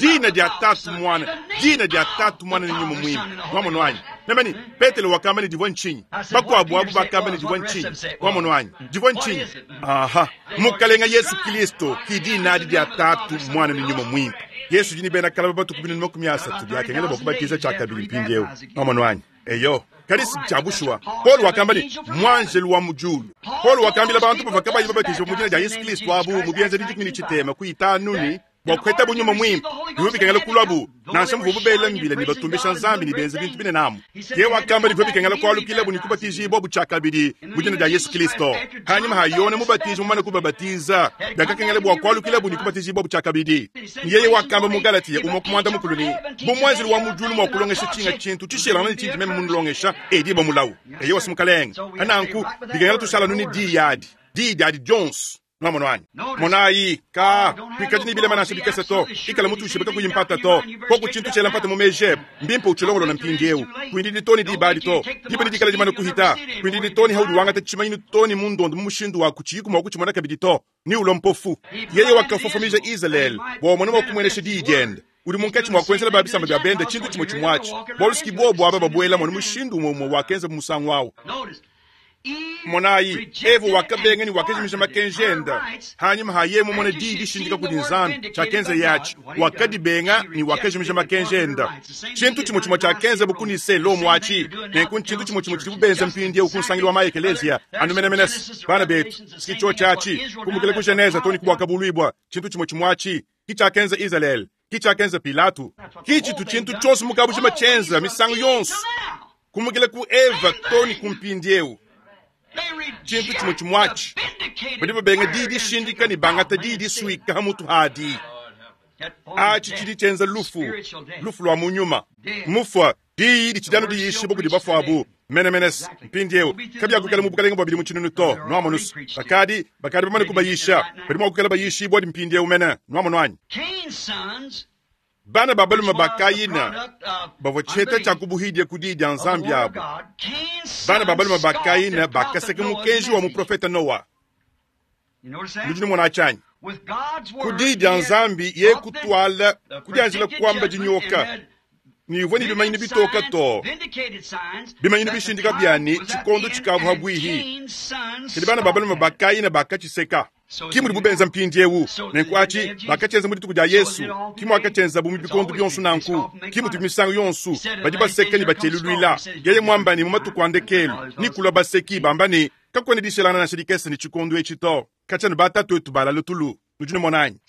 Dina dia Tatu, Muana, dina dia Tatu, Muana ne Nyuma Muimpe. Nwamonu anyi? Meme ne, Petelo wakamba ne divua ntshinyi? Bakuabu abu bakamba ne divua ntshinyi? Nwamonu anyi? Divua ntshinyi? Aha, Mukalenga Yesu Kilisto ki dina adi dia Tatu, Muana ne Nyuma Muimpe. Yesu udi ne bena kalaba batuku 330 biakengela bua kubatiza tshiakabidi mpindieu. Nwamonu anyi? Eyo, kadi si tshia bushuwa. Paulo wakamba ne, Muanjelu wa mu diulu. Paulo wakambila bantu bavua kabayi babatijibue mu dina dia Yesu Kristo abu mu Bienzedi 13 ne, bua kupetabu nyuma muimpe, bivua bikengela kuluabu, nansha muvuabu bela mbila ne batumbisha Nzambi ne benza bintu binene amu. Yeye wakamba ne, bivua bikengela kualukilabu ne kubatijibua tshiakabidi mu dina dia Yesu Kristo. Panyima pa Yone Mubatiji mumane kubabatiza, biakakengela bua kualukilabu ne kubatijibua tshiakabidi. Ne yeye wakamba mu Galatiya umue ku muanda mukulu ne, Bu muanjelu wa mu diulu mua kulongesha tshinga tshintu tshishilangane ne tshindi meme munulongesha, edibua mulawu. Eyowa, si Mukalenge. Pa nanku, bikengela tushala anu ne diyi adi, diyi diadi dionso. Nwamonu anyi? Monayi, kaa, kuikadi ne bilema nansha bikese to. Ikala mutuishibue kakuyi mpata to. Koku tshintu tshiela mpata mu meji ebe, mbimpe utshilongolole mpindieu. Kuindidi too ne diba adi to. Diba nedikale dimane kuhita. Kuindidi too ne haudi wangata tshimanyinu too ne mu ndondo mu mushindu wa kutshiyiku mua kutshimona kabidi to, ne ulua mpofu. Yeye wakafofomija Izalele bua amone mua kumuenesha diyi diende. Udi munkatshi mua kuenzela ba bisamba bia bende tshintu tshimue tshimue atshi, bualu si ki buobu aba babuelamu anu mushindu umue umue wakenzabu musangu au. Monayi, Eva wakabenga ne wakajimija makenji ende. Hanyima ha yeye mumone diyi dishindika kudi Nzambi, tshiakenzeye atshi, wakadibenga ne wakajimija makenji ende. Tshintu tshimue tshimue tshiakenzabu ku Nicee, Lomo atshi, nenku ntshintu tshimue tshimue tshidibu benza mpindieu ku nsangilu wa ma-ekeleziya anu menemene. Bana betu, si tshiotshi atshi, kumbukila ku Genese too ne ku Buakabuluibua, tshintu tshimue tshimue atshi ki tshiakenza Izalele, ki tshiakenza Pilatu, ki tshitu tshintu tshionso mu kabujima tshienza misangu yonso, kumukila ku Eva too ne ku mpindieu. Tshintu tshimue tshimue atshi, badi babenga diyi dishindika ne bangata diyi disuika ha mutu hadi. Atshi tshidi tshienza lufu, lufu lua mu nyuma. Mufua Diyi ditshidi anu diyishibua kudi bafuabu menemene. Mpindieu kabiakuikala mu bukalenge bua bidimu tshinunu to. Nuamonus, bakadi, bakadi bamane kubayisha, badi mua kuikala bayishibua mpindieu mene. Nuamonu anyi? Bana ba balume ba Kayina bavua tshiheta tshia kubuhidia ku diyi dia Nzambi abu. Bana ba balume ba Kayina bakaseka mukenji wa muprofete Noa. Nudi numona atshi anyi? Ku diyi dia Nzambi ye kutuala kudianjila kuamba dinyoka ne ivua ne bimanyinu bitoka to bimanyinu bishindika bia ne tshikondo tshikavua pabuihi. Kadi bana ba balume ba Kayina bakatshiseka. Ki mudibu benza mpindieu. Nenku atshi bakatshienza mu dituku dia Yesu, ki muakatshienzabu mu bikondo bionso nanku, ki mutubi misangu yonso. Badi baseka ne batshieluluila. Yeye muamba ne mu matuku a ndekelu ne kulua baseki bamba ne, Kakuena dishelangana nansha dikese ne tshikondo etshi to. Katshia anu batatuetu balale tulu, nudi numona anyi?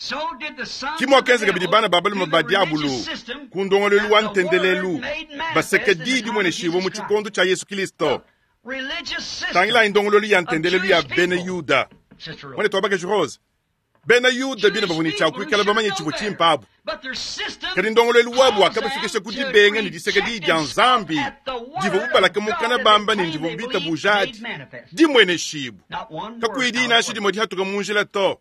Ki muakenza kabidi bana ba balume ba diabulu ku ndongoluelu wa ntendelelu, baseka diyi dimueneshibua mu tshikondo tshia Yesu Kilisto. Tangilayi ndongoluelu ya ntendelelu ya bena Yuda. Muanetu wa bakaji Rose, Bena Yuda bine bavua ne tshia kuikala bamanye tshivua tshimpe abu, kadi ndongoluelu wabu wakabafikisha ku dibenga ne diseka diyi dia Nzambi divuabu balaka mukana bamba ne ndivuabu bitabuja adi dimueneshibue, kakuyi diyi nansha dimue dihatuka mu njila to.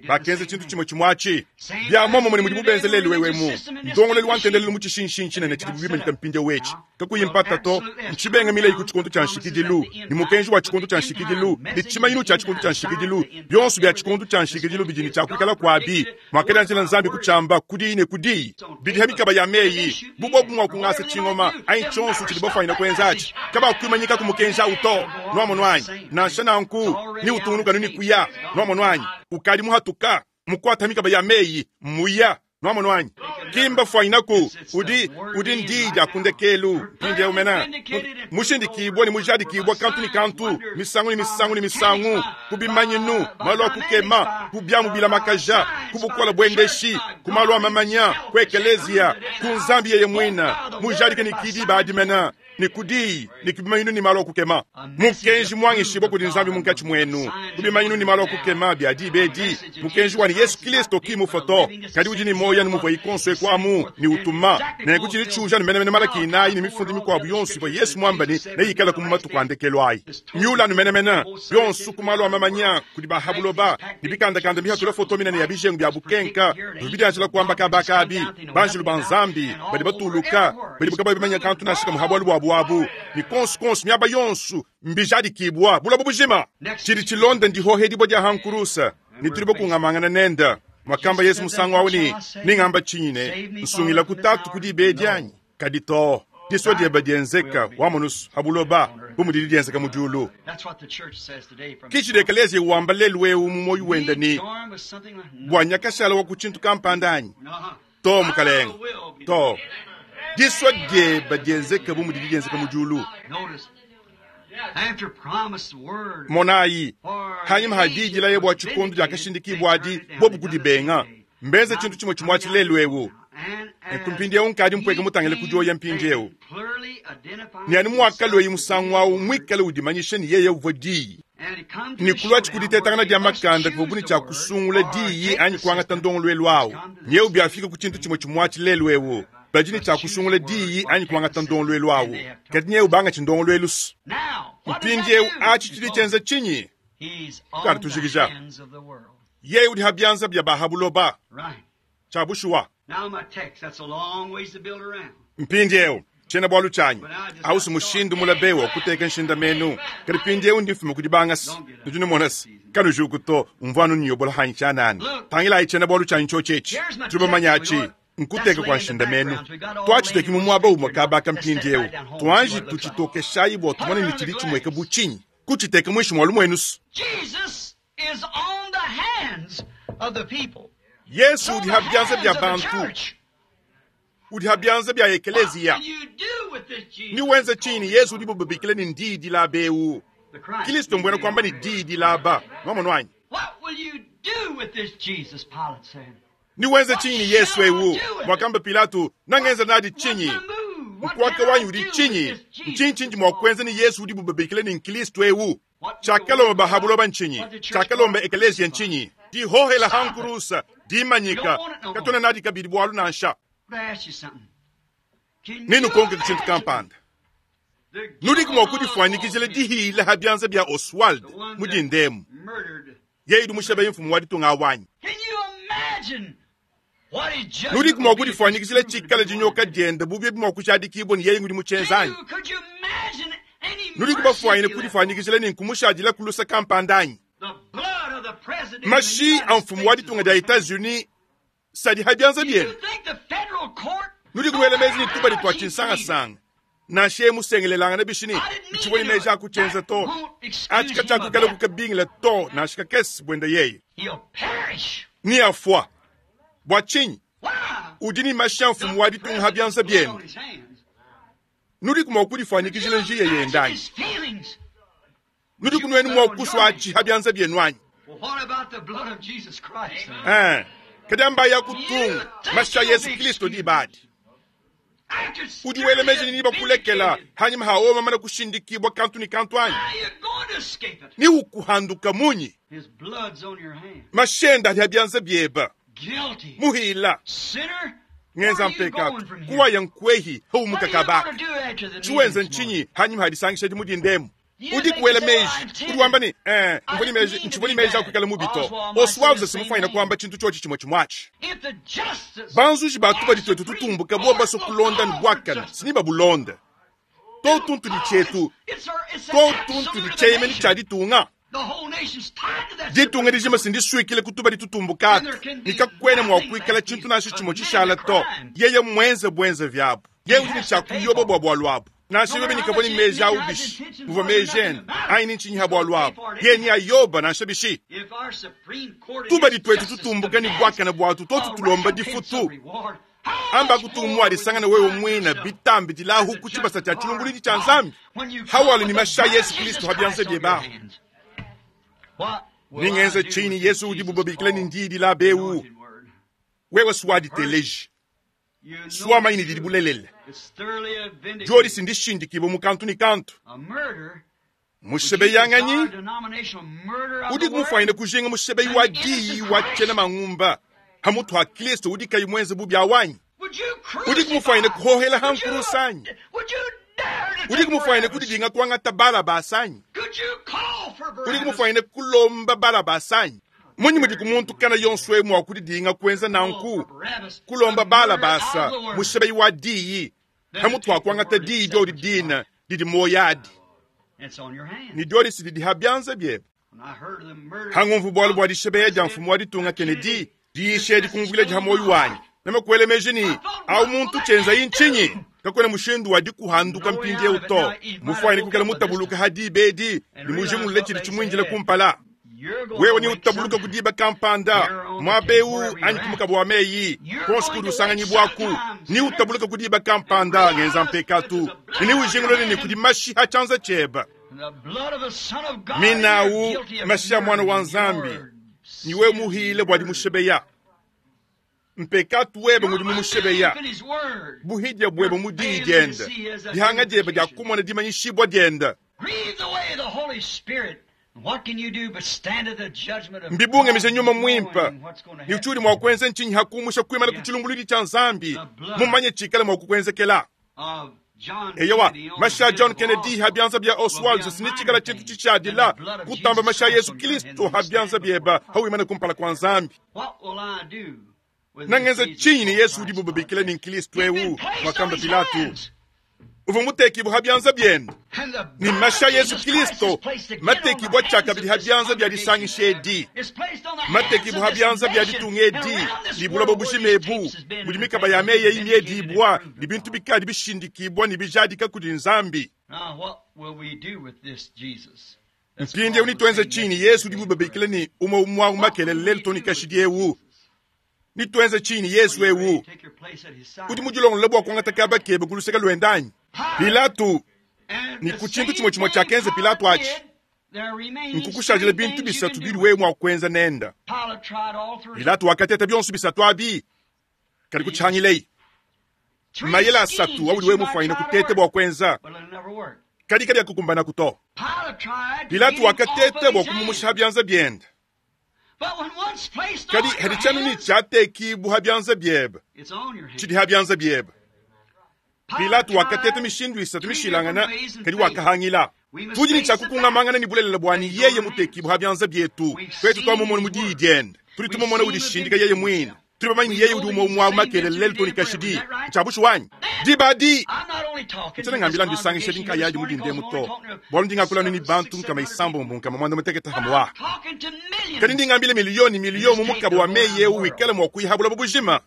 Bakenza tshintu tshimue tshimue atshi. Bia muomumue ne mudibu benza lelu'eu emu. Ndongoluelu wa ntendelelu mu tshishinshinyi tshinene tshidibu bimanyika mpindieu etshi, kakuyi mpata to, ntshibenga milayi ku tshikondo tshia nshikidilu, ne mukenji wa tshikondo tshia nshikidilu, ne tshimanyinu tshia tshikondo tshia nshikidilu, bionso bia tshikondo tshia nshikidilu bidi ne tshia kuikala kuabi, muakadianjila Nzambi kutshiamba ku diyi ne ku diyi. Bidi ha mikaba ya meyi, bu bobu mua kungasa tshingoma anyi tshionso tshidi bafuanyina kuenza atshi, kabakuimanyikaku mukenji au to. Nuamonu anyi? Nansha nanku, neutungunuke anu ne kuya. Nuamonu anyi? Ukadi muhatuka, mukuata mikaba ya meyi, mmuya. Nuamonu anyi? Ki mbafuanyinaku, udi, udi ndiyi dia ku ndekelu. Mpindieu mena, mushindikibua ne mujadikibua kantu ne kantu, misangu ne misangu ne misangu, ku bimanyinu, malu a kukema, ku biamu bilamakaja, ku bukole buendeshi, ku malu a mamanya, ku ekeleziya, ku Nzambi yeye muine, mujadike ne ki diba adi mena, ne ku diyi, ne ku bimanyinu ne malu a kukema. Mukenji muangishibua kudi Nzambi munkatshi muenu, ku bimanyinu ne malu a kukema bia diba edi, mukenji wa ne Yesu Kilisto ki mufue to, kadi udi ne muoyo anu muvuaye konso eku amu ne utuma. Nenku tshidi tshiuja anu menemene Malaki inayi ne mifundu mikuabu yonso ivua Yesu muambe ne neyikalaku mu matuku a ndekelu ayi. Miula anu menemene bionso ku malu a mamanya kudi ba ha buloba ne bikandakanda mihatula foto minene ya bijengu bia bukenka bivua bidianjila kuamba kaba kabi. Banjelu ba Nzambi badi batuluka, badi kabayi bamanya kantu nansha kamue ha bualu buabu abu, ne kuonso kuonso miaba yonso mbijadikibua buloba bujima. Tshidi tshilonda ndihohedibua dia ha nkurusa, ne tudi bakungamangana nende. Muakamba Yesu musangu au ne, Ningamba tshinyi ne, Nsungila ku Tatu ku diba edi anyi? Kadi to, disua diebe dienzeka wamonusu ha buloba bu mudidi dienzeka mu diulu. Ki tshidi ekeleziya wamba lelu eu mu muoyo wende ne, Bua nyakashala wa ku tshintu kampanda anyi? To, mukalenge, to. Disua diebe dienzeke bu mudidi dienzeka mu diulu. Monayi, hanyima ha diyi dilaya bua tshikondo diakashindikibua adi, bobu kudibenga. Mbenze tshintu tshimue tshimue atshi lelu eu. Nenku mpindieu nkadi mpueke mutangile ku dioya mpindieu. Ne anu muakalueyi musangu au muikale udimanyisha ne yeye uvua diyi. Ne kuluatshi ku ditetangana dia makanda kuvua bu ne tshia kusungula diyi anyi kuangata ndongoluelu au. Nyeu biafika ku tshintu tshimue tshimue atshi lelu eu. Badi ne tshia kusungula diyi anyi kuangata ndongoluelu au. Kadi nyeu bangatshi ndongoluelu. Mpindieu atshi tshidi tshienza tshinyi? Tukadi tujikija. Yeye udi ha bianza bia ba ha buloba. Tshia bushuwa. Mpindieu, tshiena-bualu tshianyi au si mushindu mula be wa kuteka nshindamenu, kadi mpindieu ndi mfuma ku dibanga se nudi numona se kanujuku to, mvua anu nnuyobola hanyi tshianana. Tangilayi tshiena-bualu tshianyi tshiotshi etshi, tudi bamanye atshi nkuteka kua nshindamenu. Tuatshiteki mu muaba umue kaba aka mpindieu, tuanji tutshitokeshayi bua tumone ne tshidi tshimueka bu tshinyi, kutshiteka muinshi mua lumuenu. Yesu udi ha bianza bia bantu, udi ha bianza bia ekeleziya. Niwenza tshinyi ne Yesu udibo babikila ne ndiyi dilaba eu? Kristo mbuena kuamba ne diyi dilaba. Nuamonu anyi? Niwenza tshinyi ne Yesu eu? Muakamba Pilato, nangenza nadi tshinyi? Nkuaka wanyi udi tshinyi? Ntshinyi tshindi mua kuenza ne Yesu udibo babikila ne Nkristo eu? Tshiakalomba ba ha buloba ntshinyi? Tshiakalomba ekeleziya ntshinyi? Dihohela ha nkurusa, dimanyika, katuena nadi kabidi bualu nansha. Nenukonke ku tshintu kampanda. Nudiku mua kudifuanyikijila dihila ha bianza bia Oswald mu dindemu, yeye udi mushabeyi mfumu wa ditunga awu anyi? Nudiku mua kudifuanyikijila tshikala dinyoka diende bu biobi mua kujadikibua ne yeye ngudi mutshienza anyi? Nudiku bafuanyine kudifuanyikijila ne nkumushadila ku lusa kampanda anyi? Mashi a mfumu wa ditunga dia Etats-Unis sadi ha bianza bienu. Nudiku nuela meji ne tubadi tua tshinsangasanga nansha yeye musengelelangane bishi ne ntshivua ne meji a kutshienza to, atshi katshiakuikala kukabingila to nansha kakese buende yeye. Neafua. Bua tshinyi? Udi ne mashi a mfumu wa ditunga ha bianza biende. Nudiku mua kudifuanyikijila njiya yende anyi? Nudiku nuenu mua kusua atshi ha bianza bienu anyi? Eh, kadi amba ya kutunga mashi a Yesu Kristo diba adi. Udi wela meji ne bakulekela hanyima ha oma mana kushindikibua kantu ne kantu anyi? Ni ukuhanduka munyi? Mashi ende adi ha bianza bieba. Muhila ngenza mpekatu kuwaya nkwehi haumuka kabaka. Tshiwenza ntshinyi hanyima ha disangisha di mu dindemu? Udiku wela meji, udi wamba ne, Ee, mvua ne meji, ntshivua ne meji a kuikala mubi to. Oswald simufwanyine kuamba tshintu tshiotshi tshimue tshimue atshi. Banzuji ba tubadi tuetu tutumbuka bobu basue kulonda ne buakane, si ne babulonde to. Tuntudi tshietu to, tuntudi tshieyemeni tshia ditunga. Ditunga dijima si ndisuikile ku tubadi tutumbuka atu, ne kakuena mua kuikala tshintu nansha tshimue tshishala to. Yeye mmuenze buenzevi abu. Yeye udi ne tshia kuyoba bua bualu abu. Nansha bebe ne kavua ne meji awu bishi, muvua meji ende anyi ne ntshinyi ha bualu abu, yeye ne ayoba nansha bishi. Tubadi tuetu tutumbuka ne buakane buatu tuotu tulomba difutu. Amba kutumua disangana wewe muine bitambi dilahu ku tshibasa tshia tshilumbuluidi tshia Nzambi. Hawalu ne mashi a Yesu Kristo ha bianza biebe. Ningenze tshinyi Yesu udibu babikila ne ndiyi dilaba eu? Wewe suaditeleji. Suamanyi ne didi bulelela. Diodi si ndishindikibue mu kantu ne kantu. Mushebeyanganyi udi kumufwanyine kujinga mushebeyi wa diyi wa tshiena mangumba hamutu ha Kristo udi kayi muenze bubi awanyi. Udi kumufwanyine kuhohela ha nkurusa anyi? Udi kumufwanyine kudidinga kuangata Balabasa anyi? Udi kumufwanyine kulomba Balabasa anyi? Mmunyi mudi ku muntu kana yonso eu mua kudidinga kuenza nanku, kulomba Balabasa mushebeyi wa diyi hamutu ha kuangata diyi diodi dina didi muoyo adi, ne diodi si didi ha bianza biebe? Hangumvu bualu bua dishebeya dia mfumu wa ditunga Kennedy, diyisha edi kumvuila dia muoyo wanyi. Meme kuela meji ne, au muntu tshienzayi ntshinyi? Kakuena mushindu wa dikuhanduka mpindieu to. Mufuanyine kuikala mutabuluka ha diba edi ne mujingulule tshidi tshimuindile kumpala. Wewe ne utabuluka ku diba kampanda muaba eu anyi ku mukaba wa meyi konso kudi usanganyibuaku, ne utabuluka ku diba kampanda ngenza mpekatu, ne neujingulule ne kudi mashi ha tshianza tshiebe. Minawu mashi a Muana wa Nzambi, ne wewe muhile bua dimushebeya. Mpekatu webe ngudi mumushebeya, buhidia buebe mu diyi diende, dihanga diebe dia kumona dimanyishibua diende. Mbibungamije nyuma muimpe, ne tshiudi mua kuenza ntshinyi ha kumusha kuimana ku tshilumbuluidi tshia Nzambi, mumanye tshikale mua kukuenzekela? Eyowa, mashi a John Kennedy ha bianza bia Oswald ne tshikala tshintu tshitshiadila kutamba mashi a Yesu Kristo ha bianza biebe hawimana kumpala kua Nzambi. Nangenza tshinyi ne Yesu udibu babikila ne Nkristo eu, wakamba Pilato. Uvua mutekibue ha bianza biende, ne mashi a Yesu Kristo matekibua tshiakabidi ha bianza bia disangisha edi, matekibua ha bianza bia ditunga edi ne buloba bujima ebu budi mikaba ya meyi eyi miedibua ne bintu bikadi bishindikibua ne bijadika kudi Nzambi. Mpindieu nituenze tshinyi ne Yesu udibu babikila ne umue umue makelele lelu too ne kashidi eu? Nituenze tshinyi ne Yesu eu? Udi mudilongolole bua kuangata kaba kebe ku luseke luende anyi? Pilato, ne ku tshintu tshimue tshimue tshiakenza Pilato atshi, nkukushadila bintu bisatu bidi wewe mua kuenza nende. Pilato wakateta bionso bisatu abi, kadi kutshihangileyi. Mayele asatu audi wewe mufwanyine kuteta bua kuenza, kadi kabiakukumbanaku to. Pilato wakateta bua kumumusha ha bianza biende. Kadi hadi tshianu ne tshiatekibua ha bianza biebe, tshidi ha bianza biebe. Pilato wakateta mishindu isatu mishilangana, kadi wakahangila. Tudi ne tshiakukungamangana ne bulelela bua ne yeye mutekibua ha bianza bietu. Tuetu tuamumona mu diyi diende, tudi tumumona udishindika yeye muine. Tudi bamanye ne yeye udi umue umue makelele lelu too ne kashidi. Ntshia bushuwa anyi? Diba adi, ntshiena ngambila ndisangisha dinkayadi mu dindemu to, bualu ndi ngakula anu ne bantu nkama isambombo nkama muanda mutekete hamua. Kadi ndi ngambila miliyo ne miliyo mu mukaba wa meyi eu wikale mua kuyiha buloba bujima.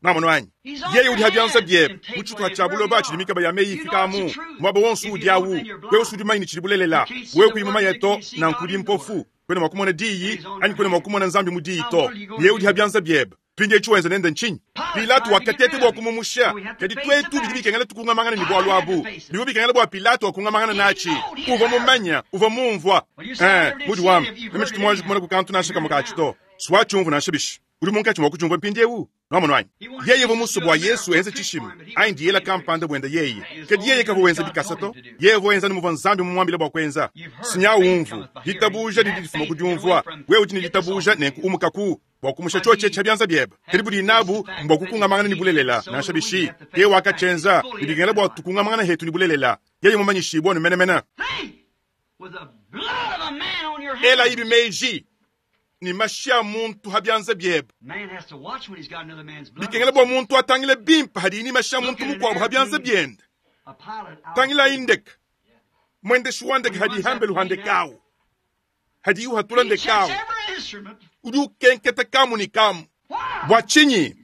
Nwamonu anyi? Yeye udi ha bianza biebe, mu tshituha tshia buloba tshidi mikaba ya meyi ifikamu, muaba wonso udi awu. Wewe usudi mumanye ne tshidi bulelela. Wewe kuyi mumanye to, nanku udi mpofu. Kuena mua kumona diyi, anyi kuena mua kumona Nzambi mu diyi to. Yeye udi ha bianza biebe. Mpindieu tshiwenza nende ntshinyi? Pilato wakateta bua kumumusha, kadi tuetu bidi bikengela tukungamangana ne bualu abu. Bivua bikengela bua Pilato akungamangana natshi. Uvua mumanya, uvua mumvua. Eh, mudi wamba, meme tshitu muanji kumona ku kantu nansha kamue katshi to. Suatshiumvu nansha bishi. Udi munkatshi mua kutshiumvua mpindieu? Nwamonu anyi? Yeye uvua musue bua Yesu enze tshishima anyi diyela kampanda buende yeye, kadi yeye kavua wenza bikasa to. Yeye uvua wenza anu muvua Nzambi mumuambile bua kuenza. Sinya umvu, ditabuja didi difuma ku diumvua. Wewe udi ne ditabuja, nenku umukaku bua kumusha tshiotshi etshi pa bianza biebe. Kadi budi nabu mbua kukungamangana ne bulelela, nansha bishi. Yeye wakatshienza, ne bikengela bua tukungamangana hetu ne bulelela. Yeye mumanyishibue anu menemene. Elayi meji ne mashi a muntu ha bianza biebe. Bikengela bua muntu atangile bimpe hadiyi ne mashi a muntu mukuabu ha bianza biende. Tangilayi ndeke, mwendeshi wa ndeke hadiyi hambelu ha ndeke awu, hadiyi uhatula ndeke awu, udi ukenketa kamu ne kamu. Bua tshinyi?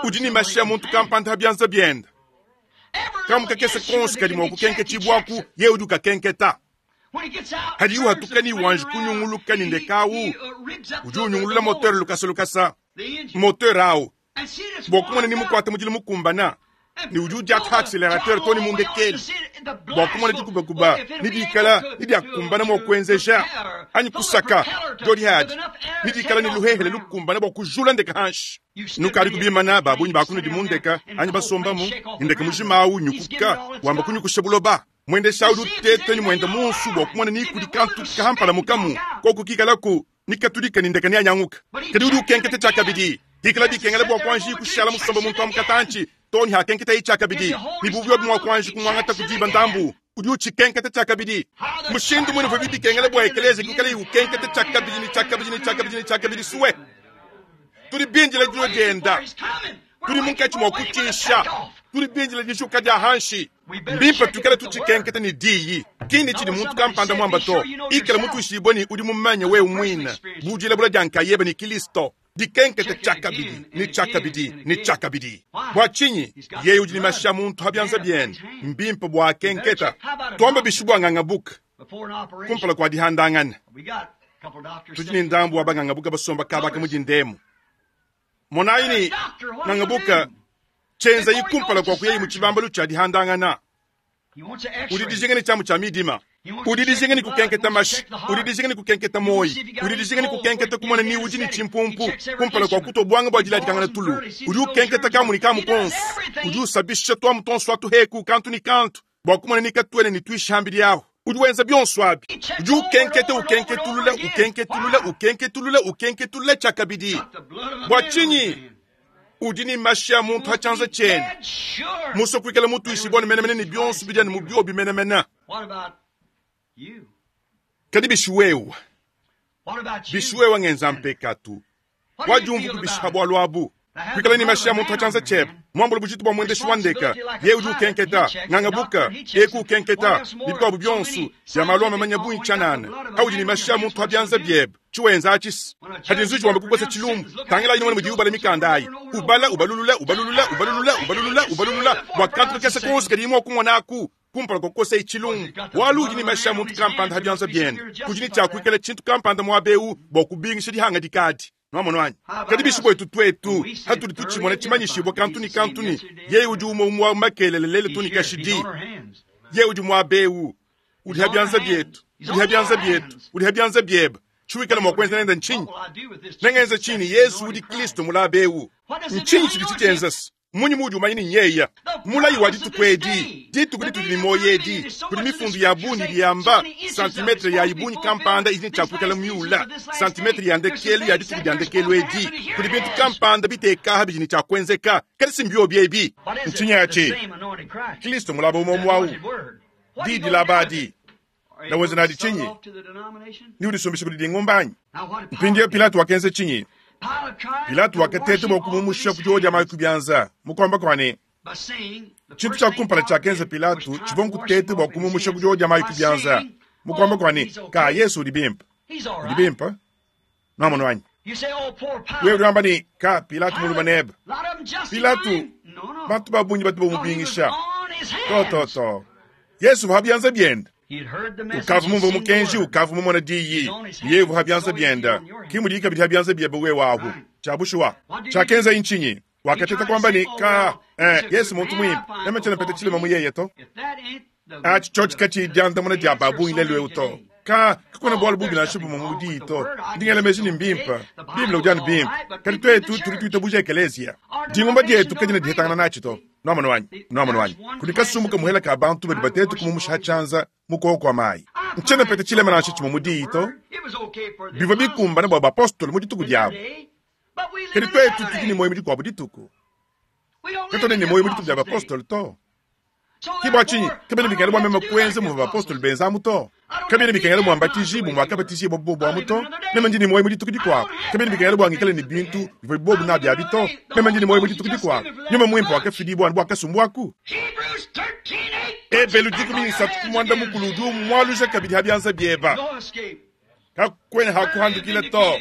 Udi ne mashi a muntu kampanda ha bianza biende. Kamu kakese konso kadi mua kukenketshibwaku, yeye udi ukakenketa. Hadiyi uhatuka ne wanji kunyunguluka ne ndeke awu, udi unyungulula moteur lukasa lukasa. Moteur awu bua kumona ni mukuate mudilu mukumbana, ne udi udiata accelerateur to ne mundekeli bua kumona dikubakuba ni dikala ni diakumbana mua kuenzeja anyi kusaka diodi hadi ni dikala ni luhehele lukumbana bua kujula ndeke hanshi. Nukadi kubimana babunyi bakunudi mu ndeka anyi basombamu ndeke mujima awu nyukuka wamba kunyukusha buloba. Mwendesha udi uteta ni mwenda munsu bua kumona ni kudi kantu kahampala mukamu koku kikalaku ni katulika ni ndeke ni anyanguka. Kadi udi ukenketa tshiakabidi dikala dikengela bua kuanji kushala musomba muntu wa mukatanchi toni hakenketa tshiakabidi ni buvyo bwa kuanji kumwangata kudiba ndambu udi uchikenketa tshiakabidi. Mushindu mwene vyo bikengela bua ekeleze kikala ukenketa tshiakabidi ni tshiakabidi ni tshiakabidi ni tshiakabidi suwe. Tuli binjila dilo dienda, tuli munkatshi mua kutshisha, tuli binjila dishuka dia hanshi. Mbimpe tukale tuchikenketa ni diyi kindi chidi muntu kampanda mwamba to ikala mutuishibwe ni udi mumanye wewe mwina bujila bula dia nkayebe ni Kristo. Dikenketa tshiakabidi ni tshiakabidi ni tshiakabidi. Bua tshinyi yeye udi ni mashi a muntu habianza biende mbimpe bua kenketa tuamba bishibwa ngangabuka kumpala kwa dihandangana tudi ni ndambu wa bangangabuka basomba kabaka mudindemu. Monayi ni ngangabuka chenza ikumpala kwa kuyeyi muchibambalu cha dihandangana. Udi dijinga ni chamu cha midima, udi dijinga ni kukenketa mashi, udi dijinga ni kukenketa moyi, udi dijinga ni kukenketa kumona ni udi ni chimpumpu kumpala kwa kutobwanga bwa diladikangana tulu. Udi ukenketa kamu ni kamu konso, udi usabisha twamu tonso atuheku kantu ni kantu bwa kumona ni katuene ni tuishambi lyaho. Udi wenza byonso abi, udi ukenketa ukenketulula ukenketulula ukenketulula ukenketulula tshiakabidi. Bua tshinyi udi ni mashi a muntu hachanza chene muso kuikala mutuishibwa ni menemene ni byonso bidia ni mubyo bimenemene. Kadi bishiwewa bishiwewa ngenza mpekatu wajumvu kubisha bwa lwabu kuikala ni mashi a muntu hachanza chebe mwambula bujitu bwa mwendeshi wa ndeka ye udi ukenketa ngangabuka eku ukenketa bibwabu byonso ya malwa mamanya bunchanana audi ni mashi a muntu habyanza byebe chiwenza achisi hadi nzuji wambe kukosa chilumbu tangela ino mudi ubala mikanda ayi ubala ubalulula ubalulula ubalulula ubalulula ubalulula wakantu kese konse kadi imwe kumona aku kumpala kokosa ichilumbu walu ni mashi a muntu kampanda habyanza byende kujini chakuikala chintu kampanda mwabeu bwa kubingisha dihanga dikadi. Nwamonwanyi kadi bishibwa etu twetu hatuli tuchimona chimanyishibwa kantu ni kantu ni yeye udi umwe umwe makelele lele tuni kashidi yeye udi mwabeu udi habyanza byetu udi habyanza byetu udi habyanza byeba chuikala mwa kwenza nenda nchinyi nengenza chini Yesu udi Kristo mulabeu nchinyi chidi chichenzasi munyi mudi umanyi ni nyeya mulayi wa ditukwedi dituku ditudi ni moyedi kuli mifundu ya buni liyamba santimetre ya ibuni kampanda izini chakuikala myula santimetre ya ndekelu ya dituku dya ndekelu edi kuli bintu kampanda bitekaha bijini chakwenzeka kali simbyo byebi nchinyi yachi Kristo mulaba umomu wawu didi labadi na wenza nadi chinyi ni udisumbisha kuli dingumbanyi mpindiyo Pilato wakenze chinyi Pilato wakatete bwa kumumusha kujoja mayi kubyanza mukomba kwane chintu cha kumpala chakenza Pilato chivonku tete bwa kumumusha kujoja mayi kubyanza mukomba kwane ka Yesu udi bimpa udi bimpa namono wanyi wewe ulamba ni ka Pilato muluma neba Pilato bantu babunyi batu bomubingisha to to to Yesu habyanza byenda ukavu mumva mukenji ukavu mumona diyi yevu habyanza byenda kimudika bidi habyanza byebe we wabu chabushuwa chakenza inchinyi wakateta kwamba ni ka Yesu muntu mwimpe nemechena pete chilema muyeye to achi chochi kachi dyanda muna dya babu ile lwe uto ka kakona bwalo bubi na shubu mumudi to ndingele meji ni mbimpa Biblia ujani bimpa kali twetu tuli tuita buja ekelesia dingomba dyetu kajina dihetangana nachi to nwamono wanyi nwamono wanyi kulikasumbuka muhela ka bantu badi batetu kumumusha chanza mukoko kwa mayi nchena pete chilema nacho chimumudi to bivyo bikumbana bwa bapostoli mu dituku dyabo kali twetu tudi ni moyo mu dikuabu dituku katone ni moyo mu dituku dya bapostoli to. Ke bua tshinyi kabiena bikengela bua meme kuenza muvua bapostolo benza amu to. Kabiena bikengela bua mbatijibue muakabatijibua bobu amu to. Meme ndi ne muoyo mu dituku dikuabu. Kabiena bikengela bua ngikale ne bintu bivua bobu nabi abi to. Meme ndi ne muoyo mu dituku dikuabu. Nyuma Muimpe wakafidibua anu bua kasumbu aku. Ebelu 13 ku muanda mukulu udi umualuja kabidi ha bianza bieba. Kakuena ha kuhandukila to.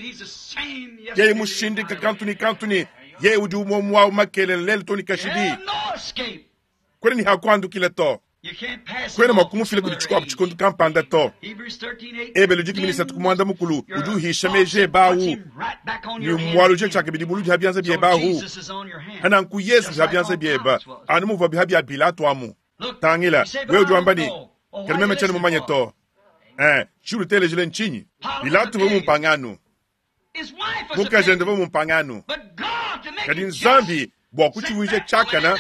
Yeye mushindika kantu ne kantu ne yeye udi umue umue au makelela lelu to ne kashidi. Kuena ne ha kuhandukila to. Kuena mua kumufila kudi tshikuabu tshikondo kampanda to. Ebelu 13 ku muanda mukulu udi uhisha meji ebe au ne umualuja tshiakabidi buludi ha bianza biebe ahu. Hananku Yesu udi ha bianza biebe anu muvuabi ha bia Pilato amu. Tangila, wewe udi wamba ne, Kadi meme tshiena mumanye to. Eh, tshiudi utelejile ntshinyi? Pilato uvua mumpangano. Mukajende uvua mumpangano. Kadi Nzambi, bua kutshivuija tshiakana,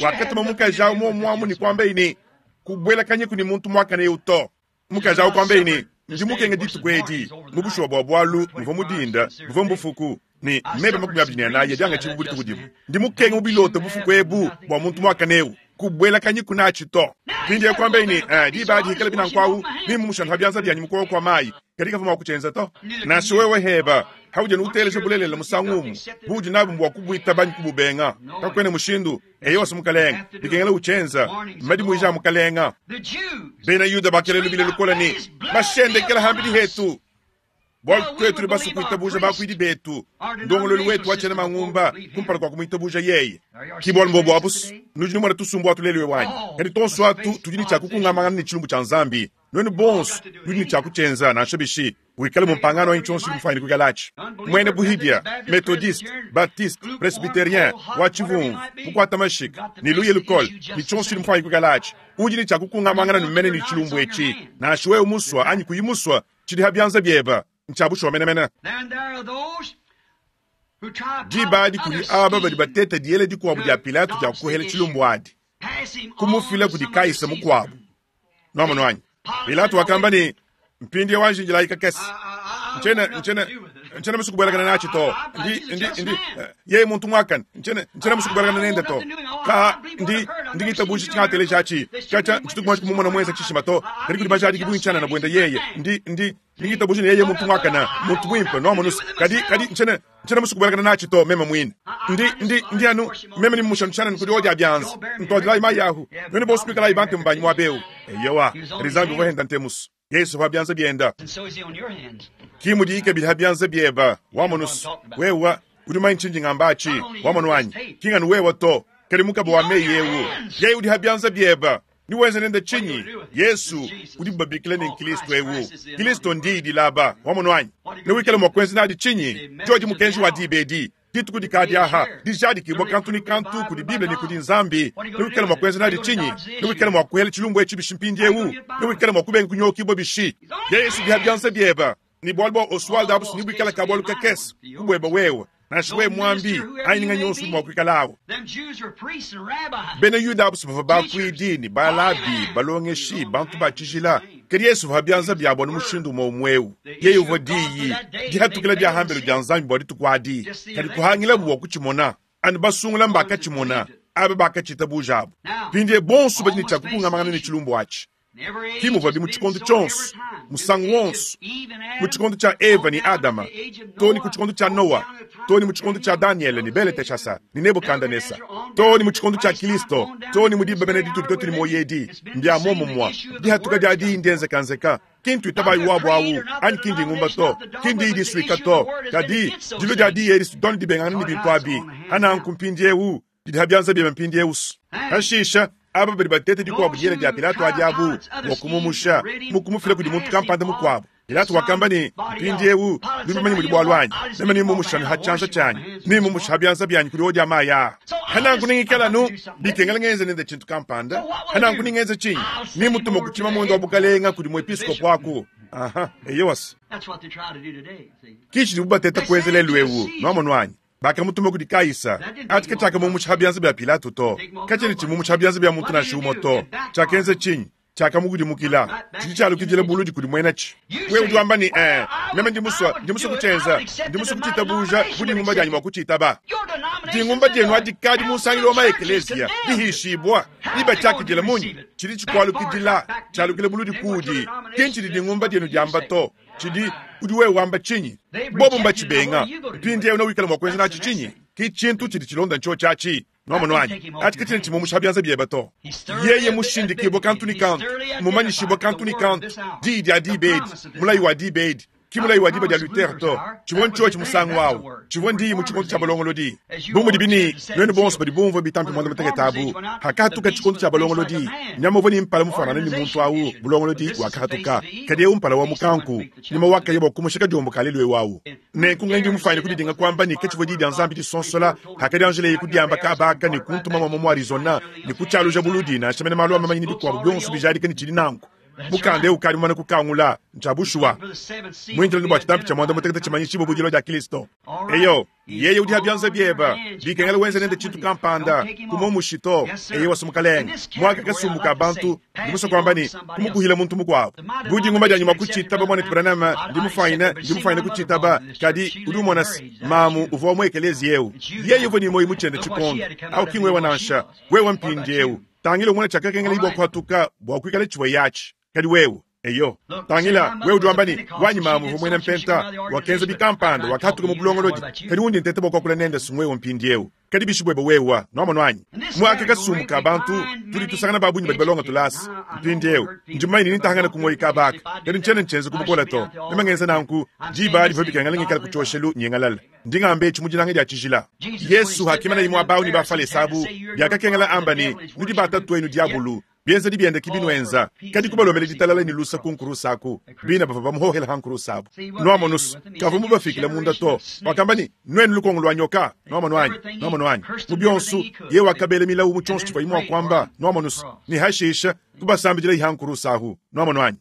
wakatuma mukaji au muomuamu ne kuambaye ne, Kubuelakanyiku ne muntu muakane eu to. Mukaji au kuambaye ne, Ndi mukenge dituku edi, mu bushuwa bua bualu, muvua mu dinda, muvua mu bufuku, ne meba 24 adi angatshibua bu dituku dimue. Ndi mukenge mu bilota bufuku ebu bua muntu muakane eu, kubuelakanyiku natshi to. Mpindieu kuambaye ne, Eh, diba adi hikala binanku au, nemmushale pa bianza bianyi mu kuowa kua mayi. Kadi kavua mua kutshienza to. Nansha wewe heba, haudi anu uteleja bulelela musangu umue, buudi nabu mbua kubuitaba anyi kububenga. Kakuena mushindu. Eyowa, Mukalenge, bikengela utshienza. Mmadimuija a Mukalenge. Bena Yuda bakela lubila lukole ne, Mashendekela hambidi hetu! Bualu tuetu tudi basue kuitabuja bakuidi betu, ndongoluelu wetu wa tshiena mangumba, kumpala kua kumuitabuja yeye. Ki bualu mbobu abu, nudi numona tusumbu atu lelu eu anyi? Kadi tuonso atu tudi ne tshia kukungamangana ne tshilumbu tshia Nzambi. Nuenu bonso nudi ne tshia kutshienza, nansha bishi, wikale mumpangano anyi tshionso tshidi mufuanyine kuikala atshi, muena buhidia, methodiste, baptiste, presbyterien, wa tshivumvu, mukuata mashika, ne luya lukole, ne tshionso tshidi mufuanyine kuikala atshi, udi ne tshia kukungamangana ne mene ne tshilumbu etshi, nansha wewe musua anyi kuyi musua, tshidi ha bianza bieba, ntshia bushuwa menemene. Diba adi kudi aba badi bateta diela dikuabu dia Pilato dia kuhela tshilumbu adi, kumufila kudi Kaisa mukuabu. Nuamonu anyi? Pilato wakamba ne, Mpindieu anji njilayi kakese. Ntshiena, ntshiena, ntshiena musue kubuelakana natshi to. Ndi, ndi, ndi, yeye muntu muakane. Ntshiena, ntshiena musue kubuelakana nende to. Ka, ndi, ndi ngitabuja tshingateleja atshi. Katshia ntshitu muanji kumumona muenza tshishima to. Kadi kudi bajadiki bungi tshianana buende yeye. Ndi, ndi, ndi ngitabuja ne yeye muntu muakane, muntu muimpe, nuamonu. Kadi, kadi ntshiena, ntshiena musue kubuelakana natshi to, meme muine. Ndi, ndi, ndi anu, meme ne mmushanu tshianana kudi odi a bianza. Ntuadilayi mayi ahu. Nuenu bonso kuikalayi bantemu banyi muaba eu. Eyowa, kadi Nzambi uvua henda ntemusu. Yesu pa bianza bienda. Ki mudiyi kabidi ha bianza bieba, wamonusu. Wewa udi mumanye tshindi ngamba atshi, wamonu anyi? Ki nganu wewa to, kadi mukaba wa meyi eu. Yeye udi ha bianza bieba. Niwenze nende tshinyi? Yesu udibu babikila ne Nkristo eu. Kristo ndiyi dilaba, wamonu anyi? Newikale mua kuenza nadi tshinyi? Diodi mukenji wa diba edi. Dituku dikadi aha, dijadikibua kantu ne kantu kudi Bible ne kudi Nzambi. Newikale mua kuenza nadi tshinyi? Newikale mua kuela tshilumbu etshi bishi mpindieu? Newikale mua kubenga kunyokibua bishi? Yesu udi ha bianza bieba, ne bualu bua Oswald abu nebuikale ka bualu kakese ku bueba wewe, nansha wewe muambi anyi nganyi yonso udi mua kuikala awu. Bena Yuda abu bavua bakuidi ne balabi, balongeshi, bantu ba tshijila. Kadi Yesu uvua bianza biabo anu mushindu umue umue eu. Yeye uvua Diyi, dihatukila dia hambelu dia Nzambi bua dituku adi. Kadi kuhangilabu bua kutshimona, anu basungula mbakatshimona, aba bakatshitabuja abu. Mpindieu bonso badi ne tshia kukungamangana ne tshilumbu atshi. Ki muvuabi mu tshikondo tshionso, musangu wonso, mu tshikondo tshia Eva ne Adama, too ne ku tshikondo tshia Noa, too ne mu tshikondo tshia Danyele ne Beleteshasa ne Nebukandanesa, too ne mu tshikondo tshia Kristo, too ne mu diba mene ditudi tuetu ne muoyo edi. Mbia muomumue, dihatuka dia diyi ndienzekanzeka, ki ntuitabayi wabu au anyi ki ndingumba to, ki ndiyi disuika to, kadi dilua dia diyi edi sidone dibengangana ne bintu abi. Hananku mpindieu didi ha bianza biebe mpindieu. Hashisha aba badi bateta dikuabu diela dia Pilato adi abu bua kumumusha mu kumufila kudi muntu kampanda mukuabu. Pilato wakamba ne, Mpindieu nudi bamanye mudi bualu anyi? Meme nemmumushe anu ha tshianza tshianyi, nemmumushe ha bianza bianyi kudi odi a mayi aa. Hananku nengikale anu bikengela ngenze nende tshintu kampanda. Hananku nengenze tshinyi? Nemutume ku tshimamuende wa bukalenga kudi muepiskopo aku. Aha, eyowa. Ki tshidibu bateta kuenza lelu eu, nuamonu anyi? Bakamutuma kudi Kaisa. Atshi katshiakamumusha ha bianza bia Pilato to, katshiena tshimumusha ha bianza bia muntu nansha umue to. Tshiakenza tshinyi? Tshiakamukudimukila. Tshidi tshialukidila buludi kudi muenatshi. Wewe udi wamba ne, Eh, meme ndi musue, ndi musue kutshienza, ndi musue kutshitabuja bu dingumba dianyi mua kutshitaba. Dingumba dienu adi kadi mu nsangilu wa ma-ekeleziya dihishibua, diba tshiakidila munyi? Tshidi tshikualukidila, tshialukila buludi kuudi. Ki ntshidi dingumba dienu diamba to, tshidi udi wewe wamba tshinyi? Bobu mbatshibenga. Mpindieu newikale mua kuenza natshi tshinyi? Ki tshintu tshidi tshilonda ntshiotshi atshi. Nwamonu anyi? Atshi katshiena tshimumusha bianza biebe to. Yeye mushindikibue kantu ne kantu, mumanyishibue kantu ne kantu, diyi dia diba edi, mulayi wa diba edi, ki mulayi wa diba dia Luther to. Tshivua ntshiotshi musangu awu. Tshivua ndiyi mu tshikondo tshia balongolodi. Bu mudibi ne, nuenu bonso badi bumvue bitampi muanda-mutekete abu, hakahatuka tshikondo tshia balongolodi, nyama uvua ne mpala mufuanangane ne muntu awu, bulongolodi, wakahatuka. Kadi eu mpala wa mukanku, nyama wakaya bua kumusha kadiombo ka lelu eu awu. Nenku ngendi mufwanyine kudidinga kwamba ne ke civwa Diyi dya Nzambi disonsola paakadyanjilaye kudyamba kaaba aka ne kuntuma mwamwa mu Arizona ne kucyaluja buludi, nansha mene maalu a mamanyi ne bikwabo byonso bijaadika ne cidi nanku. Mukanda ewu ukaadi mumane kukangula. Ncya bushuwa. Mwindile anu bwa citampi cya mwandamutekete cimanyishiibwe bu dilwa dya Kilisto. Eyo. Yeye udi ha bianza bieba, bikengela wenze nende tshintu kampanda, kumuomushi to. Eyewa se mukalenge, muaka kasumbu ka bantu, ndi musue kuamba ne, kumukuhila muntu mukuabo. Bu dinguma dianyi mua kutshitaba, muanetu Branham, ndi mufuanyine, ndi mufuanyine kutshitaba, kadi udi umona se, mamu uvua wa mu ekeleziya eu. Yeye uvua ne muoyo mu tshiende tshikondo. Au ki ngwewa nansha, wewa mpindieu. Tangila umone tshiakakengeleye bua kuhatuka bua kuikala tshivuaye atshi. Kadi wewe? Eyo. Tangila, wewe udi wamba ne, Wanyi mamu uvua muena mpenta, wakenza bikampanda, wakahatuka mu bulongolodi. Kadi undi nteta bua kuakula nende si ngwewe mpindieu, kadi bishi buebe wewe? Nwamonu anyi? Mu aka kasumbu ka bantu, tudi tusangana ba bungi badi balonga tulasa. Mpindieu, ndi mumanye ne nentahangane ku muoyo kaba aka, kadi ntshiena ntshienza ku bukole to. Meme ngenza nanku, diba adi bivua bikengela ngikale ku tshioshelu nyingalala. Ndi ngamba etshi mu dinanga dia tshijila. Yesu hakimana imue abawu ne Bafalese abu, biakakengela amba ne, Nudi ba tatuenu diabulu. Bienzedi biende ki binuenza, kadi kubalombela ditalala ne lusa ku nkurusa aku. Bina bavua bamuhohela ha nkurusa abu. Nuamonus, kavua mubafikile munda to. Wakamba ne, Nuenu lukongo lua nyoka, nuamonu anyi? Nuamonu anyi? Mu bionsu, yeye wakabela milawu mu tshionso tshivuaye mua kuamba, nuamonus, ne hashisha kubasambidila ha nkurusa ahu. Nuamonu anyi?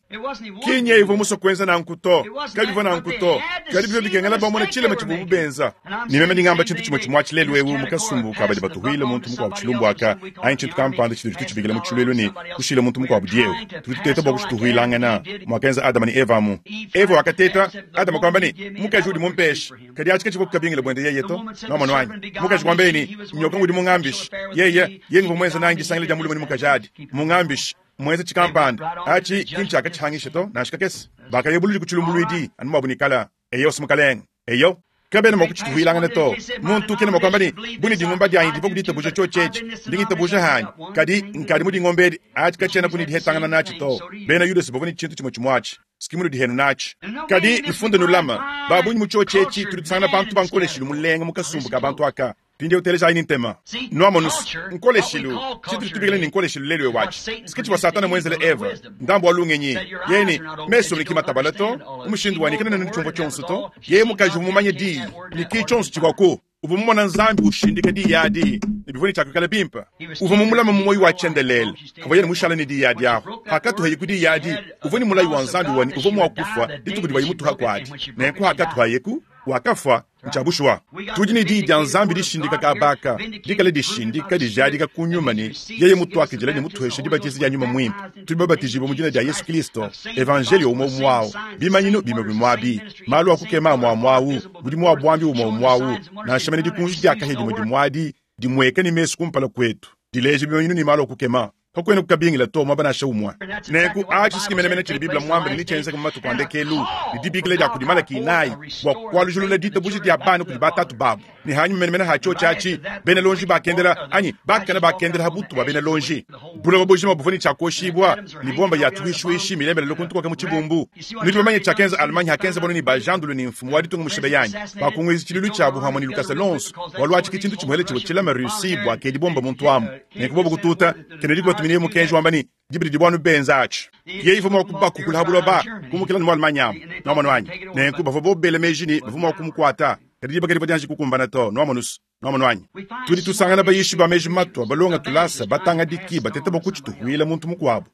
Ki nyeye uvua musue kuenza nanku to, kabivua nanku to, kadi bivua bikengela bamone tshilema tshivuabu benza. Ne meme ndi ngamba tshintu tshimue tshimue atshi lelu eu mu kasumbu ka badi batuhuile muntu mukuabu tshilumbu aka, anyi tshintu kampanda tshitudi tutshibikila mu tshiluilu ne, kushila muntu mukuabu diewu. Tudi tuteta bua kushituhuilangana, muakenza Adama ne Eva amu. Eva wakateta, Adama kuamba ne, Mukaji udi mumpeshe. Kadi atshi katshivua kukabingila buende yeye to. Nuamonu anyi? Mukaji kuambaye ne, Nyoka ngudi mungambishe. Yeye, yeye nguvua muenze nanyi disangila dia mulume ne mukaji adi. Mungambishe. Muenze tshikampanda. Atshi ki ntshiakatshihangisha to, nansha kakese. Bakaya buludi ku tshilumbuluidi, anu muabu ne kala. Eyo, mukalenge. Eyo. Kabena mua kutshituhuilangana to. Muntu kena mua kuamba ne, Bu ne dingumba dianyi divua ku ditabuja tshiotshi etshi, ndi ngitabuja hanyi. Kadi nkadi mu dingomba edi, atshi katshienaku ne dihetangana natshi to. Bena Yudasa bavua ne tshintu tshimue tshimue atshi, si munudi henu natshi. Kadi nufunde nulama, ba bungi mu tshiotshi etshi tudi tusangana bantu ba nkoleshilu mulenga mu kasumbu ka bantu aka. Mpindieu telejayi ne ntema. Nuamonus, nkoleshilu, tshitudi tubikila ne nkoleshilu lelu eu atshi, si ke tshivua Satana muenzele Eva, ndambu wa lungenyi. Yeye ne, Mesu ebe ki matabale to, mu mushindu wa ne kena ne tshiumvua tshionso to. Yeye mukaji uvua mumanye Diyi, ne ki tshionso tshivuaku. Uvua mumona Nzambi ushindika Diyi adi, ne bivua ne tshia kuikala bimpe. Uvua mumulame mu muoyo wa tshiendelele pavuaye ne mushale ne Diyi adi apu. Pakatuhaye ku Diyi adi, uvua ne mulayi wa Nzambi wa ne uvua mua kufua dituku divuaye mutuha kuadi. Nenku hakatuhayeku, wakafua. Ntshia bushuwa, tudi ne Diyi dia Nzambi dishindika kaba aka, dikale dishindika, dijadika ku Nyuma ne, Yeye mutuakidile ne mutuheshe dibatiza dia Nyuma Muimpe. Tudi babatijibue mu dina dia Yesu Kilisto, Evanjeliyo umue umue awu, bimanyinu bimue bimue abi, malu a kukema amue amue awu, mudimu wa buambi umue umue awu, nansha mene dikunji dia kahia dimue dimue adi dimueka ne mesu kumpala kuetu, dileja bimanyinu ne malu a kukema. Kakuena kukabingila to muaba nansha umue. Nenku atshi si menemene tshidi Bible muambe ne netshienzeke mu matuku a ndekelu, ne dibikila dia kudi Malaki inayi bua kualujilula ditabuja dia bana kudi batatu babu, ne hanyima menemene ha tshiotshi atshi, bena lonji bakendela anyi bakana bakendela ha butu bua bena lonji. Buloba bujima buvua ne tshia kuoshibua ne bomba ya tuhuishuishi milembelele ku ntukoka mu tshibumbu. Nudi bamanye tshiakenza Allemagne hakenza bono ne bajandulu ne mfumu wa ditunga mushibeyanyi bakunguiza tshiluilu tshiabu pamue ne lukasa luonso, bualu atshi ke tshintu tshimuele tshivua tshilame Russie bua kedi bomba muntu amu. Nenku bobu kututa, Kennedy kubatuminaye mukenji wamba ne, Diba didi buanu benza atshi. Yeye ivua mua kubakukula ha buloba, kumukila ne mu Allemagne amu. Nuamonu anyi? Nenku bavua bobu bela meji ne, bavua mua kumukuata, kadi diba kadivua dianji kukumbana to. Nuamonus? Nuamonu anyi? Tudi tusangana bayishi ba meji matua, balonga tulasa, batangadiki, bateta bua kutshituhuila muntu mukuabu.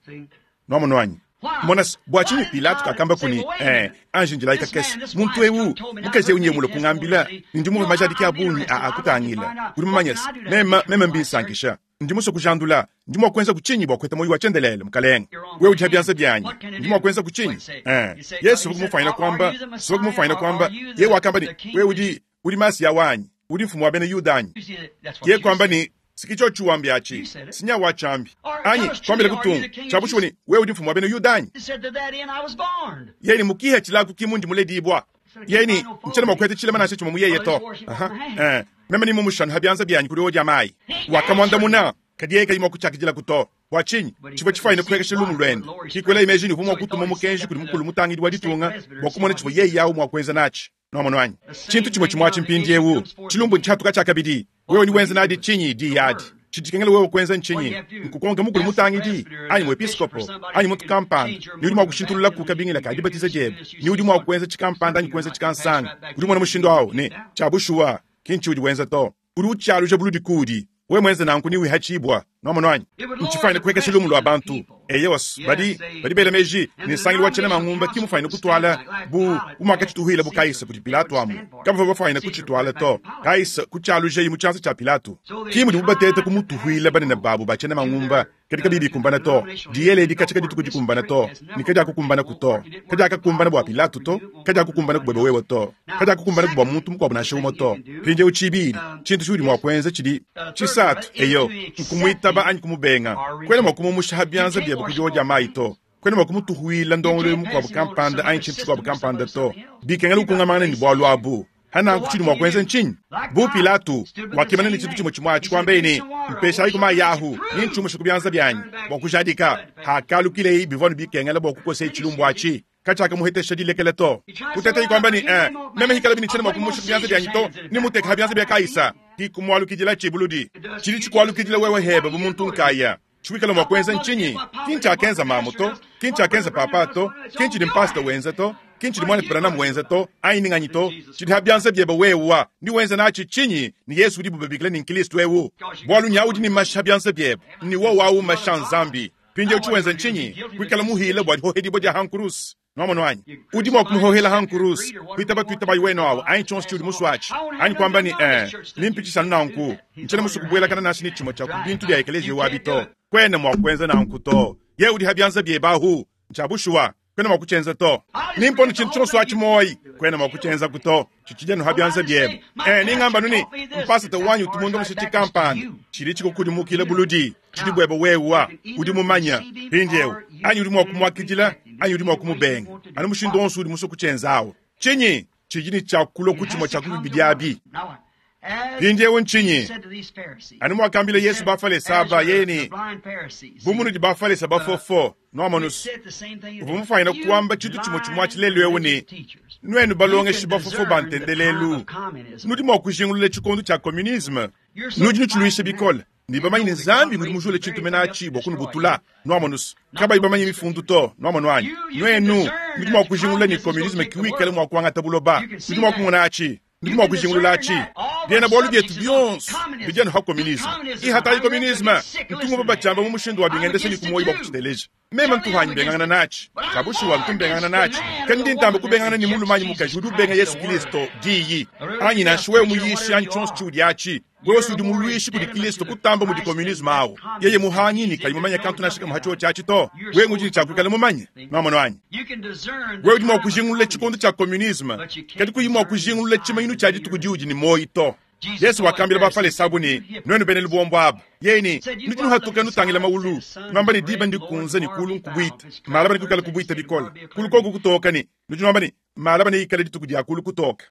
Nuamonu anyi? Mona se, bua tshinyi Pilato kakamba ku ne, Eh, anji ndilayi kakese, muntu eu, mukaji eu nyeye mulue kungambila ne ndi mumvue majadiki a bungi a a kutangila. Udi mumanye se, meme, meme mbinsankisha. Ndi musue kujandula. Ndi mua kuenza ku tshinyi bua kuheta muoyo wa tshiendelele, Mukalenge? Wewe udi ha bianza bianyi. Ndi mua kuenza ku tshinyi? Eh, Yesu uvua kumufuanyina kuamba, uvua kumufuanyina kuamba, yeye wakamba ne, Wewe udi, udi Masiya wanyi. Udi mfumu wa bena Yuda anyi? Yeye kuamba ne, Siki tshiotshi wambi atshi, sinya wa tshiambi. Anyi kuambila kutungu, tshia bushuwa ne, wewe udi mfumu wa bena Yuda anyi? Yeye ne mukiha tshilaku ki mundi muledibua. Yeye ne ntshiena mua kuheta tshilema nansha tshimue mu yeye to. Aha, eh, meme ni mumushanu ha bianza bianyi kudi odia mayi. Wakamuandamuna, kadi yeye kayi mua kutshiakidilaku to. Bua tshinyi? Tshivua tshifuanyine kupuekesha lumu luende. Kikuelayi meji ne uvua mua kutuma mukenji kudi mukulu mutangidi wa ditunga bua kumona tshivua yeye awu mua kuenza natshi. Nwamonu anyi? Tshintu tshimue tshimue atshi mpindiewu. Tshilumbu ntshihatuka tshiakabidi. Wewe udi wenza nadi tshinyi diyi adi? Tshidi tshikengela wewe kuenza ntshinyi? Nkukonka mukulu mutangidi, anyi muepiskopo, anyi muntu kampanda, ne udi mua kushintululaku kabingila ka dibatiza diebe, ne udi mua kuenza tshikampanda anyi kuenza tshikansanga. Udi umona mushindu awu ne, tshia bushuwa, ki ntshiudi wenza to. Udi utshialuja buludi kuudi. Wewe muenze nanku newihatshibua. Nwamonu anyi? Ntshifuanyine kuhekesha lumu lua bantu. Eyowa, badi, badi bela meji ne nsangilu wa tshiena mangumba ki mufuanyine kutuala bu, bu muakatshituhuila bu Kaisa kudi Pilato amu. Kabavua bafuanyine kutshituala to. Kaisa kutshialujayi mu tshianza tshia Pilato. Ki mudibu bateta kumutuhuila banene babu ba tshiena mangumba, kadi kabiyi bikumbana to. Diyela edi katshia kadituku dikumbana to, ne kadiakukumbanaku to. Kadiakakumbana bua Pilato to, kadiakukumbanaku buebe wewe to, kadiakukumbanaku bua muntu mukuabu nansha umue to. Mpindieu tshibidi, tshintu tshiudi mua kuenza tshidi tshisatu, eyo, nkumuitaba anyi kumubenga. Kuena mua kumumusha ha bianza biebe ku diowa dia mayi to. Kuena mua kumutuhuila ndongoluelu mukuabu kampanda anyi tshintu tshikuabu kampanda to. Bikengela ukungamangana ne bualu abu. Ha nanku tshidi mua kuenza ntshinyi? Bu Pilato wakimana ne tshintu tshimue tshimue atshi, kuambaye ne, Mpeshayiku mayi ahu, ne ntshiumushe ku bianza bianyi bua kujadika. Hakalukileyi, bivua anu bikengela bua kukoseye tshilumbu atshi. Katshiakamuhetesha dilekela to. Kuteteyi kuamba ne, Eh, meme hikalabi ne tshiena mua kumusha ku bianza bianyi to, nemuteke ha bianza bia Kaisa. Ki kumualukidila tshibuludi. Tshidi tshikualukidila wewe hebe bu muntu nkaya. Tshiwikala mua kuenza ntshinyi? Ki ntshiakenza mamu to, ki ntshiakenza papa to, ki ntshidi mpasita wenza to, ki ntshidi muanetu Branham wenza to, anyi ni nganyi to. Tshidi ha bianza biebe wewa. Ni wenza natshi tshinyi ne Yesu udibu babikila ne Nkristo eu? Bualu nya udi ne mashi ha bianza biebe, ne wowu au mmashi a Nzambi. Mpindieu tshiwenza ntshinyi? Kuikala muhile bua dihohedibua dia ha nkuruse. Nwamonu anyi? Udi mua kumuhohela ha nkuruse, kuitaba tuitabayi wenu awu, anyi tshionso tshiudi musue atshi, anyi kuamba ne, Ee, nempitshishe anu nanku. Ntshiena musue kubuelakana nansha ne tshimue tshia ku bintu bia ekeleziya wabi to. Kuena mua kuenza nanku to. Yeye udi ha bianza biebe ahu. Ntshia bushuwa. Kuena mua kutshienza to. Nimpone tshintu tshionso atshi muoyi. Kuena mua kutshienzaku to. Tshitshidi anu ha bianza biebe. Ee, ningamba anu ne, mpasata wanyi utu mundongeshe tshikampanda. Tshidi tshikukudimukila buludi. Tshidi buebe wewa. Udi mumanya. Mpindieu, anyi udi mua kumuakidila, anyi udi mua kumubenga. Anu mushindu wonso udi musue kutshienza awu. Tshinyi? Tshidi ne tshia kulua ku tshimue tshia ku bibidi abi. Mpindieu ntshinyi? Anu muakambila Yesu Bafalese aba, yeye ne, Bu munudi Bafalese bafofo, nuamonus, uvua mufuanyine kuamba tshintu tshimue tshimue atshi lelu eu ne, Nuenu balongeshi bafofo ba ntendelelu, nudi mua kujingulula tshikondo tshia communisme, nudi nutshiluisha bikole. Ne bamanye ne Nzambi ngudi mujule tshintu mene atshi bua kunubutula. Nuamonus, kabayi bamanye mifundu to. Nuamonu anyi? Nuenu nudi mua kujingulula ne communisme ki wikale mua kuangata buloba. Nudi mua kumona atshi. Nudi mua kujingulula atshi. Biena-bualu bietu bionso bidi anu ha communisme. Ihatayi communisme. Ntu ngumvua batshiamba mu mushindu wa bingendesha ne ku muoyo bua kutshiteleja. Meme ntu hanyi mbengangana natshi. Tshia bushuwa ntu mbengangana natshi. Kadi ndi ntamba kubengangana ne mulume anyi mukaji udi ubenga Yesu Kilisto, Diyi. Anyi nansha wewe muyishi anyi tshionso tshiudi atshi, wewe si udi muluishi kudi Kilisto kutamba mudi communisme awu. Yeye muhangi ne kayi mumanye kantu nansha kamue ha tshiotshi atshi to. Wewe ngudi ne tshia kuikala mumanye. Nwamonu anyi? Wewe udi mua kujingulula tshikondo tshia communisme, kadi kuyi mua kujingulula tshimanyinu tshia dituku diudi ne muoyo to. Yesu wakambila Bafalese abu ne, Nuenu bena lubombo aba, yeye ne, nudi nuhatuka nutangila maulu, nuamba ne, diba ndikunze ne kulu nkubuita, malaba nekuikale kubuita bikole, kulu koku kutoka ne, nudi nuamba ne, malaba neikale dituku dia kulu kutoka.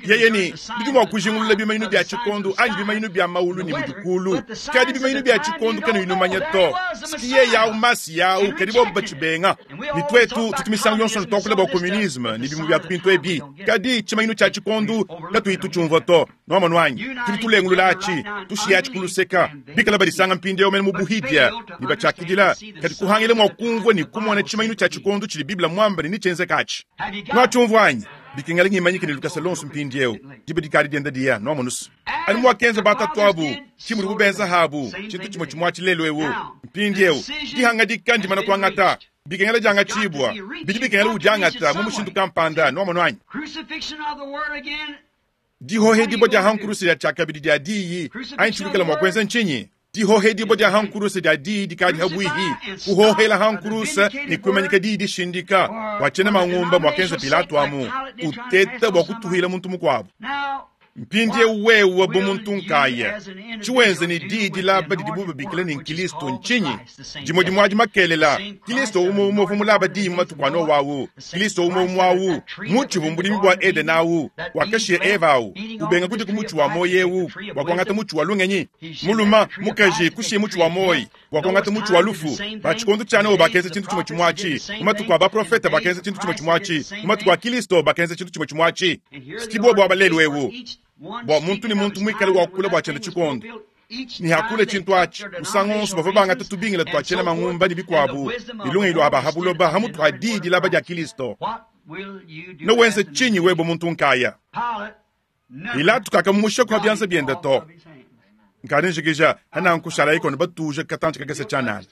Yeye ne, nudi mua kujingulula bimanyinu bia tshikondo anyi bimanyinu bia maulu ne mudi kulu, kadi bimanyinu bia tshikondo kanuyi numanya to. Siki yeye au Masiya au, kadi bobu batshibenga. Ne tuetu tutu misangu yonso tuakula bua communisme ne bimue bia ku bintu ebi, kadi tshimanyinu tshia tshikondo katuyi tutshiumvua to. Nwamonu anyi? Tudi tulengulula atshi, tushiya atshi ku luseka. Bikala badisanga mpindieu mene mu buhidia ne batshiakidila, kadi kuhangila mua kumvua ne kumona tshimanyinu tshia tshikondo tshidi Bible muambe ne netshienzeke atshi. Nuatshiumvua anyi? Bikengela ngimanyike ne lukasa luonso mpindieu. Diba dikadi dienda diya. Nwamonu's? Anu muakenza batatuabu, ki mudibu benza habu tshintu tshimue tshimue atshi lelu eu. Mpindieu, dihangadika ndimana kuangata. Bikengela diangatshibua. Bidi bikengela udiangata mu mushindu kampanda. Nwamonu anyi? Dihohedibua dia ha nkuruse dia tshiakabidi dia diyi anyi tshiwikala mua kuenza ntshinyi? Dihohedibua dia ha nkuruse dia diyi dikadi ha buihi. Kuhohela ha nkuruse ne kuimanyika diyi dishindika bua tshiena mangumba muakenza Pilato amu uteta bua kutuhila muntu mukuabu. Mpindieu wewe bu muntu nkaya, tshiwenza ne diyi dilaba didibu babikila ne Nkilisto ntshinyi? Dimue dimue adi makelela, Kilisto umue umue uvua mulaba diyi mu matuku a Nowa awu, Kilisto umue umue awu, mutshi uvua mu budimi bua Edene awu, wakashiya Eva awu, ubenga kudia ku mutshi wa muoyo eu bua kuangata mutshi wa lungenyi. Mulume, mukaji, kushiya mutshi wa muoyo bua kuangata mutshi wa lufu. Ba tshikondo tshia Nowa bakenza tshintu tshimue tshimue atshi, mu matuku a baprofete bakenza tshintu tshimue tshimue atshi, mu matuku a Kilisto bakenza tshintu tshimue tshimue atshi. Ki buobu aba lelu eu, bua muntu ne muntu muikale wakula bua tshiende tshikondo ne hakule tshintu atshi musangu wonso bavua bangata tubingila tua tshiena mangumba ne bikuabu ne lungenyi lua ba ha buloba ha mutu ha diyi dilaba dia Kilisto. Newenze tshinyi wewe muntu nkaya? Pilato kakamumusha ku bianza biende to. Nkadi njikija hananku shalayi kono batuja katantshi kakese tshianana.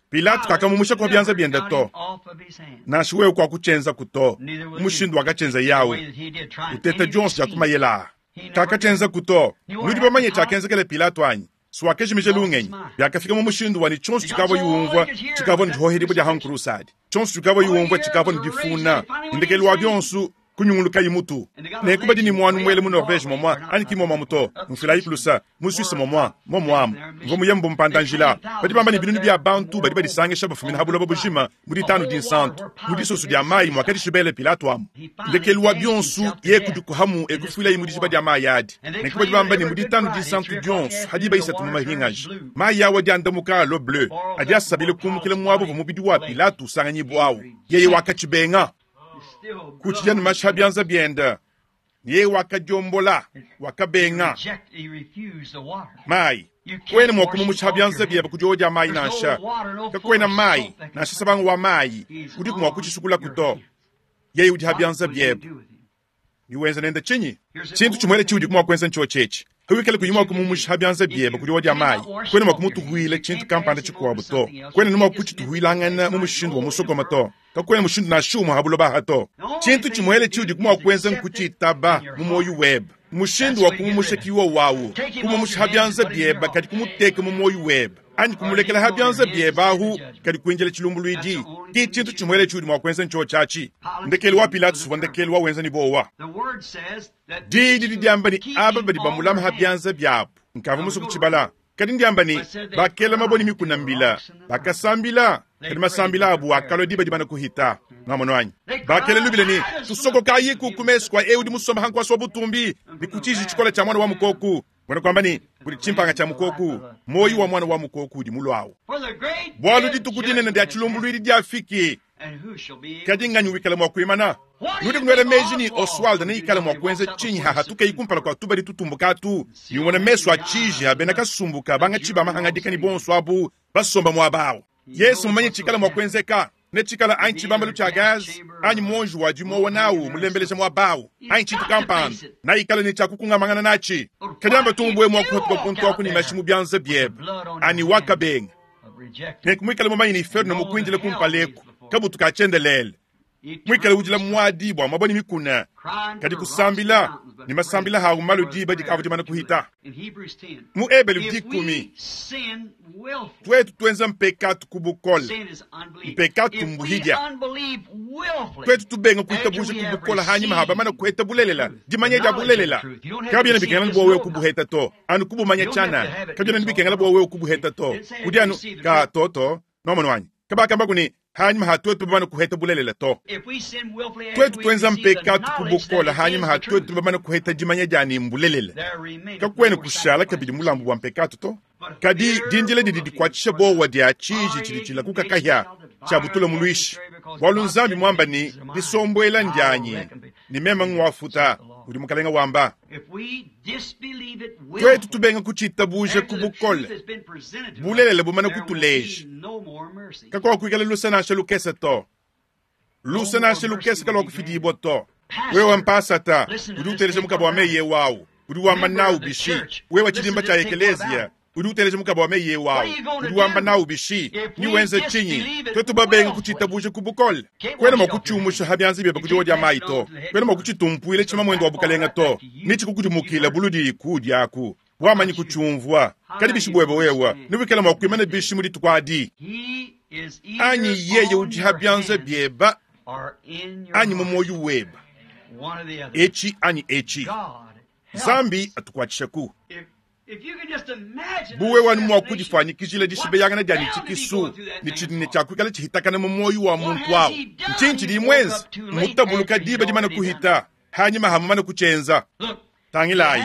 Pilato kakamumusha ku bianza biende to. Nansha wewe kuakutshienzaku to. Mushindu wakatshienza yawu uteta dionso dia kumayela. Kakatshienzaku to. Nudi bamanye tshiakenzekela Pilato anyi? Siwakajimija lungenyi. Biakafika mu mushindu wa ne tshionso tshikavua yumvua tshikavua ne dihohedibua dia hankurusadi. Tshionso tshikavua yumvua tshikavua ne difuna. Ndekelu wa bionso kunyungulukayi mutu. Nenku badi ne muanu muele mu Norvege momua anyi ki momuamu to, mfilayi kulusa mu Suisse momua momuamu. Mvua muye mbu mpanda-njila. Badi bamba ne binunu bia bantu badi badisangisha bafumina ha buloba bujima mu ditanu dinsantu mu disoso dia mayi muakadishibele Pilato amu. Ndekelu wa bionso ye kudikuhamu ekufuilayi mu dijiba dia mayi adi. Nenku badi bamba ne mu ditanu dinsantu dionso hadi bayisatu mu mahingaji mayi awu adi andamuka alo bleu adi asabile kumukila muaba uvua mubidi wa Pilato usanganyibua awu. Yeye wakatshibenga. Kutshidia ne mashi ha bianza biende, yeye wakadiombola, wakabenga mayi. Kuena mua kumumusha ha bianza biebe ku diowa dia mayi nansha. Kakuena mayi nansha sabanga wa mayi udiku mua kutshisukulaku to. Yeye udi ha bianza biebe. Niwenza nende tshinyi? Tshintu tshimuele tshiudi mua kuenza ntshio tshietshi. Hawikale kuyi mua kumumusha ha bianza biebe ku diowa dia mayi, kuena mua kumutuhuila tshintu kampanda tshikuabu to. Kuena ne mua kutshituhuilangana mu mushindu wa musokoma to. Kakuena mushindu nansha umue ha buloba aha to. Tshintu tshimuele tshiudi mua kuenza nkutshitaba mu muoyo webe. Mushindu wa kumumusha kiwa wawu, kumumusha ha bianza biebe kadi kumuteka mu muoyo webe, anyi kumulekela ha bianza biebe ahu kadi kuinjila tshilumbuluidi. Ki tshintu tshimuele tshiudi mua kuenza ntshio tshiatshi. Ndekelu wa Pilato uvua ndekelu wa wenza ne bowa. Diyi didi diamba ne aba badi bamulama ha bianza biabu. Nkavua musue kutshibala, kadi ndiamba ne bakela mabue ne mikuna mbila, bakasambila, kadi masambila abu akalua diba dimana kuhita. Ngamono anyi? Bakela lubila ne tusokokayiku ku mesu kua eu udi musomba ha nkuasa wa butumbi ne ku tshiji tshikole tshia mwana wa mukoku. Buena kuamba ne kudi tshimpanga tshia mukoku, muoyo wa mwana wa mukoku udi muluawu. Bualu dituku dinene dia tshilumbuluidi diafiki, kadi nganyi wikala mua kuimana? Nudi kunuela meji ne Oswald neikale mua kuenza tshinyi hahatukeyi kumpala kua tubadi tutumbuka atu, ne umona mesu a tshiji a bena kasumbuka bangatshi ba mahangadika ne bonso abu basomba muaba awu. Yesu mumanye tshikala mua kuenzeka, ne tshikala anyi tshibambalu tshia gaz anyi muonji wa dimowa nawu mulembeleja muaba awu anyi tshintu kampanda, naikale ne tshiakukungamangana natshi. Kadi amba tumbue mua kuhatuka kuntu aku ne mashi mu bianza biebe ani wakabenga. Nenku muikale mumanye ne inferno mukuindile kumpaleku kabutu ka tshiendelele. Muikale udila muadi bua mabue ne mikuna, kadi kusambila ne masambila hawu malu diba dikavua dimana kuhita. Mu Ebelu 10, tuetu tuenza mpekatu ku bukole, mpekatu mbuhidia. Tuetu tubenga kuitabuja ku bukole hanyima ha bamana kuheta bulelela, dimanya dia bulelela. Kabiena bikengela bua wewe kubuheta to, anu kubumanya tshianana. Kabiena bikengela bua wewe kubuheta to, udi anu ka toto nomano anyi. Kabakamba ne hanyima ha tuetu bamana kuheta bulelela to. Tuetu tuenza mpekatu ku bukole hanyima ha tuetu bamana kuheta dimanya dia ne mbulelela. Kakuena kushala kabidi mulambu wa mpekatu to. Kadi dindila didi dikuatshisha bowa dia tshiji tshidi tshilakuka kahia tshia butula muluishi. Bualu Nzambi muamba ne disombuela ndianyi ne meme ngwafuta, udi mukalenga wamba. Tuetu tubenga kutshitabuja ku bukole, bulelela bumana kutuleja. Kakuakuikala lusa nansha lukese to. Lusa nansha lukese kaluakufidibua to. Wewe mpasata udi uteleja mukaba wa meyi wawu, udi wamba nawu bishi. Wewe tshidimba tshia ekelezia udi uteleja mukaba wa meyi wawu, udi wamba nawu bishi. Ni wenze tshinyi tuetu babenga kutshitabuja ku bukole? Kuena mua kutshiumusha ha bianza biebe ku diowa dia mayi to. Kuena mua kutshitumpuila tshima muendo wa bukalenga to. Nitshikukudimukila buludi kudiaku wamanyi kutshiumvua. Kadi bishi buebe wewe niwikala mua kuimana bishi mu dituku adi? Anyi yeye udi ha bianza biebe anyi mu muoyo webe, etshi anyi etshi. Nzambi atukwatshishaku. Bu wewe anu mua kudifuanyikijila dishibeyangana dia ne tshikisu ne tshidi ne tshia kuikala tshihitakana mu muoyo wa muntu awu. Ntshinyi tshidiye muenze? Mmutabuluka diba dimane kuhita, hanyima ha mumane kutshienza. Tangilayi,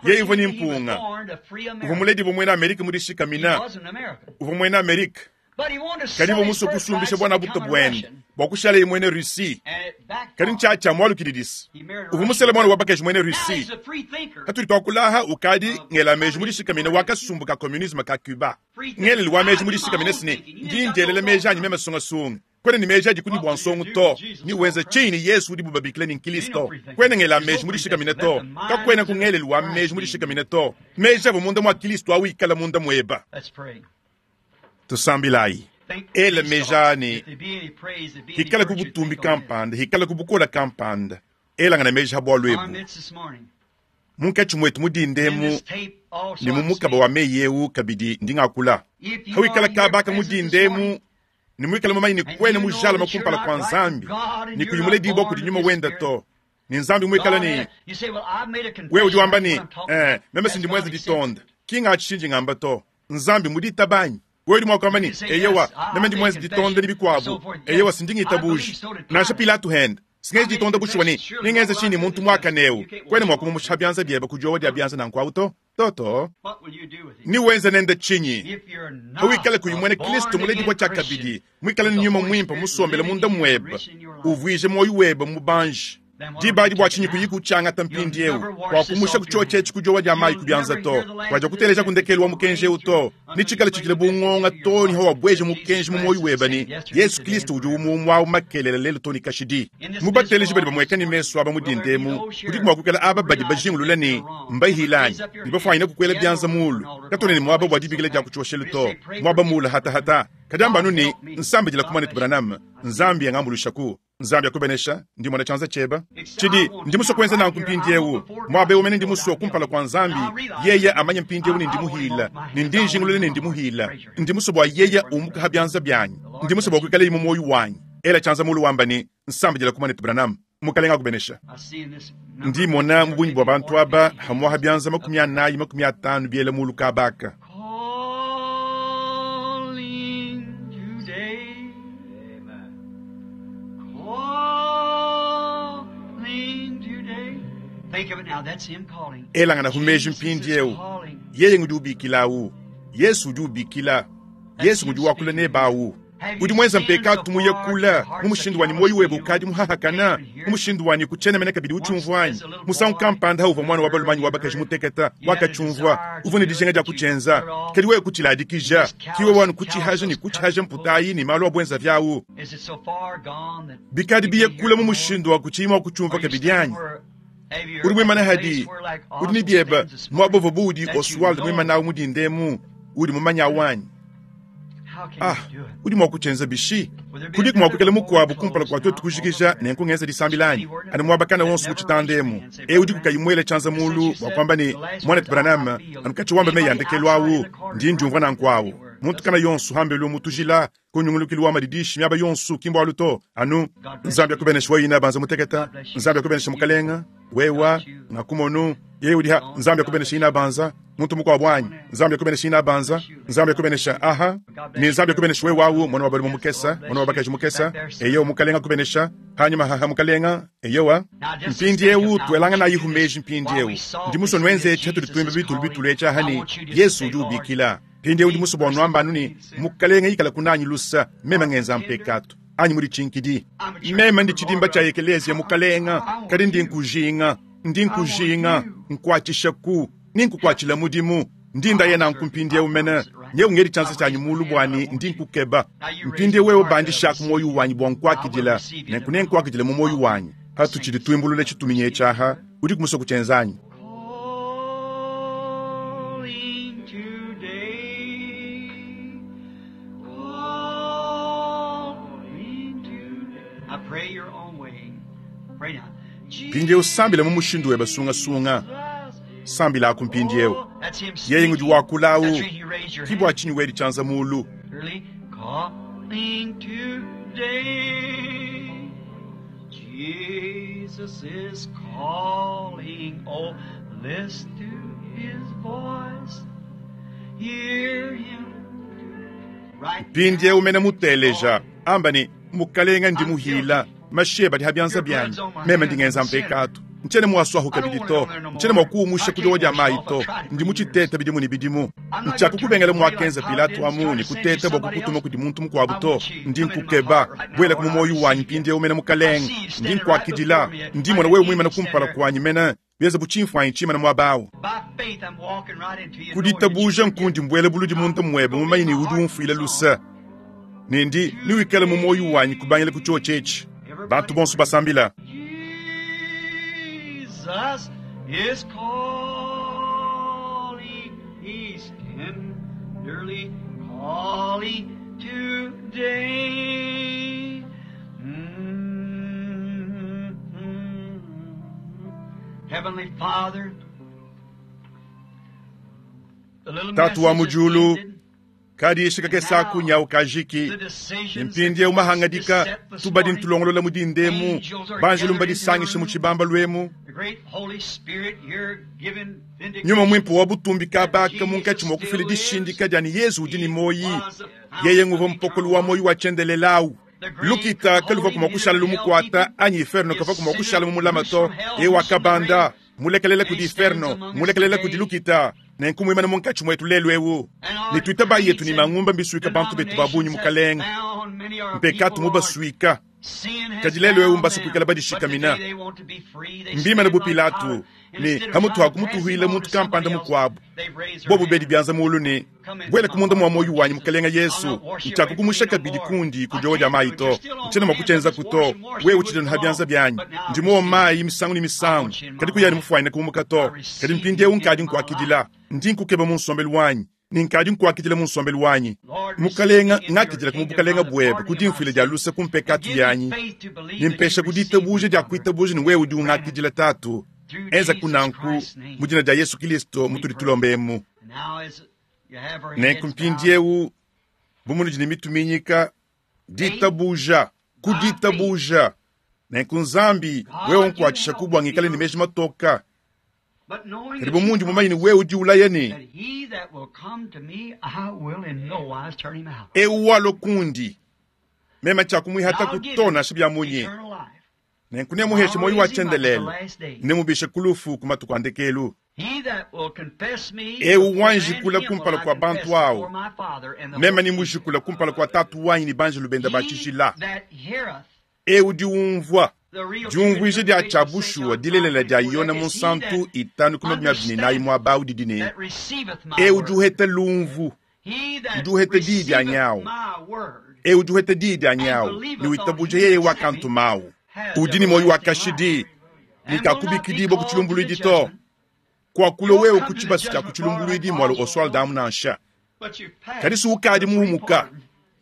yeye uvua ne mpunga. Uvua muledibue muena Amerika mu dishikamina. Uvua muena Amerika. Kadi uvua musue kusumbisha buanabuta buende bua kushalaye muena Russie. Kadi ntshiatshia mualukididisa. Uvua musele muana wa bakaji muena Russie. Patudi tuakula aha, ukadi ngela meji mu dishikamina wa kasumbu ka communisme ka Cuba. Ngelelu wa meji mu dishikamina se ne, ndi ndielela meji anyi meme sungasunga. Kuena ne meji adi kudi bua nsongo to, ne wenza tshinyi ne Yesu udibu babikila ne Nkilisto? Kuena ngela meji mu dishikamina to. Kakuena ku ngelelu wa meji mu dishikamina to. Meji avua munda mua Kilisto au ikala munda mueba. Tusambilayi. Ela meji aa ne, hikalaku butumbi kampanda, hikalaku bukole kampanda. Elangana meji ha bualu ebu. Munkatshi muetu mu dinda emu ne mu mukaba wa meyi eu kabidi ndi ngakula. Hawikala kaba aka mu dinda emu ne muikale mumanye ne kuena mujalame kumpala kua Nzambi ne kuyi muledibua kudi Nyuma wenda to, ne Nzambi muikale ne wewe udi wamba ne, eh, meme si ndi muenze ditonda, ki ngatshi tshindi ngamba to. Nzambi muditaba anyi? Wewe udi mua kuamba ne, eyowa, meme ndi muenze ditonda ne bikuabu, eyowa, si ndi ngitabuja. Nansha Pilato hende, singenzi ditonda bushuwa ne, nengenze tshinyi ne muntu muakane eu? Kuena mua kumumusha bianza biebe ku diowa dia bianza nanku au to. Toto, newenze nende tshinyi? Pawikala kuyi muena Kristo muledibua tshiakabidi, muikale ne nyuma muimpe musombele munda muebe, uvuije muoyo webe mubanji. Diba adi bua tshinyi kuyi kutshiangata mpindieu? Kuakumusha ku tshiotshi etshi ku diowa dia mayi ku bianza to. Kuadiakuteleja ku ndekelu wa mukenji eu to. Netshikale tshidile bu ngonga too ne hawabueja mukenji mu muoyo webe ne, Yesu Kristo udi umue umue au makelela lelu too ne kashidi. Mu bateleji badi bamueka ne mesu aba mu dinda emu, kudiku mua kuikala aba badi bajingulula ne, mbahile anyi ne bafuanyine kukuela bianza muulu. Katuena ne muaba bua dibikila dia ku tshioshelu to, muaba muule hatahata. Kadi amba anu ne, Nsambidila ku muanetu Branham, Nzambi angambuluishaku. Nzambi akubenesha. Ndi mmona tshianza tshieba. Tshidi, ndi musue kuenza nanku mpindiewu. Muaba ewu mene ndi musue kumpala kua Nzambi, Yeye amanye mpindiewu ne ndi muhila, ne ndi njingulula ne ndi muhila. Ndi musue bua Yeye umuka ha bianza bianyi. Ndi musue bua kuikaleye mu muoyo wanyi. Ela tshianza mulu wamba ne, Nsambidila ku muanetu Branham. Mukalenga akubenesha. Ndi mmona mu bungi bua bantu aba hamuaha bianza 40, 50 biela mulu kaba aka. Calling today. Calling today. Think of it now. That's him calling. Elangana meji Jesus is mpindieu. calling. Yeye ngudi ubikila awu. Yesu udi ubikila. Yesu ngudi wakula nebe awu. Udi muenza mpekatu muye kula mu mushindu wanyi muoyo webe ukadi muhahakana mu mushindu wanyi kutshiena mene kabidi utshiumvua anyi? Musangu kampanda hauvua muana wa balume anyi wa bakaji muteketa wakatshiumvua, uvua ne dijinga dia kutshienza, kadi wewe kutshiladikija, ki wewe anu kutshihaja ne kutshihaja mputayi ne malu a buenza viawu. Is it so far gone that Bikadi you biye can't hear kule mu no more? mushindu wa kutshiyi mua kutshiumvua Are you kabidi standing anyi? where have you Udi muimane at a hadi, place where like udi ne Oswald biebe stands this muaba morning uvua buudi that you Oswald know muimane mu dinda emu, udi mumanye awu anyi? how can Ah, you do it? udi mua kutshienza bishi? Will there be Kudiku mua another kuikala before we mukuabu kumpala close kua now? tuetu All kujikija over nenku ngenza disambila anyi? anywhere Anu muaba kana that wonso mu never tshitanda raised their emu. hand, say, E Brother udi kukayi Branham, muele tshianza since mulu you bua said kuamba ne, the last Muanetu words, I, I Branham, feel anu katshi wamba meyi a anybody ndekelu outside in awu, the corridor ndi ndiumvua right nanku awu. anywhere Muntu doesn't kana yonso hambelu mu tujila, ku nyungulukilu wa madidishi miaba yonso ki mbualu to. Anu God bless Nzambi you. akubenesha wewe banza muteketa, God bless you. Nzambi akubenesha You mukalenga, wewa got you. ngakumonu yeye udi ha On. Nzambi God akubenesha bless you. ina banza muntu mukuabu anyi Nzambi akubenesha ina banza Bless you, lady. Nzambi God bless akubenesha you. aha God ni bless you, Nzambi sir. akubenesha wewe wawu mwana wa balume Yes, the mukesa Lord mwana wa bless you. bakaji mukesa Back there, sir. eyo mukalenga akubenesha hanyuma haha mukalenga eyowa Now, just think of mpindiewu now, I want tuelanga you nayi to do this. humeji While mpindiewu we ndi softly muso sing nwenze that echa tuli Jesus tuimba is bitulu calling, bitulu echa I hani want you just to Yesu say, udi Lord, ubikila mpindiewu ndi be muso bua nwamba anu merciful to ne me, sinner. mukalenga ikala kunanyi lusa meme Heart ngenza tender. mpekatu anyi muli chinkidi I'm a church meme ndi member, chidimba Lord, cha but ekeleziya I, mukalenga I want kadi ndi you. nkujinga ndi I want nkujinga you. nkwatshishaku ni nkukwatshila mudimu ndi ndaye I'll nanku serve you. I mpindiewu mene promise it right nyewu now. ngeli I tshianza tshianyi raise my mulu hand, but I bwani want ndi you. nkukeba Now you raise mpindiewu your wewe heart up, bandishaku receive muoyo you. wanyi bua I will nkuakidila receive you nenku into my heart. nenkuakidila mu muoyo I'll wanyi sing patutshidi this tuimbulula song. tshituminyi Receive etshaha you. udi kumusua kutshienzanyi Calling today. Calling today. I pray your own way. Pray now. mpindiewu sambila mu mushindu webe sungasunga Jesus. sambila aku mpindiewu Oh, that's him yeye ngudi speaking. wakula That's awu the reason you raise your ki bua hand. tshinyi wedi tshianza mulu Early calling today. Jesus is calling. Oh, Listen to his voice. Hear him. Right mpindiewu mene muteleja amba ne mukalenga ndi muhila mashiye badi habyanza byanyi meme ndi ngenza mpekatu ntshiena muaswahu kabidi to ntshiena mua kuumusha ku diowa dia mayi to ndi mutshiteta bidimu ne bidimu ntshiakukubengela muakenza pilato amu ne kuteta bua kukutuma kudi muntu mukuabu to ndi nkukeba buela mu muoyo wanyi mpindiewu mene mukalenga ndi nkuakidila ndi mona wewe muimana kumpala kuanyi mene bienza bu tshimfuanyi tshimana muaba By faith, I'm walking right into you. kuditabuja nkundi mbuele buludi muntu muebe mumanyi ne udi umfuila lusa ne ndi niwikale mu muoyo wanyi kubangila ku chiochi etshi bantu bonso basambila Jesus is calling. He's tenderly calling today. Mm-hmm. Heavenly Father, the little Tatu wa message is mujulu, ended. kadi shikakesa kunyawu kajiki The decisions mpindiewu mahangadika set this tubadi morning, ntulongolola mudindemu banjelu mbadisangishe mu tshibamba lwemu the great Holy Spirit here giving nyuma vindication. mwimpu wa butumbi kabaka munkatshi mua kufila dishindika dia ne yezu udi ne moyi yeye nguva mpokolo wa moyi wa tshiendelelawu lukita kaluva kumua kushala lumukwata anyi inferno kava kumua kushala mumulama to ye wakabanda mulekelela kudi inferno mulekelela kudi lukita nenku muimana munkatshi muetu lelu ewu ne tuita bayetu ne mangumba mbisuika bantu betu ba bungi mukalenga mpekatu mubasuika kadi lelu ewu mbasukuikala badishikamina mbimana bu pilatu ne hamutu hakumutuhwila muntu kampanda mukuabu bobu bedi byanza mulu ne bwela kumunda mwa moyo wanyi mukalenga yesu ntshiakukumusha kabidi kundi ku diowa dia mayi to ntshiena mua kutshienzaku to wewe utshidi ha byanza byanyi ndi mowa mayi misangu ne misangu kadi kuyani mufuanyine kumuka to kadi mpindiewu nkadi nkuakidila ndi nkukeba mu nsombelu wanyi ne nkadi nkuakidila mu nsombelu wanyi mukalenga ngakidila ku bukalenga buebe kudi mfuile dia lusa ku mpekatu yanyi nimpesha kuditabuja dia kuitabuja ne wewe udi ungakidila tatu enza kunanku mu dina dia yesu kristo mutudi tulombemu nenku mpindiewu bu munudi ne mituminyika ditabuja kuditabuja nenku nzambi wewe nkuatshisha kubwa ngikale ne meji matoka kadi bu mundi mumanyi ne wewe udi ulaya ne That he that will come to me, I will in no wise turn him out. ewu walo kundi mema tshiakumuihata I'll give kutona him shi munye eternal life. nenku nemuheshe moyo wa tshiendelele nemubishe kulufu ku matuku a ndekelu He that will confess me Ewu before wanjikula man, him will kumpala I kwa confess bantu awo. before my Father and the mema Holy nimujikula kumpala kwa tatu wanyi ne banjelu benda He batshijila that heareth ewu diumvua the real diumvuija dia interpretation of St. tshia bushuwa John dilelela dia 5:24, yona that is he munsantu that 5:24 muaba awu didi ne that receiveth my ewu word. diuheta lumvu He that udi uheta diyi dia receiveth nyawu. my word ewu diuheta diyi dia nyawu ne witabuja yeye wakantumawu udi ne moyo wa kashidi and will not be nikakubikidibwa ku called to the tshilumbuluidi to judgment, kuakula wewe ku tshibasa tshia ku tshilumbuluidi mwalo oswald amu nansha but you've passed kadi suukadi muhumuka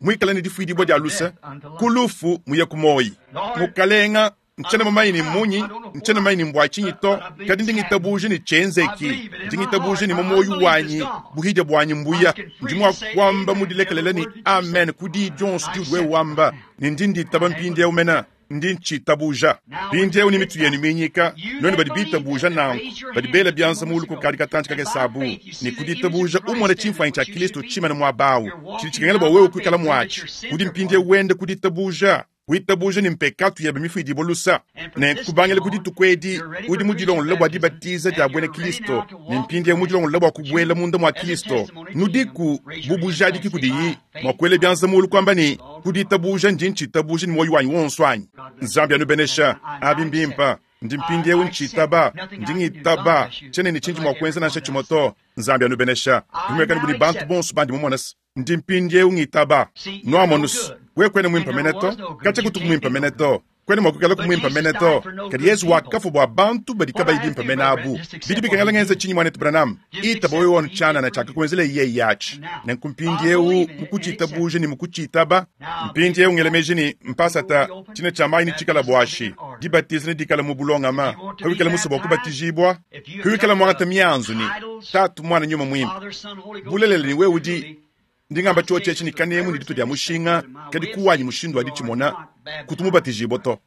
mwikala ne difuidibwa dia lusa ku lufu muye ku moyi mukalenga ntshiena mumanyi ne munyi ntshiena mumanyi ne mbua tshinyi to kadi ndi ngitabuja ne tshienzeki ndi ngitabuja ne mu moyo wanyi buhidya buanyi mbuya ndi mua kuamba mudilekelela ne amen ku diyi dionso diudi wewe wamba ne ndi nditaba mpindiewu mena ndi ntshitabuja mpindiewu ne mitu yenu minyika noni badi bitabuja nanku badi bela byanza mulu kukadi katantshi kakesabu ne kuditabuja umona tshimfuanyi tshia kristo tshimana muabawu tshidi tshikengela bua wewe kuikala muatshi udi mpindiewu wende kuditabuja kuitabuja ne mpekatu yebe mifuidibua lusa ne kubangila ku dituku edi udi mudilongolola bua dibatiza dia buena kristo ne mpindiewu mudilongolola bua kubuela munda mua kristo nudiku bu bujadiki kudiyi mua kuela byanza mulu kuamba ne kuditabuja ndi ntshitabuja ne muoyo wanyi wonso anyi nzambi anubenesha abi mbimpa ndi mpindiewu ntshitaba ndi ngitaba tshienene tshindi mua kuenza nansha tshimue to nzambi anubenesha bimwekani budi bantu bonso bandi mumonasa ndi mpindiewu ngitaba nuamonusu we kwene mwimpa mene to katshia kutuku mwimpa mene to kwene mua kuikala kumwimpa mene to kadi yesu wakafa bua bantu badi kabayi bimpa mene abu bidi bikengela ngenza tshinyi mwanetu branham itaba wewe wonu tshianana tshiakakuenzela iye yatshi nenku mpindiewu mukutshitabuja ne mukutshitaba mpindiewu ngela meji ne mpasata tshina tshia mayi ne tshikala buashi dibatiza ne dikala mu bulongama pawikala musa bua kubatijibwa pawikala muangata mianzu ne tatu mwana nyuma mwimpe Father, Son, Holy Ghost, bulelela ni wewe udi ndingamba chiochi etshi ni kanemu ni ditu dia mushinga kadi kuwanyi mushindu wa ditshimona kutu mubatijibwa to.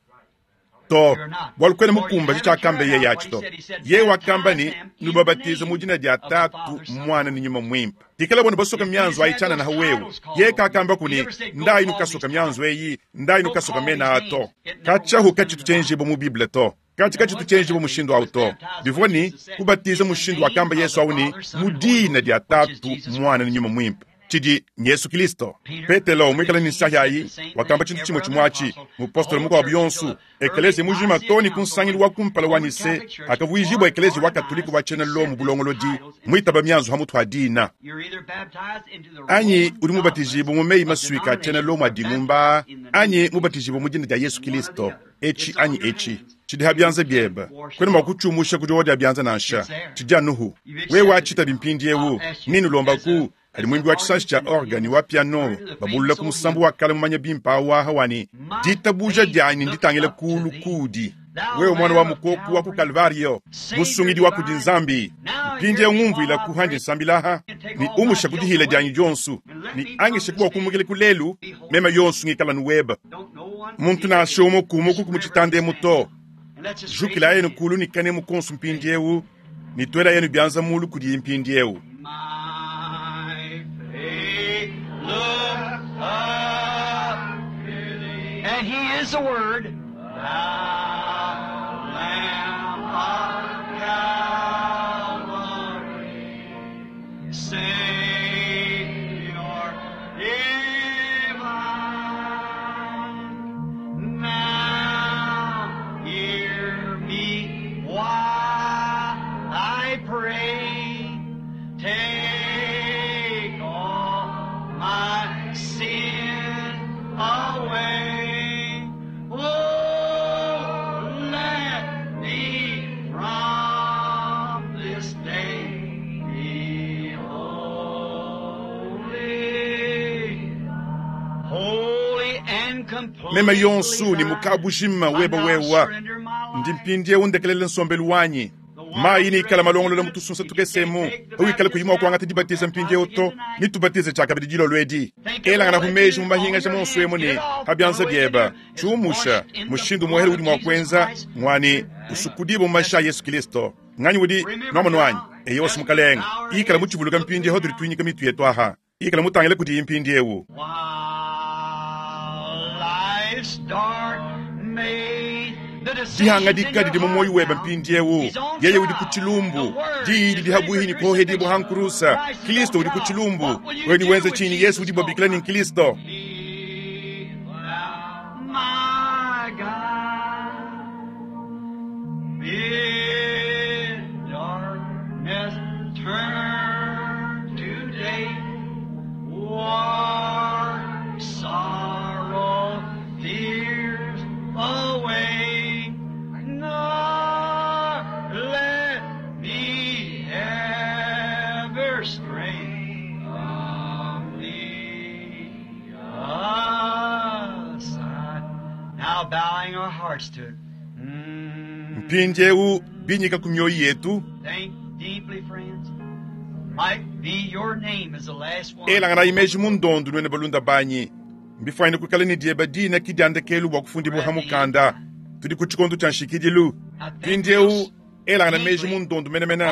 To, bwalu kwena mukumbaje tshiakamba yeye atshi to. Yeye wakamba ne, Nubabatize mu dina dia Tatu, Mwana ne Nyuma Muimpe. Pikala bonu basoka mianzu ayi tshianana ha wewe. Yeye kakamba ku ne, Ndayi nukasoka mianzu eyi, ndayi nukasoka mena aa to. Katshiahu katshitu tshienjibua mu Bible to. Katshi katshitu tshienjibua mushindu awu to. Bivua ne, kubatiza mushindu wakamba Yesu awu ne, mu dina dia Tatu, Muana ne Nyuma Muimpe. Tshidi n'Yesu Kilisto. Petelo, muikale ne nsahi ayi, wakamba tshintu tshimue tshimue atshi. Mupostolo mukuabu yonso, ekeleziya mujima too ne ku nsangilu wa kumpala wa Nicee, akavuijibua ekeleziya wa Katolike wa tshiena Lomo bulongolodi, muitaba mianzu ha mutu ha dina. Anyi udi mubatijibue mu meyi masuika a tshiena Lomo a dingumba aa, anyi mubatijibue mu dina dia Yesu Kilisto, etshi anyi etshi. Tshidi ha bianza biebe. Kuena mua kutshiumusha ku diowa dia bianza nansha. Tshidi anuhu. Wewe watshitabi mpindiewu, nenulombaku Padi muimbi wa tshisanji tshia organ ne wa piano babulula ku musambu wa kale mumanya bimpe au aha wa ne, Ditabuja dianyi nditangile kuulu kuudi, wewe muana wa mukoku wa ku Kalvario, musungidi wa kudi Nzambi. Mpindieu ngumvuilaku handi nsambila aha, ne umusha ku dihila dianyi dionso, ne angishaku bua kumukila ku lelu, meme yonso ngikala nu webe. Muntu nansha umue kumuku mu tshitanda emu to. Jukilayenu kulu ne kanemu konso mpindieu, ne tuelayenu bianza mulu kudiye mpindieu. My faith look up to thee. And he is the Word. Thou Lamb of Calvary, Savior divine. Now hear me while I pray. Take all my sin away. Oh, let me from this day be holy. Holy and completely Meme yonso ne thine. mukabujima I weba now wewa surrender my ndi life. mpindieu ndekelele nsombelu wanyi mayi nikala malongolola mu tusunsa tukesemu awikale kuyima wakuangata dibatiza mpindieu to nitubatize tshiakabidi dilolo edi elangana ku meji mu mahingasha monso emu ne ha bianza bieba tshiumusha mushindu muhele udi mua kuenza ngwani usukudibue mu mashi a Yesu Kristo nganyi udi nuamonu anyi eyo wasi mukalenga ikala mutshivuluka mpindieu tudi tuinyika mitu yetu aha ikala mutangile kudiyi mpindieu While life's dark maze, the decision's in dihangadika your didi mu heart moyo webe now. mpindieu He's on yeye udi ku trial. tshilumbu The word diyi is didi ready habuhi for ni kuohedibua crucifixion. hankurusa Christ is Kristo on udi ku trial. tshilumbu What will you wewe ni do wenze with chini Yesu Jesus udi bobikila ni called Kristo Be thou my guide. Bid darkness turn to day. War, sorrow, fears away. Nor let me ever stray from thee aside. Now bowing our hearts to it. Mpindieu binyika ku mioyo yetu Think deeply, friends. Might be your name is the last one. elangana imeji mu ndondu nwene balunda banyi mbifwanyine kuikala ne dieba dina kidiandekelu bua kufundibua ha mukanda tudi ku tshikondo tshia nshikidilu mpindieu elangana meji mu ndondu menemene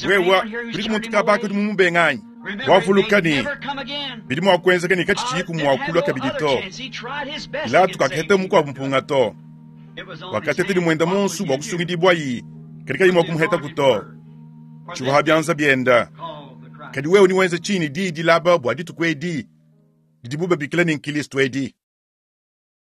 wewa kudiku muntu kabaka udi mumubenganyi Remember, wavuluka it may ne never come again. bidi mua kuenzeka ne katshitshiyi God didn't kumuakulua have no kabidi other to chance. He tried his best to Pilato get saved. kakaheta He mukuabu couldn't do mpunga to it. It was on his wakateta hands. dimwenda What will monsu bua you do kusungidibua yi kadi kayi mua with the kumuheta anointed kuto word? For tshivuha this bianza bienda called the Christ. kadi wewe niwenze chini diyi dilaba bua dituku edi didibu babikila ne nkilisto edi.